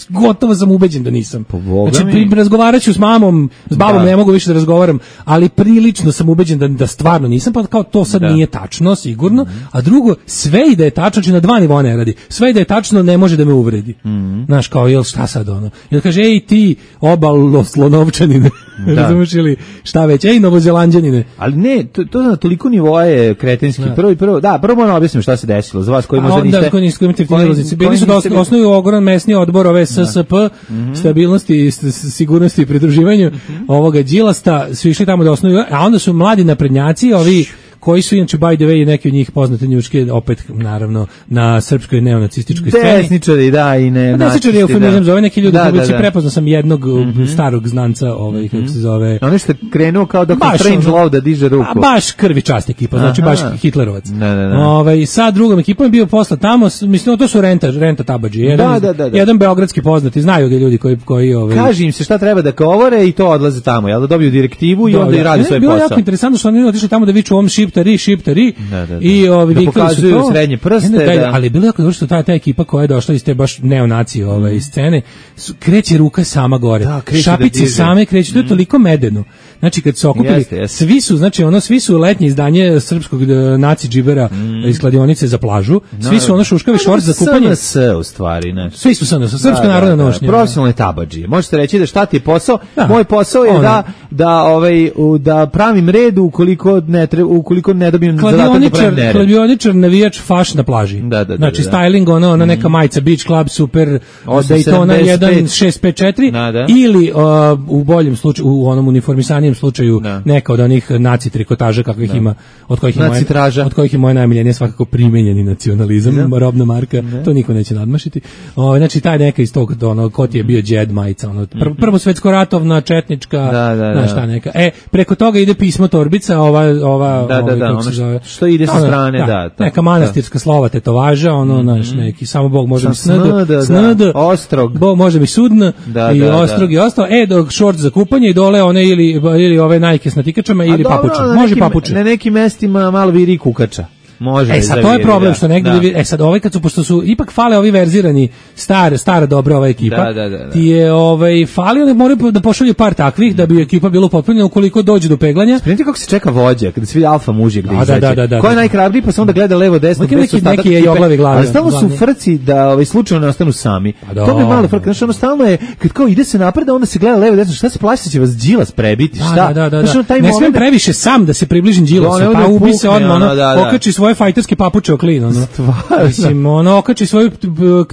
gotovo sam ubeđen da nisam. Znači, pri, razgovaraću s mamom, s babom da. ne mogu više da razgovaram, ali prilično sam ubeđen da, da stvarno nisam, pa kao to sad da. nije tačno, sigurno, mm-hmm. a drugo, sve i da je tačno, znači na dva nivoa ne radi, sve i da je tačno ne može da me uvredi. Mm-hmm. Znaš, kao, jel šta sad ono? Jel kaže, ej ti obalo slonovčanine, da. razumeš ili šta već, ej novozelanđanine. Ali ne, to, to na toliko nivoa je kretenski. Da. Prvo i prvo, da, prvo moramo objasniti šta se desilo za vas koji možda niste. Da, koji niste imate filozofici. Bili su da osnuju ogroman mesni odbor ove S S P, mm-hmm. stabilnosti, sigurnosti i pridruživanju mm-hmm. ovoga Đilasta, su išli tamo da osnuju, a onda su mladi naprednjaci, ovi koji su inače by the way neki od njih poznate njuške opet naravno na srpskoj neonacističkoj sceni. Desničari, da, i ne. Desničari je eufemizam za ove neki ljudi, koji se prepoznao sam jednog mm-hmm. starog znanca, ovaj mm-hmm. kako se zove. Ono što je krenuo kao da Strange Love da diže ruku. A baš krvi čast ekipa, znači Aha. baš Hitlerovac. Ne, ne, ne. Ovaj sa drugom ekipom je bio posla tamo, mislim to su renta, renta tabadži, jedan, da, da, da, da. jedan beogradski poznati, znaju ga ljudi koji koji ovaj. Kaži im se šta treba da govore i to odlaze tamo, jel da dobiju direktivu i onda i radi svoj posao. Bilo jako interesantno što oni otišli tamo da viču ovom šiptari, šiptari da, da, da. i ovi da pokazuju to, srednje prste, ne, da, da. ali bilo je jako dobro što ta ta ekipa koja je došla iz te baš neonacije ove mm. scene, su, kreće ruka sama gore. Da, šapice da same kreću, to je toliko medeno. Znači kad se okupili, jeste, jeste. svi su, znači ono svi su letnje izdanje srpskog naci džibera mm. iz kladionice za plažu, svi su ono šuškavi šorc za kupanje. S N S u stvari, ne. Svi su S N S, srpska narodna nošnja. Profesionalne tabadžije. Možete reći da šta ti je posao? Da. Moj posao je ono. da da ovaj da pravim red ukoliko ne treba, ukoliko ne dobijem zadatak da pravim nered. Kladioničar, navijač, faš na plaži. Da, da, da, znači da, da. styling, ono, ona neka majica Beach Club, super, Daytona jedan šest pet četiri da, da. ili uh, u boljem slučaju, u onom uniformisanijem slučaju da. neka od onih naci trikotaža kakvih da. ima, od kojih je moje, od kojih je moje najmiljenije svakako primenjeni nacionalizam, da. robna marka, da. to niko neće nadmašiti. O, znači taj neka iz tog, ono, ko ti je bio džed majica, ono, pr prvo svetsko ratovna, četnička, da, da, znaš šta neka. E, preko toga ide pismo torbica, ova, ova, da, da, da, ono što, što ide sa strane, da, da, da neka manastirska slova tetovaža, ono, znaš, mm -hmm. neki, samo Bog može mi snd, snd, ostrog, Bog može mi sudn, da, i da, ostrog da. i ostalo, e, dok šort za kupanje i dole one ili, ili ove Nike s natikačama ili papuče, može papuče. Na nekim mestima malo viri kukača. Može e sad to je problem da, što negde da. Vi, e sad ovaj kad su pošto su ipak fale ovi verzirani stara stara dobra ova ekipa. Da, da, da, da. Ti je ovaj falio da moraju da pošalju par takvih da bi ekipa bila upotpunjena ukoliko dođe do peglanja. Spremite kako se čeka vođa kada se vidi alfa mužik da izađe. Da, da, da, da, ko je najhrabriji pa se onda gleda levo desno bez neki neki je joglavi glavi. Ali stalno su frci da ovaj slučajno ne ostanu sami. Da, to mi malo frka, znači ono stalno je kad kao ide se napred onda se gleda levo desno, šta se plaši će vas Đilas prebiti, šta? Da, da, da, da. Taj ne smem previše sam da se približim Đilasu, pa ubi se odmah, ono, da, da. Okači svoje fajterske papuče o klin, ono. Mislim, ono, okači svoju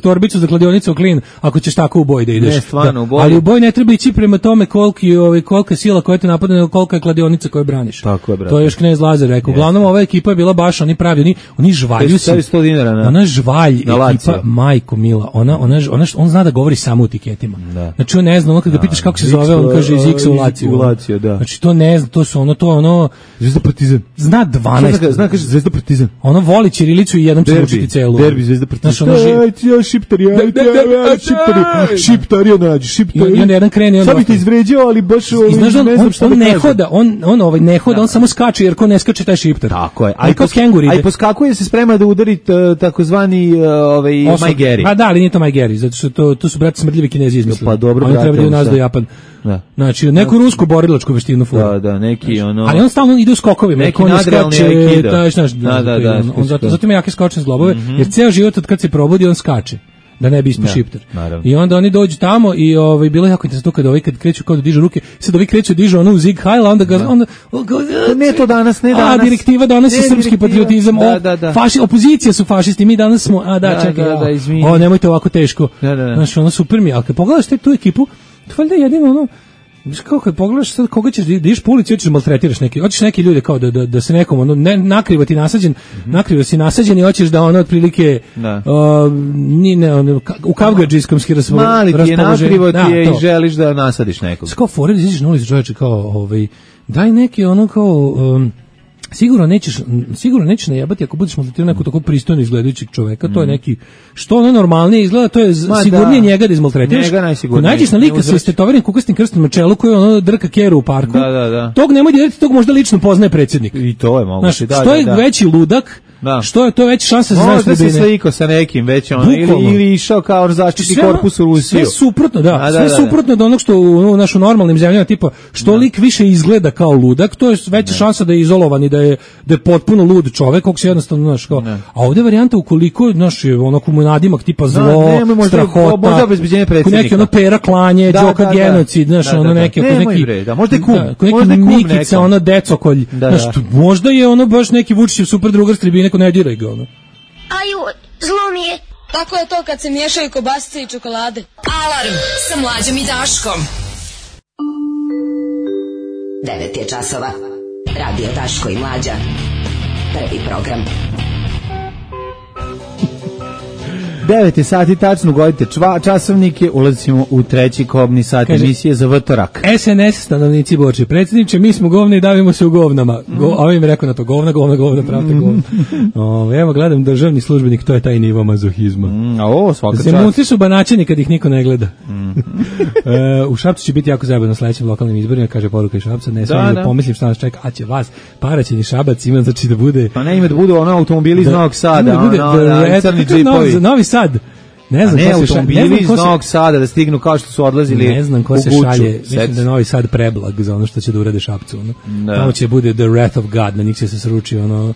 torbicu za kladionicu o klin, ako ćeš tako u boj da ideš. Ne, stvarno, u boj. Ali u boj ne treba ići prema tome koliki, ovaj, kolika sila koja te napadne, kolika je kladionica koju braniš. Tako je, brate. To je još knez Lazar rekao. Uglavnom, ova ekipa je bila baš, oni pravi, oni, oni žvalju se. sto dinara na. Ona žvalj ekipa, majko mila, ona, ona, ona, on zna da govori samo u tiketima. Da. Znači, on ne zna, ono kada ga pitaš kako se zove, on kaže iz X u Laciju. Laciju, da. Znači, to ne zna, to su ono, to ono, Zvezda Partizan. Zna dvanaest. Zna, zna kaže Zvezda Partizan. Ono voli ćirilicu i jednom će učiti celu. Derbi Zvezda Partizan. Znaš, ono živ... Ajde, ja šiptari, ajde, ajde, šiptari, šiptari, nađi, šiptari. I on jedan krene. Sad bi te izvređao, ali baš ovaj, znaš, on, ne znam šta on, on ne hoda, on, on, ovaj, ne hoda, on samo skače, jer ko ne skače, taj šiptar. Tako je. A i pos, poskakuje se sprema da udari takozvani ovaj, Majgeri. Pa da, ali nije to Majgeri, zato što to, to su, brate, smrdljivi Kinezi izmislili. Pa dobro, oni treba da u nas do Japan. Da. Znači, neku rusku borilačku veštinu fura. Da, da, neki ono... Ali on stalno ide u skokovima. Neki nadrealni aikido. Taj, znaš, da, da, da. On, on zato, zato ima jake skočne zglobove, mm-hmm. jer ceo život od kad se probudi, on skače. Da ne bi ispao šiptar. I onda oni dođu tamo i ovaj bilo je jako interesantno kada ovi kad kreću kao da dižu ruke, sad ovi kreću dižu onu zig high, onda ga onda ne to danas, ne danas. A direktiva danas je srpski patriotizam, da, da, da. Faši, opozicija su fašisti, mi danas smo, a da, da čekaj, da, da, izvini. O, nemojte ovako teško. Da, da, da. Znaš, ono super mi, ali kad pogledaš te tu ekipu, to valjda jedino ono Znaš kako kad pogledaš sad koga ćeš da ideš po ulici, hoćeš da maltretiraš neki, hoćeš neke ljude kao da, da, da se nekom ono, ne, nakrivo ti nasađen, mm-hmm. nakrivo si nasađen i hoćeš da ono otprilike da. Uh, ni, ne, ono, u kavgadžijskom ski raspoloženju. Mali ti je nakrivo ti je da, i želiš da nasadiš nekog. Kao fore da izađeš na ulicu čovječe kao ovaj, daj neki ono kao... Um, Sigurno nećeš, sigurno nećeš najebati ako budeš maltretirao nekog tako pristojno izgledajućeg čoveka, mm. to je neki, što ono normalnije izgleda, to je Ma sigurnije da. njega da izmaltretiraš. Njega najsigurnije. Ko nađeš na lika sa istetovenim kukastim krstom na čelu koji ono drka keru u parku, da, da, da. tog nemoj dirati, tog možda lično poznaje predsjednik. I to je moguće. Znaš, da, što je da, da. veći ludak, da. što je to veći šansa za znaš da se sliko sa nekim već ono, ili, ili išao kao zaštitni korpus u Rusiju. Sve suprotno, da, A, da sve da, suprotno od onog što u, u našo normalnim zemljama, tipa, što da. lik više izgleda kao ludak, to je veća šansa da je izolovan i da je, da je potpuno lud čovek, kog se jednostavno, znaš, kao, a ovdje varijanta ukoliko, znaš, ono komunadimak tipa zlo, da, ne, možda, strahota, možda obezbeđenje predsjednika. Neki ono pera klanje, da, džoka da, genocid, znaš, da, da, ono da, neki, ne, neki, bre, da, možda je kum, da, neki možda je kum Mikica, ono decokolj, da, znaš, da. možda je ono baš neki Vučićev super drugar s tribine, neko ne diraj ga, ono. Aju, zlo mi je. Tako je to kad se miješaju kobasice i čokolade. Alarm sa Mlađom i Daškom. devet je časova. Radio Daško i Mlađa. Prvi program. devet je sati, tačno godite čva, časovnike, ulazimo u treći kobni sat Kaže, emisije za vtorak. S N S stanovnici Borče, predsjedniče, mi smo govni i davimo se u govnama. Go, a ovim rekao na to, govna, govna, govna, pravda, govna. O, evo, gledam, državni službenik, to je taj nivo mazohizma. Mm, a ovo, svaka čast. Zemunci su banačeni kad ih niko ne gleda. Mm. e, u Šapcu će biti jako zajebano na sledećim lokalnim izborima, kaže poruka iz Šapca, ne smijem da, da pomislim šta nas čeka, a će vas, paraćeni Šabac ima, znači da bude... Pa ne ima da budu ono automobili iz da, Novog Sada, da bude, ono, da, da, crni džipovi. Novi Sad. Ne znam, ne, ko se automobili šalje, iz Novog Sada da stignu kao što su odlazili ne znam ko se šalje, mislim da je Novi Sad preblag za ono što će da urade Šapcu, ono. Da. Tamo će bude the wrath of God, na njih će se sruči ono.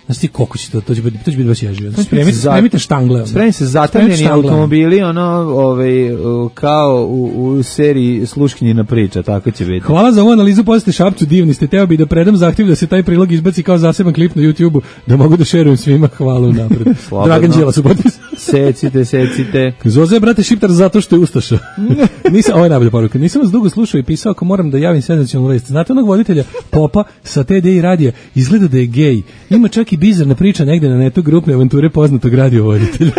Znaš ti koliko će to, to će biti, to će biti baš ježio. Spremite, spremite štangle. Spremite se zatamljeni automobili, ono, ovaj, kao u, u seriji Sluškinjina priča, tako će biti. Hvala za ovu analizu, posle Šapcu, divni ste, teo bi da predam zahtjev da se taj prilog izbaci kao zaseban klip na YouTubeu, da mogu da šerujem svima, hvala unapred. Dragan Đilas u potpisu. Secite, secite. Zoze, brate, šiptar zato što je ustaša. Nisam, ovo je najbolja poruka, nisam vas dugo slušao i pisao ako moram da javim senzacionalnu vest. Znate onog voditelja Popa sa T D I radija, izgleda da je gej. Ima čak i bizarna priča negde na netu grupne avanture poznatog radiovoditelja.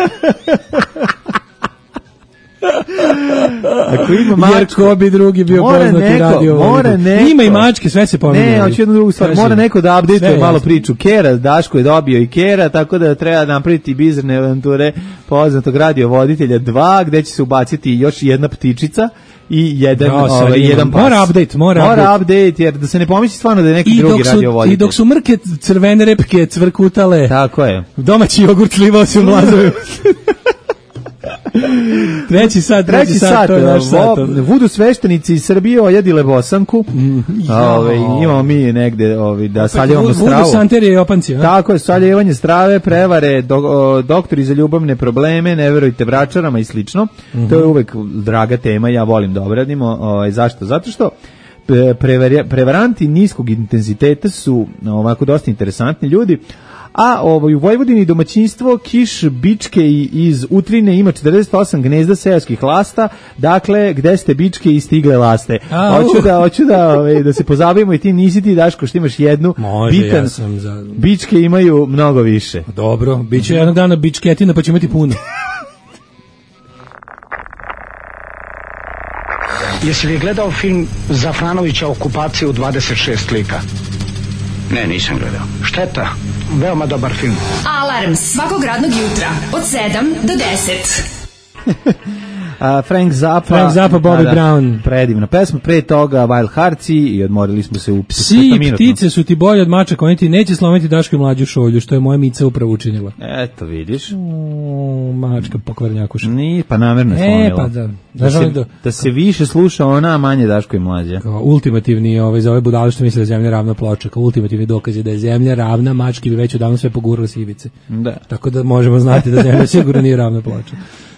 Ako ima mačku, jer ko bi drugi bio poznati radiovoditelj. Ima i mačke, sve se pominje. Ne, hoću jednu drugu stvar. Mora neko da update malo priču. Kera, Daško je dobio i Kera, tako da treba napraviti bizarne avanture poznatog radiovoditelja dva, gde će se ubaciti još jedna ptičica i jedan, no, ovaj, jedan pas. Mora update, mora, mora update. update, jer da se ne pomisli stvarno da je neki I drugi su, radio voditelj. I dok su mrke crvene repke cvrkutale, tako je. Domaći jogurt slivao se u mlazove. treći sat, treći, treći sat, sat, to je naš sat. Vudu sveštenici iz Srbije ojedile Bosanku. Mm, ove, imamo mi negde ove, da saljevamo stravu. Vudu santerije i opanci. Tako je, saljevanje strave, prevare, do, o, doktori za ljubavne probleme, ne verujte bračarama i slično. Mm-hmm. To je uvek draga tema, ja volim da obradimo. Ove, zašto? Zato što prevar, prevaranti niskog intenziteta su ovako dosta interesantni ljudi. A ovaj, u Vojvodini domaćinstvo Kiš Bičke iz Utrine ima četrdeset osam gnezda seoskih lasta, dakle, gde ste bičke i stigle laste. A, hoću uh. da, hoću da, ovaj, da se pozabavimo i ti nisi ti, Daško, što imaš jednu. Može, bitan, ja sam za... Bičke imaju mnogo više. Dobro, bit će jednog dana bičketina pa će imati puno. Jesi li gledao film Zafranovića Okupacija u dvadeset šest lika? Ne, nisam gledao. Šteta, veoma dobar film. Alarm svakog radnog jutra od sedam do deset. A, Frank Zappa, Frank Zappa, Bobby da, Brown. Predivna pesma, pre toga Wild Heartsi i odmorili smo se u psi i ptice su ti bolje od mačaka, oni ti neće slomiti Daško i mlađu šolju, što je moja Mica upravo učinila. Eto, vidiš. O, mačka pokvarnjakuša. Ni, pa namjerno je slomila. E, pa da. Da se, da, da se više sluša ona, a manje Daško i mlađa. Kao ultimativni, ovaj, za ove budale što misle da je zemlja ravna ploča, kao ultimativni dokaz je da je zemlja ravna, mački bi već odavno sve pogurali s ivice. Da. Tako da možemo znati da zemlja sigurno nije ravna ploča.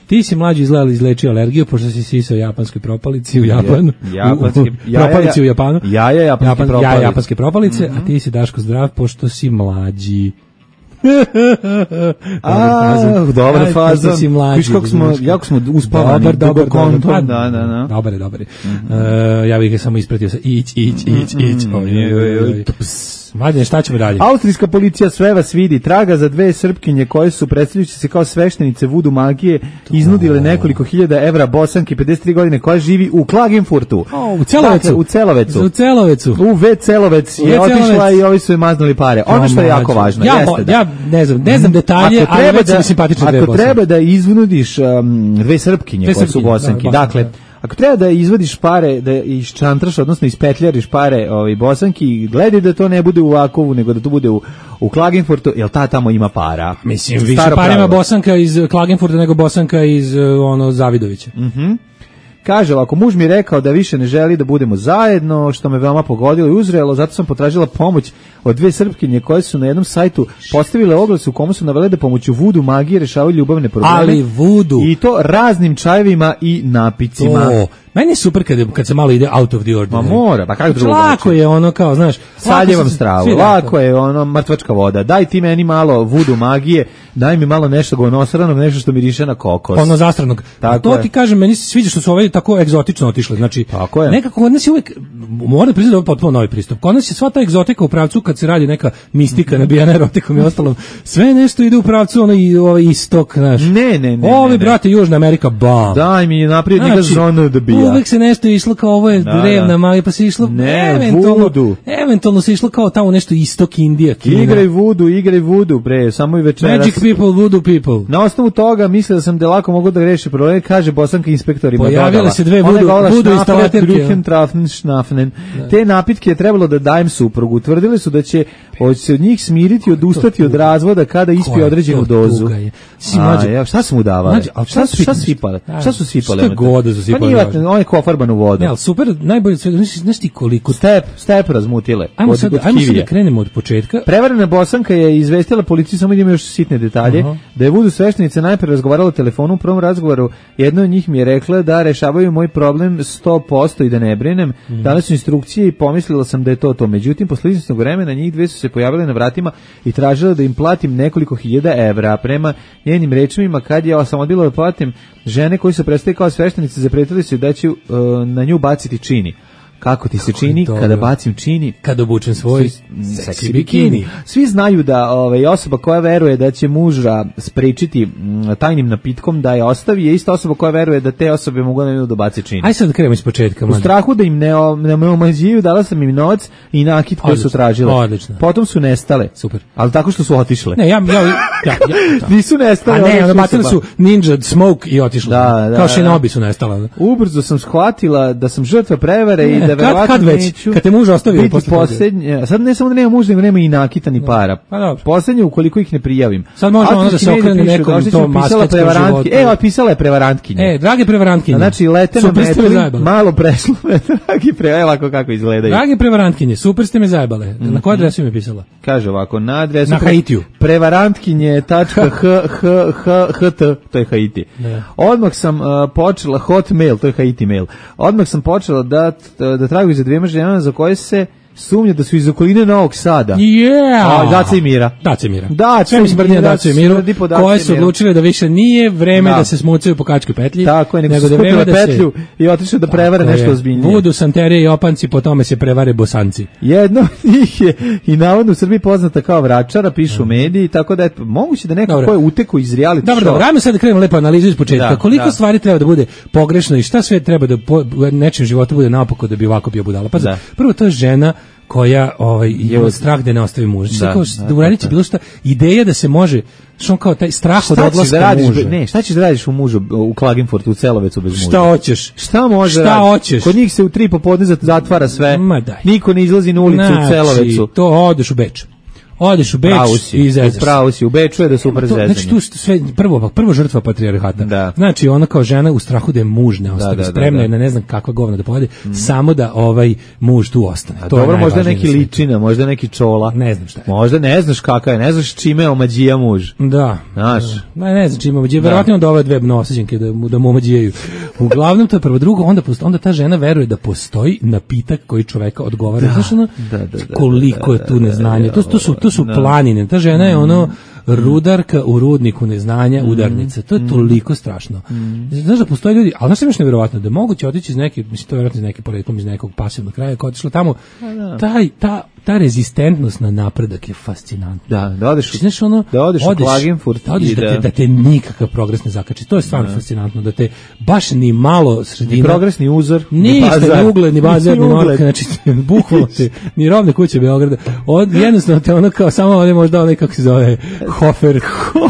Ti si mlađi izgledali izlečio alergiju, pošto si sisao japanskoj propalici u Japanu. Japanski, u, u, propalici u Japanu. Jaja japanske Japan, propalice. Jaja japanske propalice, mm-hmm. A ti si Daško zdrav, pošto si mlađi. A, dobar fazon. Si mlađi. Viš kako smo, jako smo uspavani. Dobar, dobar, dobar. Da, da, da. Dobar je, dobar je. Ja bih ga samo ispratio sa ić, ić, ić, ić. Mladine, šta ćemo dalje? Austrijska policija sve vas vidi, traga za dve Srpkinje koje su predstavljajući se kao sveštenice vudu magije iznudile nekoliko hiljada evra Bosanki pedeset tri godine koja živi u Klagenfurtu. Oh, u Celovecu. Dakle, u Celovecu. U Celovecu. U V Celovec je otišla i ovi su je maznuli pare. Ono što je jako važno ja, jeste da... Ja ne znam, ne znam detalje, ali već da, mi simpatične dve Ako Bosanke. treba da iznudiš um, dve Srpkinje koje su Bosanki, da, dakle, ako treba da izvadiš pare, da iščantraš, odnosno ispetljariš pare ovaj, Bosanki, gledaj da to ne bude u Vakovu, nego da to bude u, u Klagenfurtu, jer ta tamo ima para. Mislim, više para ima Bosanka iz Klagenfurta nego Bosanka iz ono Zavidovića. Mhm. Kaže, ako muž mi je rekao da više ne želi da budemo zajedno, što me veoma pogodilo i uzrelo, zato sam potražila pomoć od dve Srpkinje koje su na jednom sajtu postavile oglas u komu su navele da pomoću vudu magije rešavaju ljubavne probleme. Ali vudu. I to raznim čajevima i napicima. To. Meni je super kad, kad se malo ide out of the ordinary. Ma mora, pa kako drugo. Lako je ono kao, znaš, saljevam stravu, lako je ono mrtvačka voda. Daj ti meni malo vudu magije, daj mi malo nešto gonosranog, nešto što miriše na kokos. Ono zastranog. Tako to je. Ti kažem, meni se sviđa što su ove tako egzotično otišle. Znači, tako je. Nekako kod nas je uvek, moram priznati da je potpuno novi pristup. Kod nas je sva ta egzotika u pravcu kad se radi neka mistika, nabijana erotikom i ostalom. Sve nešto ide u pravcu ono i ovaj istok, znaš. Ne, ne, ne. Ovi brate Južna Amerika, bam. Daj mi naprijed njega zonu da bija. Uvek se nešto išlo kao ovo je da, drevna magija, pa se išlo ne, eventualno, vudu. Eventualno se išlo kao tamo nešto istok Indija, Kina. Igraj vudu, igraj vudu, bre, samo i večeras. Magic people, voodoo people. Na osnovu toga mislio da sam da lako mogu da reši problem, kaže Bosanka inspektorima. Pojavile se dve vudu, vudu instalaterke. Te napitke je trebalo da dajem suprugu. Tvrdili su da će se od njih smiriti, odustati od razvoda kada ispije određenu dozu. A, ja, šta su mu davali? Šta su sipale? Šta su sipale? Šta god su sipale? Pa nije, on je kofarbanu vodu. Ne, ali super, najbolje sve, znaš ti koliko... Step, step razmutile. Ajmo od, sad, od ajmo sad da krenemo od početka. Prevarena Bosanka je izvestila policiju, samo idemo još sitne detalje, uh-huh. da je vudu sveštenice najpre razgovarala telefonu. U prvom razgovoru jedna od njih mi je rekla da rešavaju moj problem sto posto i da ne brinem. Mm. Dali su instrukcije i pomislila sam da je to to. Međutim, posle izvesnog vremena njih dve su se pojavile na vratima i tražile da im platim nekoliko hiljada evra. Prema njenim rečima, kad ja sam odbila da platim, žene koji su predstavili kao sveštenice zapretili su da će uh, na nju baciti čini. kako ti se čini kada bacim čini, kada obučem svoj seksi bikini. Svi znaju da ovaj, osoba koja veruje da će muža sprečiti tajnim napitkom da je ostavi, je ista osoba koja veruje da te osobe mogu da da bace čini. Aj sad da krenemo iz početka. U strahu da im ne, ne, ne omađiju, dala sam im novac i nakit koji su tražile. Odlično. Potom su nestale. Super. Ali tako što su otišle. Ne, ja, ja, ja, ja nisu nestale. A ne, ono bacili su Ninja Smoke i otišle. Da, da, kao Shinobi su nestale. Ubrzo sam shvatila da sam žrtva prevare ne, i da verovatno kad već, neću kad te muž ostavio posle posljednje. Sad ne samo da nema muža, nego nema i nakita ni para. Pa dobro. Poslednje ukoliko ih ne prijavim. Sad može ono da se okrene nekom to masketskom životu. E, pisala je prevarantkinja. E, drage prevarantkinje. Znači, lete na metli, malo preslove, dragi pre, evo ovako kako izgledaju. Drage prevarantkinje, super ste me zajebale. Mm-hmm. Na koju adresu mi je pisala? Kaže ovako, na adresu... Na Haitiju. prevarantkinje.ht, to je Haiti. Ne. Odmah sam uh, počela, hotmail, to je Haiti mail, odmah sam počela da, da traguju za dvijema ženama za koje se sumnja da su iz okoline Novog Sada. Yeah. A, Dace i Mira. Dace i Mira. Dace i Mira. Dace i Miru, koje su odlučile da više nije vreme da, da se smucaju po kačkoj petlji. Tako je, nego, nego su skupile petlju se... i otišle da prevare nešto ozbiljnije. Vudu, santerije i opanci, po tome se prevare bosanci. Jedno od njih je i navodno u Srbiji poznata kao vračara, pišu mm. mediji, tako da je moguće da neko dobro. Ko je utekao iz reality show. Dobro, dobro, ajmo sad da krenemo lepo analizu iz početka. Da, koliko da. Stvari treba da bude pogrešno i šta sve treba da po nečem životu bude naopako da bi ovako bio budala. Pa da. Prvo, to je žena koja ovaj je strah da ne ostavi muža. Da, kao da, da uradiće da, da. Bilo šta, ideja da se može, što kao taj strah od odlaska da muža. Ne, šta ćeš da radiš u mužu u Klagenfurtu, u Celovecu bez muža? Šta hoćeš? Šta može? Šta radi? Hoćeš? Kod njih se u tri popodne zatvara sve. Ma daj. Niko ne izlazi na ulicu znači, u Celovecu. To odeš u Beč. Odeš u Beč i zezaš. Pravo si, u Beču je da su prezezanje. Znači tu sve prvo prvo žrtva patrijarhata. Da. Znači ona kao žena u strahu da je muž ne ostavi, da, da, spremna je da, da. Na ne znam kakva govna da pojede, mm. samo da ovaj muž tu ostane. A to dobro, je možda neki ličina, možda neki čola. Ne znam šta je. Možda ne znaš kakav je, ne znaš čime je omađija muž. Da. Znaš. Ne, ne znam čime omađija, verovatno on doveo dve nosađenke da mu da mu omađijaju. Uglavnom to je prvo, drugo, onda onda ta žena veruje da postoji napitak koji čoveka odgovara. Znaš ono, koliko je tu neznanja. To to su to su planine. Ta žena je ono rudarka u rudniku neznanja, udarnica. To je toliko strašno. Znaš da postoje ljudi, ali znaš što je još nevjerovatno, da moguće otići iz neke, mislim to je vjerojatno iz neke poreklom, iz nekog pasivnog kraja, kao otišlo tamo, taj, ta, ta rezistentnost na napredak je fascinantna. Da, da odeš, znaš, ono, da odeš, odeš u Klagenfurt da, odeš da, te, da te nikakav progres ne zakači. To je stvarno da. Fascinantno, da te baš ni malo sredina... Ni progresni uzor, ni bazar. Ni ugled, ni bazar, ni ugled. Znači, bukvalno te, ni rovne kuće Beograda. Od, jednostavno te ono kao, samo ovdje možda onaj kako se zove, Hofer,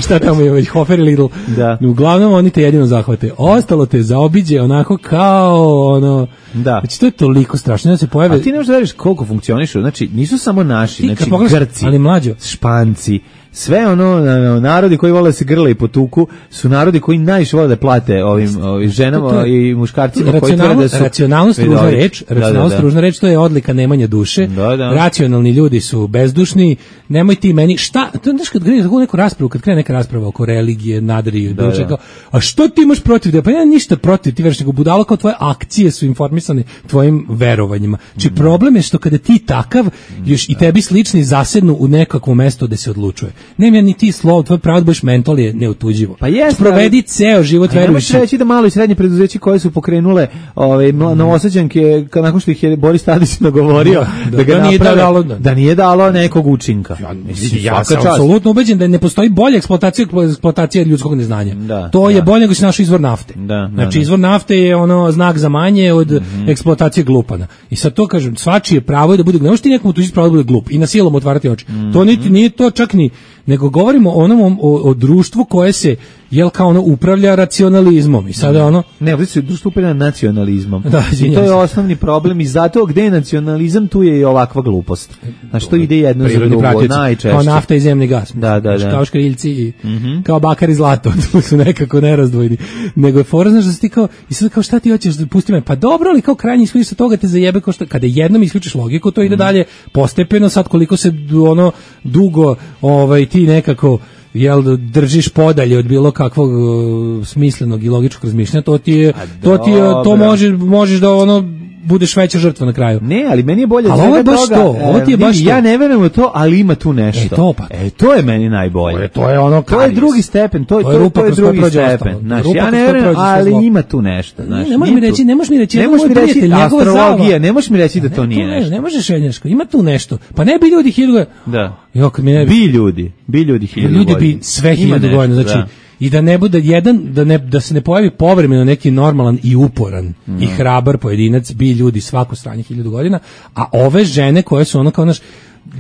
šta tamo je već, Hofer i Lidl. Da. Uglavnom oni te jedino zahvate. Ostalo te zaobiđe onako kao ono... Da. Znači to je toliko strašno da se pojave. A ti ne možeš da veriš koliko funkcionišu. Znači nisu samo naši, ti, znači pogledaš, Grci, ali mlađo, Španci, sve ono narodi koji vole da se grle i potuku su narodi koji najviše vole da plate ovim, ovim ženama to, to i muškarcima koji tvrde da su racionalnost ružna reč, racionalnost ružna reč, to je odlika nemanja duše. Da, da. Racionalni ljudi su bezdušni. Nemoj ti meni šta, to znaš kad krene tako neku raspravu, kad krene neka rasprava oko religije, nadrije, da, da. Kao, a što ti imaš protiv da? Pa ja ništa protiv, ti veriš nego budalo kao tvoje akcije su informisane tvojim verovanjima. Znači mm. problem je što kada ti takav još da. I tebi slični zasednu u nekakvo mesto gde se odlučuje. Nema ni ti slovo, tvoj pravo da budeš mental je neotuđivo. Pa jest, provedi ceo život verujući. Ne reći da malo i srednje preduzeće koje su pokrenule ove mm. novosađanke nakon što ih je Boris Tadić nagovorio da, da, da ga da nije dalo, da. Da nije dalo nekog učinka. Ja, mislim, ja sam apsolutno ubeđen da ne postoji bolja eksploatacija eksploatacija ljudskog neznanja. Da, to je da. bolje nego što naš izvor nafte. Da, znači da, izvor nafte je ono znak za manje od mm-hmm. eksploatacije glupana. I sad to kažem, svačije pravo je da bude, ne možeš ti nekom tužiti pravo da bude glup i na silom otvarati oči. Mm-hmm. To niti nije to čak ni, nego govorimo o onom o, o društvu koje se jel kao ono upravlja racionalizmom i sada ono ne, ovdje se društvo upravlja nacionalizmom. Da, i to je osnovni problem i zato gde je nacionalizam tu je i ovakva glupost. Znači to ide jedno za drugo najčešće. Kao nafta i zemni gas. Da, da, da. Kao škriljci i mm-hmm. kao bakar i zlato, tu su nekako nerazdvojni. Nego je fora, znaš da si ti kao, i sad kao šta ti hoćeš da pusti me? Pa dobro, ali kao krajnji ishodiš sa toga te zajebe kao što, kada jednom isključiš logiku, to ide mm-hmm. dalje postepeno, sad koliko se ono dugo ovaj, ti nekako jel držiš podalje od bilo kakvog uh, smislenog i logičkog razmišljanja, to ti je to ti je to možeš možeš da ono budeš veća žrtva na kraju. Ne, ali meni je bolje ali ovo je baš toga, to, ovo ti je baš ja to. ne verujem u to, ali ima tu nešto. E, to pa. E, to je meni najbolje. To je, to je ono to je drugi stepen, to, to, to, to je drugi stepen. Znaš, ja ne verujem, ali ima tu nešto. Znaš, ne možeš mi reći, ne možeš mi reći, ne možeš mi reći astrologija, ne možeš mi reći da to nije nešto. Ne možeš Šenjaško, ima tu nešto. Pa ne bi ljudi hiljadu. Da. Jo, kad mi ne bi ljudi, bi ljudi hiljadu. Ljudi bi sve hiljadu godina, znači i da ne bude jedan, da, ne, da se ne pojavi povremeno neki normalan i uporan mm. i hrabar pojedinac, bi ljudi svako stranje hiljadu godina, a ove žene koje su ono kao naš,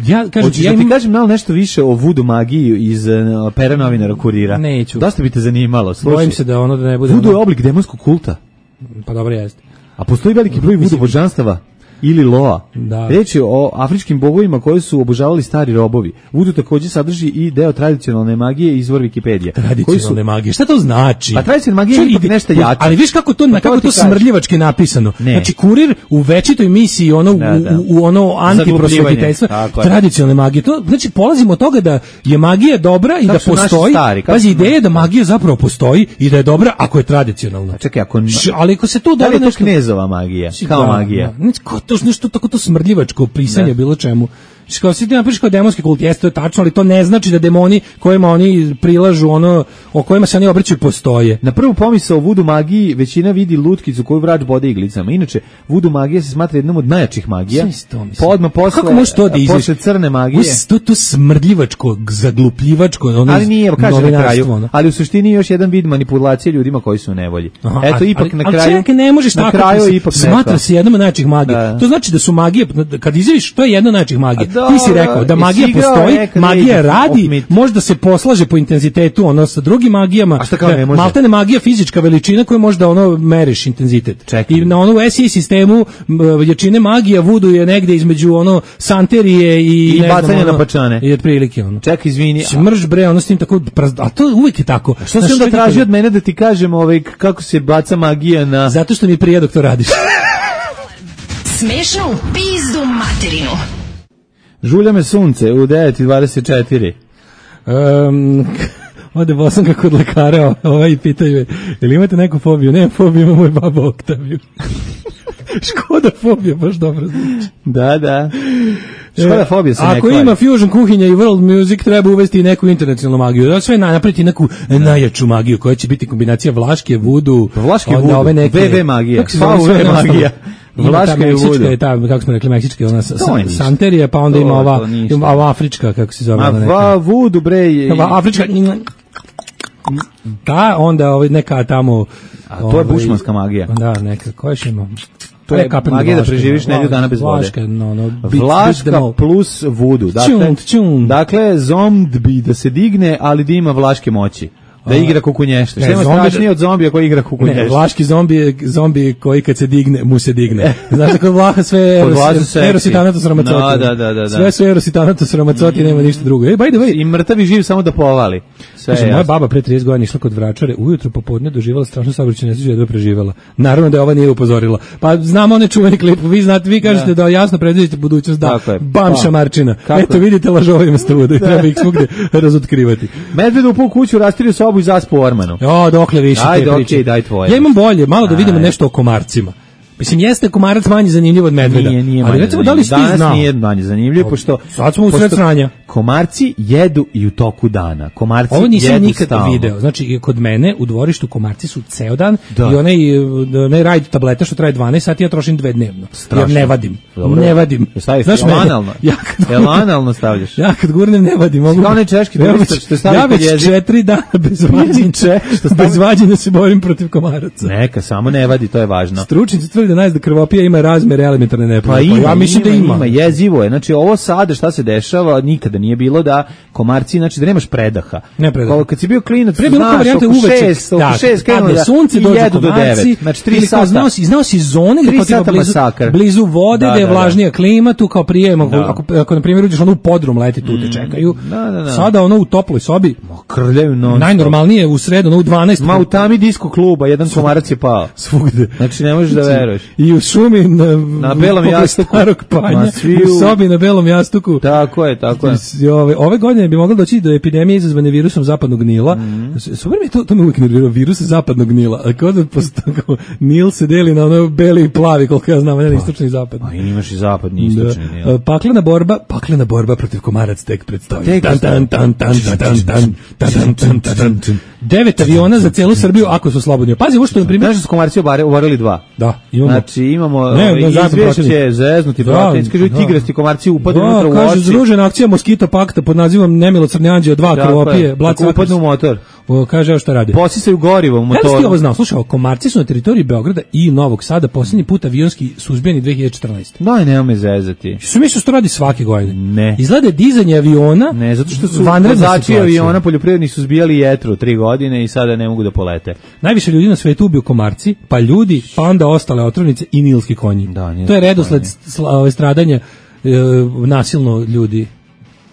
ja kažem, Hoćeš ja da ti im... kažem malo nešto više o vudu magiji iz uh, pera novinara Kurira? Neću. Dosta bi te zanimalo. Slušaj. Bojim se da ono da ne bude... Vudu ono... je oblik demonskog kulta. Pa dobro jeste. A postoji veliki broj vudu božanstava ili loa. Da. Reč je o afričkim bogovima koji su obožavali stari robovi. Vudu također sadrži i deo tradicionalne magije, izvor Wikipedija. Tradicionalne su... magije. Šta to znači? Pa tradicionalna magija je ipak nešto jače. Ali viš kako to, pa kako to smrdljivački napisano. Ne. Znači Kurir u večitoj misiji ono da, da. U, u ono antiprosvetiteljstvo tradicionalne magije. To znači polazimo od toga da je magija dobra i kako da postoji. Stari, pazi, ideja je da magija zapravo postoji i da je dobra ako je tradicionalna. A čekaj, ako Š, ali ako se to da li je to nešto... knezova magija, kao da, magija. Da. To nešto tako to smrdljivačko pisanje bilo čemu. Kao si ti napišeš kao demonski kult, jeste to je tačno, ali to ne znači da demoni kojima oni prilažu, ono, o kojima se oni obraćaju postoje. Na prvu pomisao o vudu magiji većina vidi lutkicu koju vrač bode iglicama. Inače, vudu magija se smatra jednom od najjačih magija. Pa odmah posle, to da posle crne magije. To, to smrdljivačko, zaglupljivačko, ono ali nije, kaže na kraju, ono. Ali u suštini još jedan vid manipulacije ljudima koji su u nevolji. Aha, Eto, ali, ipak ali, na kraju... Ali čekaj, ne možeš na tako, kraju se, ipak smatra se jednom od najjačih magija. Da. To znači da su magije, kad izjaviš, to je jedna od najjačih magija. Da, ti si rekao da magija postoji, magija radi, možda se poslaže po intenzitetu ono sa drugim magijama. A šta kao ne može? Maltene magija fizička veličina koju možda ono meriš intenzitet. Čekaj. I na onu S I sistemu jačine magija vudu je negde između ono santerije i, I ne bacanje znam, ono, na pačane. I otprilike ono. Čekaj, izvini. Smrš bre, ono s tim tako, a to uvek je tako. A što se onda traži od mene da ti kažem ovaj, kako se baca magija na... Zato što mi prija dok to radiš. Smešno u pizdu materinu. Žulja me sunce u devet i dvadeset četiri. Um, ode Bosanka kod lekara ovaj i pitaju je, jel imate neku fobiju? Ne, fobiju ima moj baba Oktaviju. Škoda fobija, baš dobro znači. Da, da. Škoda fobija se ne Ako ima fusion kuhinja i world music, treba uvesti i neku internacionalnu magiju. Da sve napraviti neku najjaču magiju koja će biti kombinacija vlaške, vudu, vlaške vudu, ove neke, ve ve magija, V V magija. Vlaška je vudu. Je ta, kako smo rekli, meksička, ona sa, santerija, pa onda to, ima ova, ima ova afrička, kako se zove. Ma va vudu, bre. Ova afrička, ta, onda ovaj, neka tamo... A to je bušmanska magija. Da, neka, koja još ima? To je magija da preživiš nedelju dana bez vode. Vlaška, no, no, Vlaška plus vudu. Dakle, dakle, zombi da se digne, ali da ima vlaške moći. Da igra kukunješta. Što ima strašnije od zombija koji igra kukunješta? Ne, vlaški zombi je zombi koji kad se digne, mu se digne. Znaš da kod Vlaha sve eros i tanatos ramacoti. No, da, da, da. Sve su eros i tanatos ramacoti, nema ništa drugo. Ej, by the way. I mrtavi živ samo da povali. Kaže, moja baba pre trideset godina išla kod vračare, ujutro popodne doživjela strašnu saobraćajnu nesreću, jedva preživela. Naravno da ova nije upozorila. Pa znamo one čuveni klip, vi znate, vi kažete da, da jasno predvidite budućnost, da. Bam pa, šamarčina. Eto vidite, lažovima ste uvodu i treba ih svugde razotkrivati. Medved upao u kuću, rastirio sobu i zaspo u ormanu. Jo, dokle više ajde, te priče. Okay, daj tvoje. Ja imam bolje, malo da vidimo nešto o komarcima. Mislim, jeste komarac manje zanimljiv od medveda. Nije, nije ali recimo, da li si ti znao? Danas nije manje zanimljiv, pošto... Sad smo u sred sranja. Komarci jedu i u toku dana. Komarci ovo nisam jedu nikad stalno. video. Znači, kod mene u dvorištu komarci su ceo dan da. I onaj, onaj rajd tableta što traje dvanaest sati, ja trošim dve dnevno. Strašno. Jer ne vadim. Dobro. Ne vadim. Znaš, analno. Ja kad, analno stavljaš. Ja kad gurnem ne vadim. Mogu... Kao onaj češki turista što stavi ja već četiri dana bez vađenja. Bez vađenja se borim protiv komaraca. Neka, samo ne vadi, to je važno. Stručnici tvrde da najzda krvopija ima razmere elementarne nepogode. Pa, ima, ja mislim ima, da ima. Ima, jezivo je. Znači ovo sada šta se dešava, nikada nije bilo da komarci, znači da nemaš predaha. Ne predaha. Kad si bio klinac, pre bilo varijante uveče, oko šest krenuo da sunce dođe do devet. Znači tri sata. Znao si, znao si zone gdje kao tipa blizu, blizu vode, gdje je vlažnija klima, tu kao prijemo, ako, ako na primjer uđeš ono u podrum leti, tu te čekaju. Sada ono u toploj sobi, krljaju non. Najnormalnije u sredu, ono u dvanaest. Ma u tami disko kluba, jedan komarac je pao. Svugde. Znači ne možeš da veruješ. još. I u šumi na, na belom jastuku starog panja, u sobi na belom jastuku. Tako je, tako je. Ove, ove godine bi moglo doći do epidemije izazvane virusom zapadnog Nila. Mm. Super mi to, to me uvijek nervirao, virus zapadnog Nila. A kao da posto, Nil se deli na ono beli i plavi, koliko ja znam, jedan istočni i zapadni. A imaš i zapadni i istočni Nil. Da. Paklena borba, paklena borba protiv komaraca tek predstavlja. Tan, tan, tan, tan, tan, tan, tan, tan, tan, tan. Devet aviona za celu Srbiju ako su slobodni. Pazi, ovo što na primjer, znaš da su komarci obarili dva. Da, imamo. Znači imamo ne, ovaj, izvješće zeznuti protivnici, kažu tigrasti komarci upadnu unutra u oči. Kaže združena akcija Moskito pakta pod nazivom Nemilosrdni anđeo dva krvopije, Black upadnu u motor. O, kaže evo šta radi. Posisaju gorivo u motoru. Ja ti ovo znao, slušaj, komarci su na teritoriji Beograda i Novog Sada posljednji put avionski suzbijeni dve hiljade četrnaeste. No, nema me zezati. Su misle što radi svake godine. Ne. Izgleda dizanje aviona. Ne, zato što su vozači aviona poljoprivredni su zbijali jetru tri godine i sada ne mogu da polete. Najviše ljudi na svetu ubiju komarci, pa ljudi, pa onda ostale otrovnice i nilski konji. Da, to je redosled stradanja e, nasilno ljudi.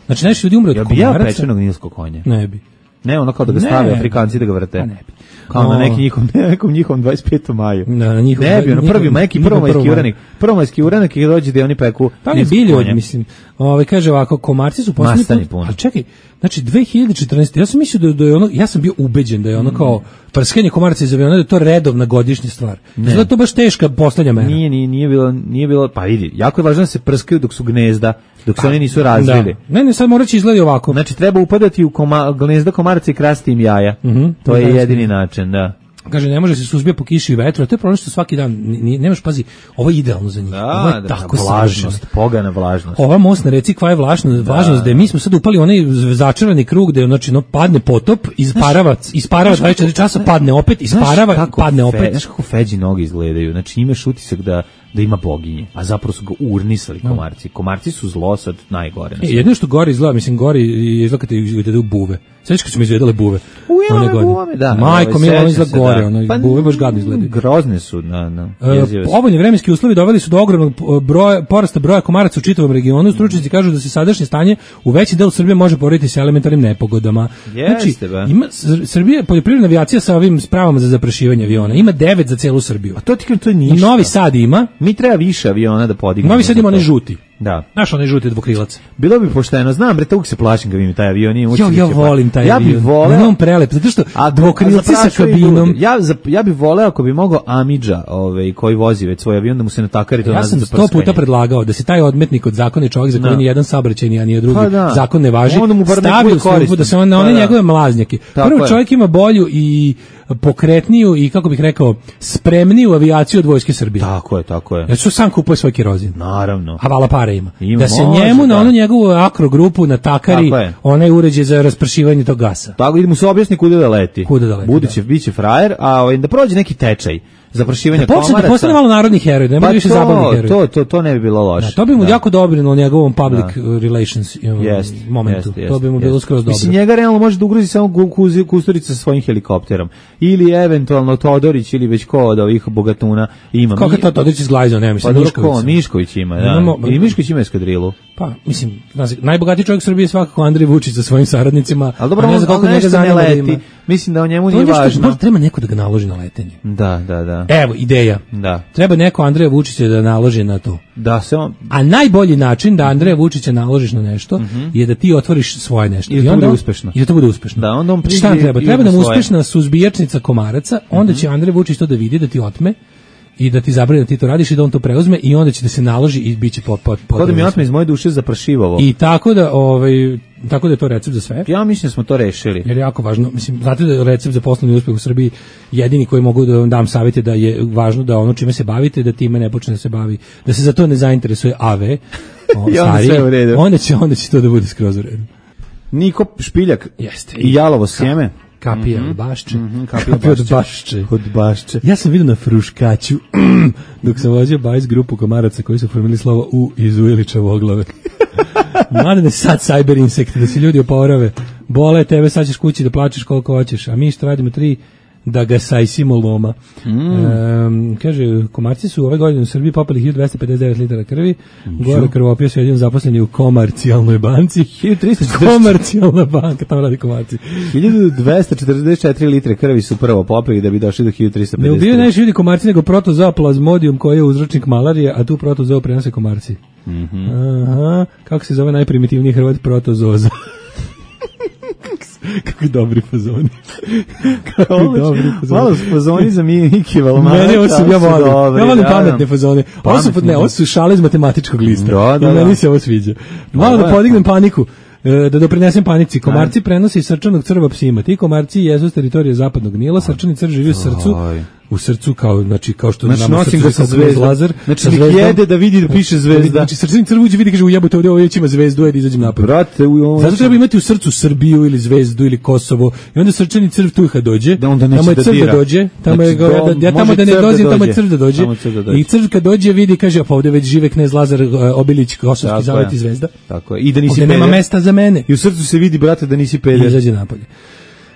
Znači, najviše ljudi umre od ja komaraca. Ja bi ja pečenog nilskog konja. Ne bi. Ne, ono kao da ga stave Afrikanci da ga vrte. Ne bi. Kao na neki njihov, nekom njihovom dvadeset petom maju. Na, na njihov, ne bi, ono prvi, neki prvomajski uranik. Prvomajski uranik je dođe da oni peku. Pa ne bili od, mislim. Ovaj kaže ovako, komarci su posljednji put. Ali čekaj, znači dve hiljade četrnaeste. Ja sam mislio da, da je ono, ja sam bio ubeđen da je ono kao prskanje komaraca iz aviona, da je to redovna godišnja stvar. Znači to baš teška poslednja mera. Nije, nije, nije bilo, nije bilo, pa vidi, jako je važno da se prskaju dok su gnezda, dok se oni nisu razvili. Da. Ne, ne, sad mora će izgledi ovako. Znači treba upadati u koma, gnezda komaraca i krasti im jaja. Mm-hmm. To je jedini način, da. Kaže, ne može se suzbija po kiši i vetru, a to je problem što svaki dan, ni, nemaš, pazi, ovo je idealno za njih. Da, ovo je da, tako vlažnost, pogana vlažnost. Ova most na reci kva je vlažnost, da, vlažnost, da je mi smo sad upali onaj začarani krug gde znači, no, padne potop, isparava, isparava dvadeset četiri časa, padne opet, isparava, padne opet. Znaš kako feđi noge izgledaju, znači imaš utisak da da ima boginje, a zapravo su ga urnisali komarci. Komarci su zlo sad najgore. E, jedno što gori izgleda, mislim, gori je izgleda kad te izgledaju buve. Sveći kad su mi izgledale buve. Ujele buvame, da. Majko, mi ono izgleda gore, ono, pa, buve baš gadno izgledaju. Grozne su, na, na, e, Povoljni vremenski uslovi doveli su do ogromnog broja, porasta broja komaraca u čitavom regionu. Stručnjaci kažu da se sadašnje stanje u veći delu Srbije može porediti sa elementarnim nepogodama. Jeste, znači, ima Srbija, poljoprivredna avijacija sa ovim spravama za zaprašivanje aviona. Ima devet za celu Srbiju. A to ti to je ništa. I Novi Sad ima. Mi treba više aviona da podignemo. Novi Sad ima onaj žuti. Da. Znaš onaj žuti dvokrilac. Bilo bi pošteno, znam, bre, uvijek se plašim kad vidim taj avion. Nije ja, ja volim taj ja avion. Ja bih voleo... on prelep, zato što a dvokrilci sa kabinom... Ja, za, ja bih voleo ako bi mogao Amidža, ovaj, koji vozi već svoj avion, da mu se natakari to ja nazad za prskanje. Ja sam sto puta predlagao da se taj odmetnik od zakona čovjek za koji ni jedan saobraćajni, a ni drugi pa da. zakon ne važi, stavi u službu da se on na one pa njegove da. mlaznjake. Tako Prvo čovjek ima bolju i pokretniju i, kako bih rekao, spremniju avijaciju od Vojske Srbije. Tako je, tako je. Ja su sam kupuje svoj kerozin. Naravno. A vala pare ima. ima da se može, njemu da. na onu njegovu akrogrupu natakari onaj uređaj za raspršivanje tog gasa. Tako, idemo se objasni kuda da leti. Kuda da leti, Buduće, da. biće frajer, a da prođe neki tečaj. Zaprašivanje da komaraca. Da postane malo narodnih heroja, da ne bude više zabavnih heroja. To, to, to ne bi bilo loše. Da, to bi mu da. jako dobrilo njegovom public da. relations yes, momentu. Yes, yes, to bi mu yes. bilo skroz dobro. Mislim, njega realno može da ugrozi samo Kusturica sa svojim helikopterom. Ili eventualno Todorić ili već ko od ovih bogatuna ima. Kako to Todorić izglajzao, ne mislim, pa, Mišković. Mišković ima, da. Imamo, I Mišković ima eskadrilu. Pa, mislim, najbogatiji čovjek Srbije je svakako Andrej Vučić sa svojim saradnicima. Ali dobro, on, on nešto ne leti. Mislim da o njemu nije važno. Treba neko da ga naloži na letenje. Da, da, da. Evo, ideja. Da. Treba neko Andreja Vučića da naloži na to. Da se on... A najbolji način da Andreja Vučića naložiš na nešto mm-hmm. je da ti otvoriš svoje nešto. I da to bude uspešno. I da to bude uspešno. Da, onda on Šta treba? Treba nam uspešna suzbijačnica komaraca, onda mm-hmm. će Andrej Vučić to da vidi, da ti otme i da ti zabrani da ti to radiš i da on to preuzme i onda će da se naloži i biće pot pot pot. Kod mi otme iz moje duše zaprašivovo. I tako da ovaj tako da je to recept za sve. Ja mislim da smo to rešili. Jer je jako važno, mislim, znate da je recept za poslovni uspeh u Srbiji jedini koji mogu da vam dam savjete da je važno da ono čime se bavite, da time ne počne da se bavi, da se za to ne zainteresuje A V, o, I onda, sve u redu. onda će onda će to da bude skroz u redu. Niko Špiljak jeste i jalovo sjeme. Kapija mm-hmm. od bašče. Mm-hmm, kapija, kapija od bašče. Od bašče. Ja sam vidio na Fruškaću, dok sam vozio bajs grupu komaraca koji su formili slovo U iz Ujeličeve oglave. Mladene sad cyber insekti, da se ljudi oporave. Bole tebe, sad ćeš kući da plačeš koliko hoćeš, a mi što radimo tri da ga sajsimo loma. Mm. E, kaže, komarci su ove godine u Srbiji popili hiljadu dvesta pedeset devet litara krvi, mm. gore krvopio su jedin zaposleni u komercijalnoj banci. hiljadu trista četrdeset Komercijalna banka, tamo radi komarci. hiljadu dvesta četrdeset četiri litre krvi su prvo popili da bi došli do hiljadu trista pedeset. Ne ubijaju najviše ljudi komarci nego protozoo plasmodium koji je uzročnik malarije, a tu protozoo prenose komarci. Mm-hmm. Aha, kako se zove najprimitivniji Hrvat? Protozoza. Kakvi dobri fazoni. Kakvi dobri fazoni. Malo su fazoni za Miki Valmana. Mene ovo su, ja volim. Dobri, ja volim pametne fazone. Ovo su, ne, ovo su šale iz matematičkog lista. Da, da, da. Meni se ovo sviđa. Malo da podignem paniku. Da doprinesem panici. Komarci prenose iz srčanog crva psima. Ti komarci jesu s teritorije zapadnog Nila. Srčani crv živi u srcu. U srcu kao, znači, kao što znači, nama srcu sa zvezdom. Znači, nek jede da vidi da piše zvezda. Znači, srčani crv uđe vidi, kaže, ujebote ovdje, ovdje ima zvezdu, ajde izađem napad. Brate, u zato treba imati u srcu Srbiju ili zvezdu ili Kosovo. I onda srčani crv tu kad dođe, da onda tamo je da crv dira. da dođe, tamo znači, je goveda, ja tamo da ne dozim, tamo je crv da dođe. dođe. I crv kad dođe vidi, kaže, pa ovdje već žive knez Lazar Obilić, Kosovski zavet i zvezda. Tako je. I da nisi peder. Nema mesta za mene. I u srcu se vidi, brate, da nisi peder. I izađe napolje.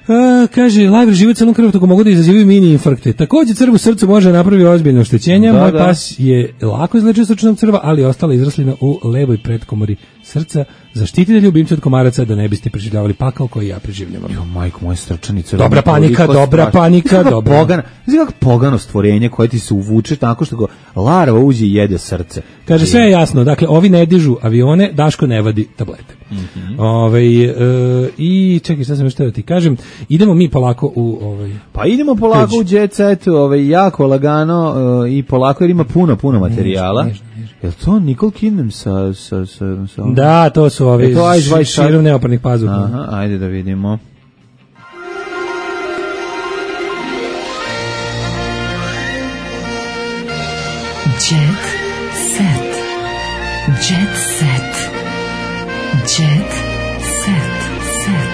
A, kaže, lajver život crnom krvotoku mogu da izazivaju mini infarkte. Takođe crv u srcu može napraviti ozbiljno oštećenja. Da, Moj da. pas je lako izlečio srčanog crva, ali je ostala izraslina u levoj predkomori srca. Zaštitite ljubimce od komaraca da ne biste preživljavali pakao koji ja preživljavam. Jo, majko, moje srčani crv. Dobra panika, dobra panika, dobra. Pogana, znači kako pogano stvorenje koje ti se uvuče tako što go larva uđe i jede srce. Kaže, sve je jasno. Dakle, ovi ne dižu avione, Daško ne vadi tablete. Mm-hmm. Ove, e, i čekaj, šta sam još teo ti kažem, idemo mi polako u ovaj. Pa idemo polako teđu. U jet set, ovaj jako lagano uh, i polako jer ima puno puno materijala. Niž, niž, niž. Jel to Nicole Kidman sa sa sa, sa da, to su ovi š, širom neoparnih pazuha. Aha, ajde da vidimo. Jet set. Jet set. Jet set. Set.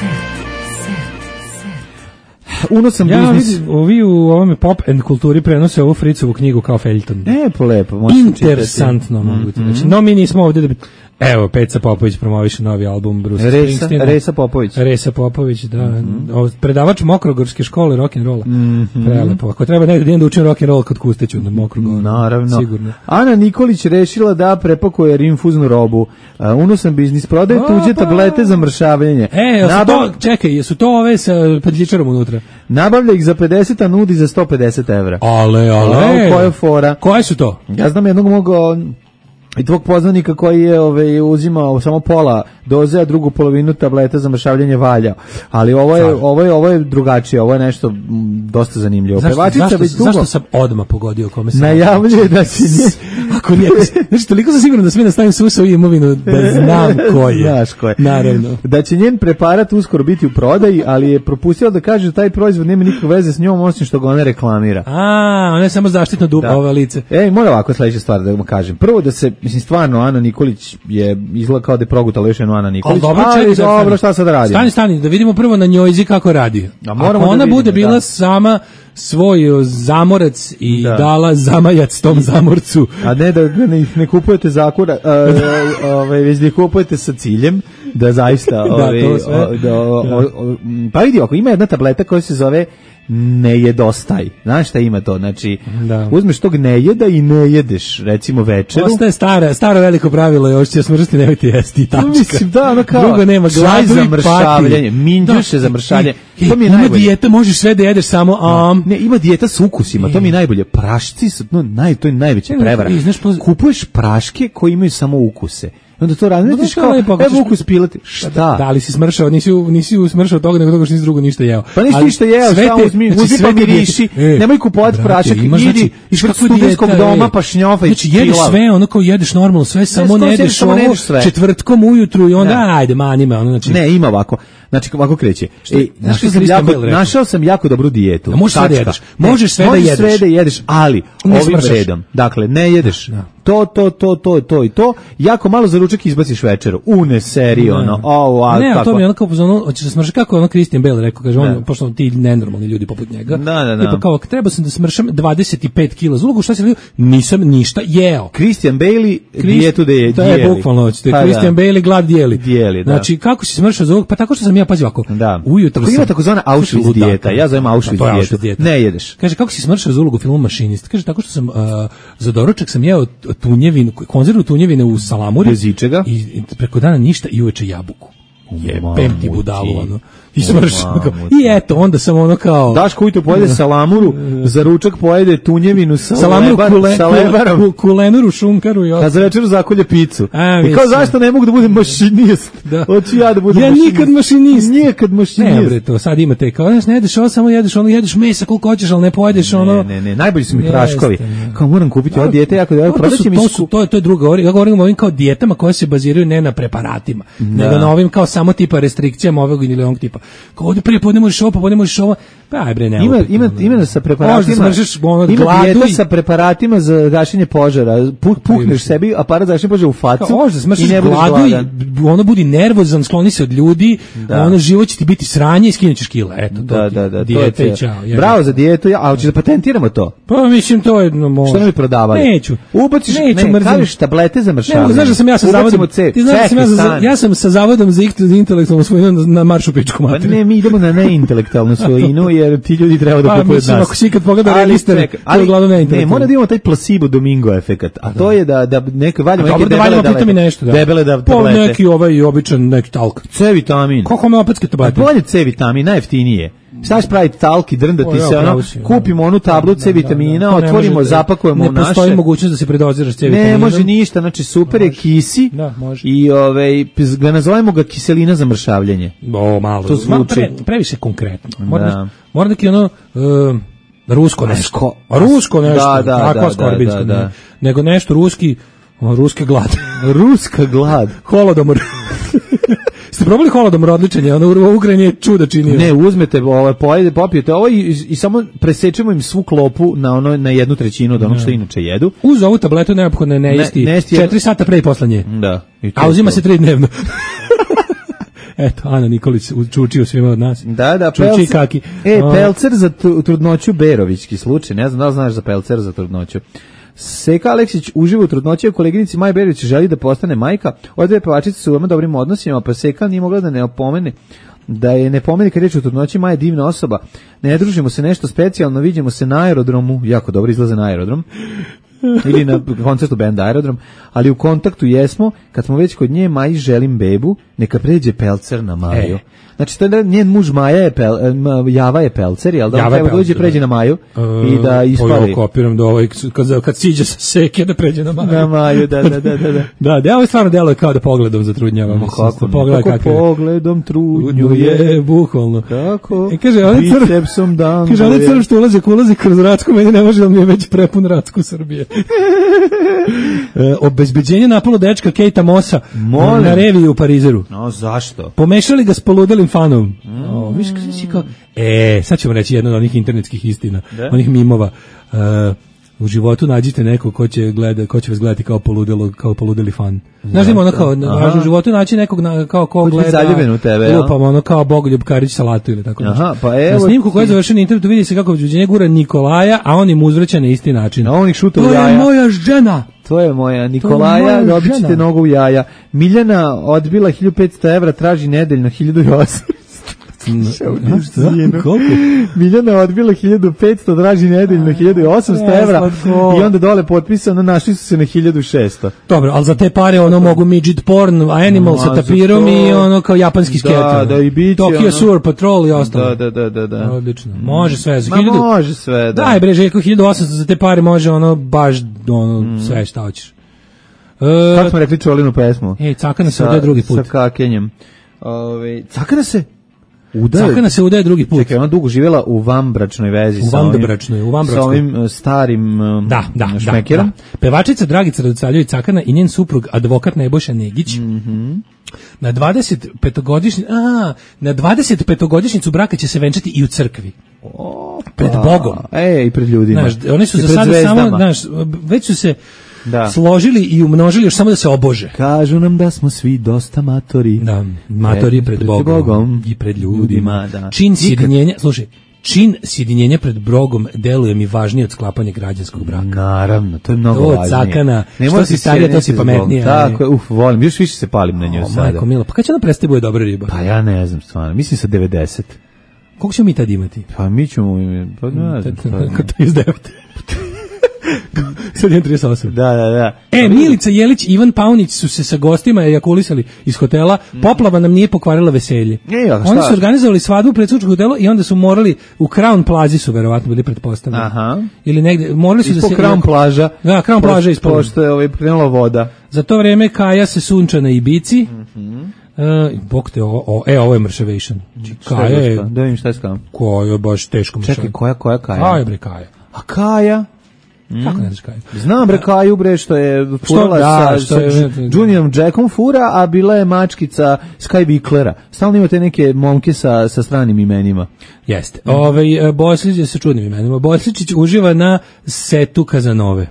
Set. Set. Unosan ja biznis. Ja ovi u ovome pop and kulturi prenose ovu Fricovu knjigu kao feljton. Lepo, lepo. Interesantno mogu ti reći. No mi nismo ovdje da bi... Evo, Peca Popović promoviše novi album Bruce Springsteena. Resa Popović. Resa Popović, da. Mm-hmm. Predavač Mokrogorske škole rock'n'rolla. Mm-hmm. Prelepo. Ako treba negdje da učim rock'n'roll kod Kusteću na Mokrogor. Naravno. Sigurno. Ana Nikolić rešila da prepakuje rinfuznu robu. Uh, unosan biznis, prodaje o, tuđe pa. tablete za mršavljenje. E, Nabav... to, čekaj, jesu to ove sa pedljičarom unutra? Nabavlja ih za pedeset, a nudi za sto pedeset evra. Ale, ale. Koja fora? Koje su to? Ja znam jednog mogo... I tvog poznanika koji je ovaj, uzimao samo pola doze, a drugu polovinu tableta za mršavljenje valja. Ali ovo je, ovo je, ovo je drugačije, ovo je nešto m, dosta zanimljivo. Zašto, zašto, zašto sam odmah pogodio kome sam? Najavljuje da će nje... Ako nije, znači, toliko sam siguran da sve nastavim susao i imovinu da znam ko je. Znaš ko je. Naravno. Da će njen preparat uskoro biti u prodaji, ali je propustila da kaže da taj proizvod nema nikakve veze s njom, osim što ga ona reklamira. A, ona je samo zaštitno dupa ova lice. Ej, mora ovako sledeća stvar da vam kažem. Prvo da se, mislim, stvarno, Ana Nikolić je izgleda kao da je progutala još jednu Ana Nikolić. Dobro, ali dobro, šta sad radi? Stani, stani, da vidimo prvo na njojzi kako radi. A Ako ona da vidimo, bude bila da. sama svoj zamorac i da. dala zamajac tom zamorcu. A ne da ne, ne kupujete zakura, ovaj već da kupujete sa ciljem da zaista ovaj da, to sve. Da, o, o, o, pa vidi, ako ima jedna tableta koja se zove ne jedostaj. Znaš šta ima to? Znači, da. Uzmeš tog ne jeda i ne jedeš, recimo večeru. Ostaje stara, staro veliko pravilo je, hoćeš smršati, nemojte jesti, tačka. Mislim, da, ono kao, drugo nema, gladu za i mršavljanje, minđuše za mršavljanje. I, to mi je ima najbolje. Dijeta, možeš sve da jedeš samo am. Ne, ima dijeta s ukusima, to mi je najbolje. Prašci su, no, naj, to je najveća prevara. Kupuješ praške koji imaju samo ukuse. Onda to razmetiš kao, evo ukus pilati. Šta? Da, ali si smršao, nisi, nisi usmršao toga, nego toga što nisi drugo ništa jeo. Pa nisi ništa jeo, šta uzmi, uzmi pa miriši, nemoj kupovati prašak, idi ispred studentskog doma pa šnjofa i znači, jedeš sve, ono kao jedeš normalno sve, samo ne jedeš ovo četvrtkom ujutru i onda, ajde, mani me, ono, znači. Ne, ima ovako. Znači, ovako kreće. E, našao, sam jako, našao sam jako dobru dijetu. Da možeš sve da jedeš. Možeš sve da jedeš. Možeš sve da jedeš, ali ovim redom. Dakle, ne jedeš to, to, to, to, to i to, jako malo za ručak izbaciš večeru, une seriju, ono, ovo, a ne, kako? to mi je ono kao, ono, hoćeš da smršaš, kako je ono Christian Bale rekao, kaže, on, pošto ti nenormalni ljudi poput njega, da, da, da. Tipa kao, treba sam da smršam dvadeset pet kila za ulogu, šta si, nisam ništa jeo. Christian Bale, dijetu da je, to je bukvalno, hoćete, pa, Christian Bale glad dijeli. Dijeli, da. Znači, kako si smršao za ulogu, pa tako što sam ja, pazi ovako, da. ujutro sam... Ima takozvana Auschwitz dijeta, ja zovem Auschwitz dijetu, ne jedeš. Kaže, kako si smršao za ulogu filmu Mašinist? Kaže, tako što sam, uh, za doručak sam jeo tunjevinu, konzervu tunjevine u salamuri. Bez ičega. I, I preko dana ništa i uveče jabuku. Jebem ti budalu, ono. I smršao. I eto, onda sam ono kao... Daško ujutro pojede salamuru, za ručak pojede tunjevinu sa, salamuru lebar, kule, sa lebarom. Kule, kulenuru, šunkaru i ostalo. A za večeru zakolje picu. A, i kao, zašto ne mogu da budem mašinist? Da. Hoću ja da budem ja mašinist. Ja nikad mašinist. Nikad mašinist. Ne, bre, to sad imate kao, znaš, ne jedeš ovo, samo jedeš ono, jedeš mesa koliko hoćeš, ali ne pojedeš ono... Ne, ne, ne, najbolji su mi praškovi. Kao, moram kupiti ovo dijete, jako da prodaće mi... To su, to je, to je drugo, govorim, ja govorim o ovim kao dijetama koje se baziraju ne na preparatima, da. nego na ovim kao samo tipa restrikcijama ovog ili onog tipa. Kao ovdje prije podne možeš ovo, pa podne možeš ovo, pa aj bre, ne. Ima, ima, ima sa preparatima, ono, ima dijeta sa preparatima za gašenje požara, pukneš sebi aparat za gašenje požara u facu kao, i ne budeš gladan. Ono budi nervozan, skloni se od ljudi, da. ono život će ti biti sranje i skinućeš kila, eto, to da, da, da, dijete i čao. Bravo za dijetu, ja, a hoćeš da patentiramo to? Pa mislim, to je... No, može. Što ne bi prodavali? Neću. Ubaciš, neću, ne, kažeš tablete za mršavanje. Ne, znaš da sam ja sa zavodom, ti znaš da sam ja, za, ja sam sa zavodom za intelektualnu svojinu na, na maršu pičku materiju. Pa ne, mi idemo na neintelektualnu svojinu, jer ti ljudi treba da pa, kupuju od nas. Ako si kad pogleda registar, to je uglavnom neintelektualno. Ne, mora da imamo taj placebo domingo efekat, a to je da, da neke valjamo neke debele da nešto, da. debele da tablete. Pa neki ovaj običan, neki talk. C vitamin. Kako homeopatske tablete? A bolje C vitamin, najjeftinije. Šta ćeš praviti talki, drndati se, ono, kupimo onu tablu C vitamina, otvorimo, zapakujemo u naše. Ne postoji mogućnost da se predoziraš C vitaminom. Ne može ništa, znači super je kisi i ovaj, ga nazovemo ga kiselina za mršavljenje. O, malo. To zvuči. Pre, previše konkretno. Mora, mora da ki ono... Uh, rusko nešto. Rusko nešto. Da, da, da, da, da. Nego nešto ruski, ruske glad. Ruska glad. Holodomor. Ste probali holodomor, odličan je, ono u Ukrajini je čuda činio. Ne, uzmete, ovo, pojede, popijete ovo i, i samo presečemo im svu klopu na ono na jednu trećinu od onog što inače jedu. Uz ovu tabletu neophodno je ne jesti ne, četiri sata pre i posle nje. Da. A uzima to. se tri dnevno. Eto, Ana Nikolić učučio svima od nas. Da, da, Čuči kaki. E, pelcer za trudnoću Berovićki slučaj, ne znam da li znaš za pelcer za trudnoću. Seka Aleksić uživa u trudnoći, a koleginici Maja Berović želi da postane majka. Ove dve pevačice su u veoma dobrim odnosima, pa Seka nije mogla da ne opomene da je ne pomeni kad reč o trudnoći. Maja je divna osoba. Ne družimo se nešto specijalno, vidimo se na aerodromu, jako dobro izlaze na aerodrom. Ili na koncertu benda Aerodrom, ali u kontaktu jesmo, kad smo već kod nje, Maji želim bebu, neka pređe pelcer na Maju. E. Znači, to je njen muž Maja je pel, Java je pelcer, jel da on treba dođe pređe na Maju uh, i da ispali. Ja kopiram da ovaj, kad, kad siđe sa Seke da pređe na Maju. Na Maju, da, da, da. Da, da, da ovo stvarno deluje kao da pogledom zatrudnjava. Kako, kako kakve... pogledom trudnju je, bukvalno. Kako, e, kaže, on bicepsom dan. Kaže, on je crv što ulazi, ulazi kroz Racku, meni ne može da mi je već prepun Racku Srbije. e, obezbeđenje napalo dečka Kejta Mosa Molim. na reviji u Parizeru. No, zašto? Pomešali ga s poludelim fanom. Mm. O, viš, kasi kao... E, sad ćemo reći jedno od onih internetskih istina, De? onih mimova. Uh, u životu nađite neko ko će, gleda, ko će vas gledati kao poludelo, kao poludeli fan. Znaš ima ono kao, u životu naći nekog na, kao ko gleda, zaljubljen u tebe, lupam, ono kao Bogoljub Karić salatu ili tako nešto. Aha, pa evo, na snimku koja je završena na internetu vidi se kako obezbeđenje gura Nikolaja, a on im uzvraća na isti način. A on ih šuta u jaja. To je moja žena. To je moja Nikolaja, dobit ćete nogu u jaja. Miljana odbila hiljadu petsto evra, traži nedeljno hiljadu osamsto. Koliko? Miljana odbila hiljadu petsto, traži nedeljno hiljadu osamsto evra i onda dole potpisano, našli su se na hiljadu šesto. Dobro, ali za te pare ono mogu midget porn, animal no, sa tapirom i ono kao japanski sketer. Da, da, i biće. Tokyo ono... Sewer Patrol i ostalo. Da, da, da, da. Odlično. Može sve. Za Ma hiljadu... može sve, da. Daj bre, Željko, hiljadu osamsto za te pare može ono baš ono mm. sve šta hoćeš. Uh, Kako smo rekli Čolinu pesmu? Ej, cakana se udaje drugi put. Sa kakenjem. Ove, cakana se udaje. Cakana se udaje drugi put. Čekaj, ona dugo živjela u vanbračnoj vezi u sa ovim, vanbračnoj, u vanbračnoj. Sa ovim starim da, da, šmekerom. Da, da. Pevačica Dragica Radosavljević Cakana i njen suprug advokat Nebojša Negić. Mhm. Na dvadesetpetogodišnji a na dvadesetpetogodišnjicu braka će se venčati i u crkvi. Opa. Pred Bogom. Ej, i pred ljudima. Znaš, oni su za sada samo, znaš, već su se Da. složili i umnožili još samo da se obože. Kažu nam da smo svi dosta matori. Da, matori pred, pred Bogom, Bogom i pred ljudima. Da. Čin sjedinjenja, slušaj, čin sjedinjenja pred Bogom deluje mi važnije od sklapanja građanskog braka. Naravno, to je mnogo to važnije. To cakana, što si starija, to si pametnija. Tako, uf, volim, još više se palim na njoj o, sada. Majko milo, pa kad će ona prestati bude dobra riba? Pa ja ne znam stvarno, mislim sa devedeset. Koliko ćemo mi tad imati? Pa mi ćemo, pa ne znam. trideset devet. Sad je trideset osam. Da, da, da. E, Milica Jelić i Ivan Paunić su se sa gostima ejakulisali iz hotela. Poplava nam nije pokvarila veselje. E, Oni su organizovali svadbu u predsjedničkom hotelu i onda su morali u Crown Plazi su verovatno bili pretpostavljeni. Aha. Ili negde, morali su ispod da se... Crown plaža. Da, Crown plaža ispod. Pošto je ovaj prenula voda. Za to vreme Kaja se sunča na Ibici. Mhm. Uh, bok te, o, o, e, ovo je Mršavation. Kaja je... Da vidim šta je s Kajom. Koja je baš teško Mršavation. Čekaj, koja, koja Kaja? Kaja, bre, Kaja. A Kaja? Mm. Kako ne znaš Kaju? Znam bre Kaju bre što je furala da, sa, sa je, Juniorom Jackom fura, a bila je mačkica Sky Wicklera. Stalno imate neke momke sa, sa stranim imenima. Jeste. Mm. Ove, Boslić je sa čudnim imenima. Bosličić uživa na setu Kazanove.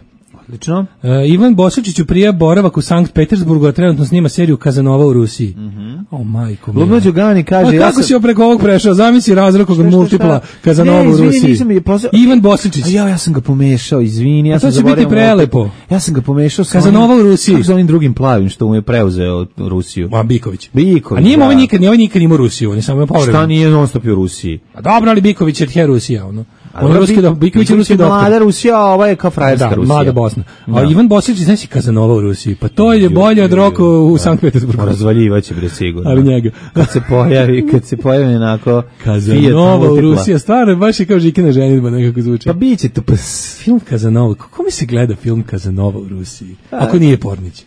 Odlično. Uh, Ivan Bosličić prija boravak u Sankt Petersburgu, a trenutno snima seriju Kazanova u Rusiji. Mm-hmm. O, majko. Lubno Đugani kaže... A kako ja sam... si preko ovog prešao? Zamisli razrokog multipla Kazanova u Rusiji. Nisam, posle... Ivan Bosličić. A ja, ja sam ga pomešao, izvini. Ja a sam to će biti prelepo. Ja sam ga pomešao sa Kazanova u Rusiji. Kako sa onim drugim plavim što mu je preuzeo Rusiju. A Biković. Biković, A nije da. ovaj nikad, nije ovaj nikad imao Rusiju, on je samo povremeno. Šta nije non stop u Rusiji? A dobro, ali Biković je tje Rusija, ono. On je ruski, do, Biković je ruski doktor. Mlada Rusija, a ova je kao frajerska da, Rusija. Mlada Bosna. A da. Ivan Boslić, znaš si Kazanova u Rusiji, pa to je bolje od Roko u Sankt Petersburgu. Razvaljivaće bre sigurno. Ali njega. Kad se pojavi, kad se pojavi onako Kazanova u Rusiji, stvarno baš je kao Žikina ženidba nekako zvuči. Pa biće to pas. Film Kazanova, kako mi se gleda film Kazanova u Rusiji? Ako nije Pornić.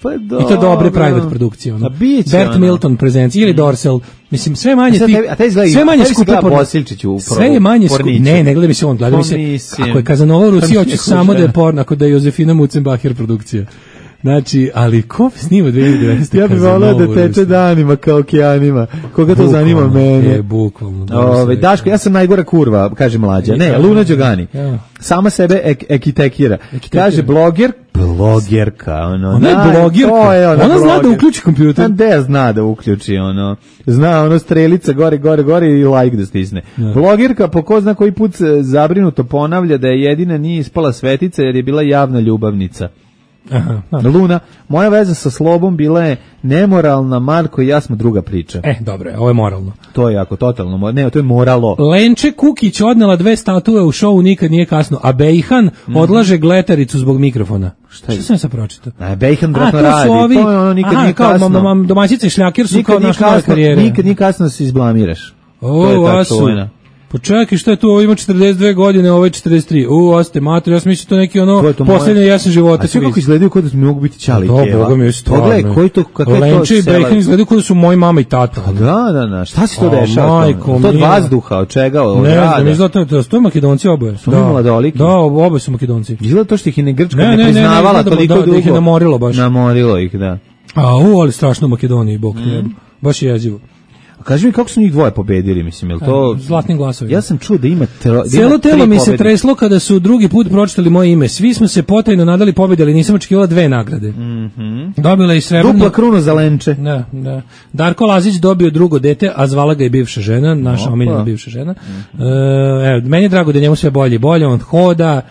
Pa i to dobre private produkcije ono. Bert ono. Milton prezencija ili Dorsel, mislim sve manje ti a taj izgleda sve manje skupo Bosiličiću u sve je manje skupo ne ne gleda mi se on gleda mi se ako je Kazanova u Rusiji hoće samo da je porno, ako da je Josefina Mucenbacher produkcija. Znači, ali ko snima dve hiljade devetnaeste Ja bih volao da teče danima kao okeanima. Koga to zanima mene? E, bukvalno. Ove, Daško, ja sam najgora kurva, kaže mlađa. Ne, Luna Đogani. Ja. Sama sebe ek, ekitekira. Ekitekira. Kaže bloger, blogerka. Ono, ona je blogerka. Ona, ona zna da uključi kompjuter. Onda zna da uključi, ono. Zna, ono, strelica gore, gore, gore i like da stisne. Ja. Blogerka po ko zna koji put zabrinuto ponavlja da je jedina nije ispala svetica jer je bila javna ljubavnica. Aha, Luna, moja veza sa Slobom bila je nemoralna, Marko i ja smo druga priča. E, dobro, ovo je moralno. To je jako totalno, ne, to je moralo. Lenče Kukić odnela dve statue u šovu Nikad nije kasno, a Bejhan mm. odlaže gletaricu zbog mikrofona. Šta, Šta sam sad pročitao? A Bejhan vratno radi, ovi... to je ono Nikad Aha, nije kasno. Mam, mam, domaćice i šljakir su nikad kao naš nove karijere. Nikad nije kasno da se izblamiraš. O, to je ta čuvena. Počekaj, šta je tu, ovo ima četrdeset dve godine, ovo je četrdeset tri. U, oste, mater, ja sam mislio to neki ono to posljednje jesen života. A sve kako izgledaju kod da mogu biti čali i keva? Da, Boga mi je stvarno. Pogledaj, koji to, kakve to Lenče i Bejhan izgledaju kod da su moji mama i tata. A da, da, da, šta si to dešava? To od vazduha, od čega, od ne, rada? Ne, izgleda to, to je Makedonci oboje. Su da, mladoliki? Da, oboje su Makedonci. Izgleda to što ih je ne Grčka ne, ne priznavala toliko dugo. Da ih je namorilo baš. Namorilo ih, da. A, u, ali strašno u Makedoniji, Bog te, baš je jezivo. Kaži mi kako su njih dvoje pobedili, mislim, je li to... Zlatnim glasovima. Ja sam čuo da ima... Tro, da Cijelo telo mi se treslo kada su drugi put pročitali moje ime. Svi smo se potajno nadali pobjede, ali nisam očekivala dve nagrade. Mm-hmm. Dobila i srebrnu... Dupla kruna za Lenče. Da, da. Darko Lazić dobio drugo dete, a zvala ga i bivša žena, naša omiljena bivša žena. Mm-hmm. E, evo, meni je drago da njemu sve bolje i bolje, on hoda,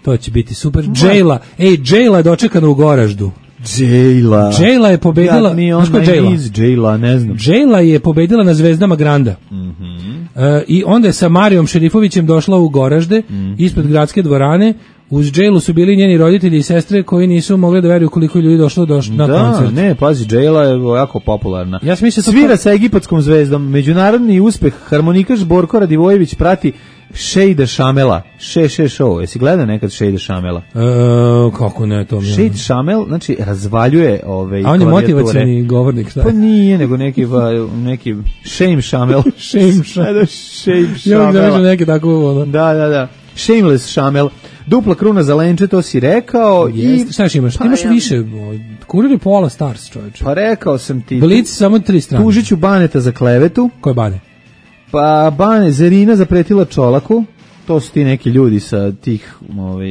to će biti super. Džejla, ej, Džejla je dočekana u Goraždu. Džejla. Džejla je pobedila, znaš ko je Džejla? Džejla, ne znam. Džejla je pobedila na Zvezdama Granda. Mm-hmm. E, I onda je sa Marijom Šerifovićem došla u Goražde, mm-hmm. ispred gradske dvorane. Uz Džejlu su bili njeni roditelji i sestre koji nisu mogli da veruju koliko ljudi došlo došlo na da, koncert. Ne, pazi, Džejla je jako popularna. Ja mislim svira sa egipatskom zvezdom. Međunarodni uspeh harmonikaš Borko Radivojević prati Šejda Šamela. Še, še, show. Jesi gledao nekad Šejda Šamela? E, kako ne, to mi je. Šejd Šamel, znači, razvaljuje ove a on je motivacioni govornik, šta? Pa nije, nego neki, neki Shame Šamel. Shame Šamel. Shame Šamel. Ja bih neki tako, ono. Da, da, da. Shameless Šamel. Dupla kruna za Lenče, to si rekao. Jeste, i šta još imaš? Pa, imaš ja. više. Kurir je pola Stars, čovječe. Pa rekao sam ti. Blic samo tri strane. Tužiću Baneta za klevetu. Ko je Bane? Pa Bane, Zerina zapretila Čolaku. to su ti neki ljudi sa tih, ovaj,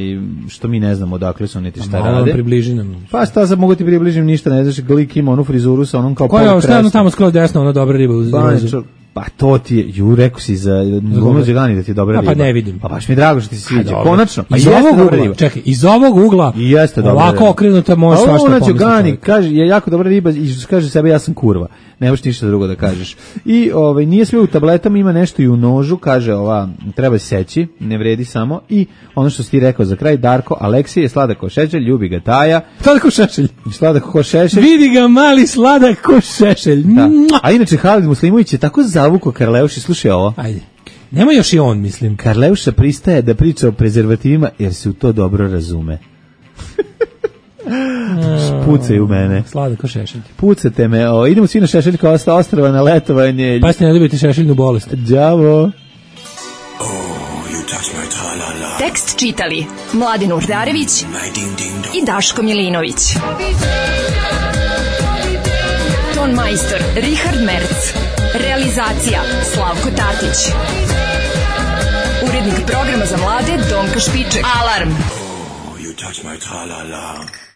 što mi ne znamo odakle su niti šta malo rade. Približi nam. Pa šta sad mogu ti približim ništa, ne znaš, Glik ima onu frizuru sa onom kao koja je ovo, tamo skroz desno, ona dobra riba uz Bančar. Pa to ti je, ju, rekao si za Glume Đegani da ti je dobra riba. Pa ne vidim. Pa baš mi je drago što ti se sviđa. A, konačno. Pa iz ovog ugla, riba. Čekaj, iz ovog ugla i jeste dobra ovako riba. okrenuta može svašta pomisliti. Đegani kaže, je jako dobra riba i kaže sebe ja sam kurva. Nemaš ništa drugo da kažeš. I ovaj, nije sve u tabletama, ima nešto i u nožu, kaže ova, treba seći, ne vredi samo. I ono što si ti rekao za kraj, Darko Aleksije je sladak ko šešelj, ljubi ga Taja. Sladak ko šešelj. Sladak ko šešelj. Vidi ga mali sladak ko šešelj. Da. A inače Halid Muslimović je tako zavuko Karleuši, slušaj ovo. Ajde. Nema još i on, mislim. Karleuša pristaje da priča o prezervativima jer se u to dobro razume. Pucaj u mene. Sladak ko šešelj. Pucate me. O, idemo svi na šešeljka osta ostrava na letovanje. Pa ste ne dobijete šešeljnu bolest. Đavo. Oh, you touch my tra-la-la. Tekst čitali Mladin Urdarević i Daško Milinović. Ton majstor Richard Merc. Realizacija Slavko Tatić. Urednik programa za mlade Donka Špiček. Alarm! Oh, you touch my tra-la-la.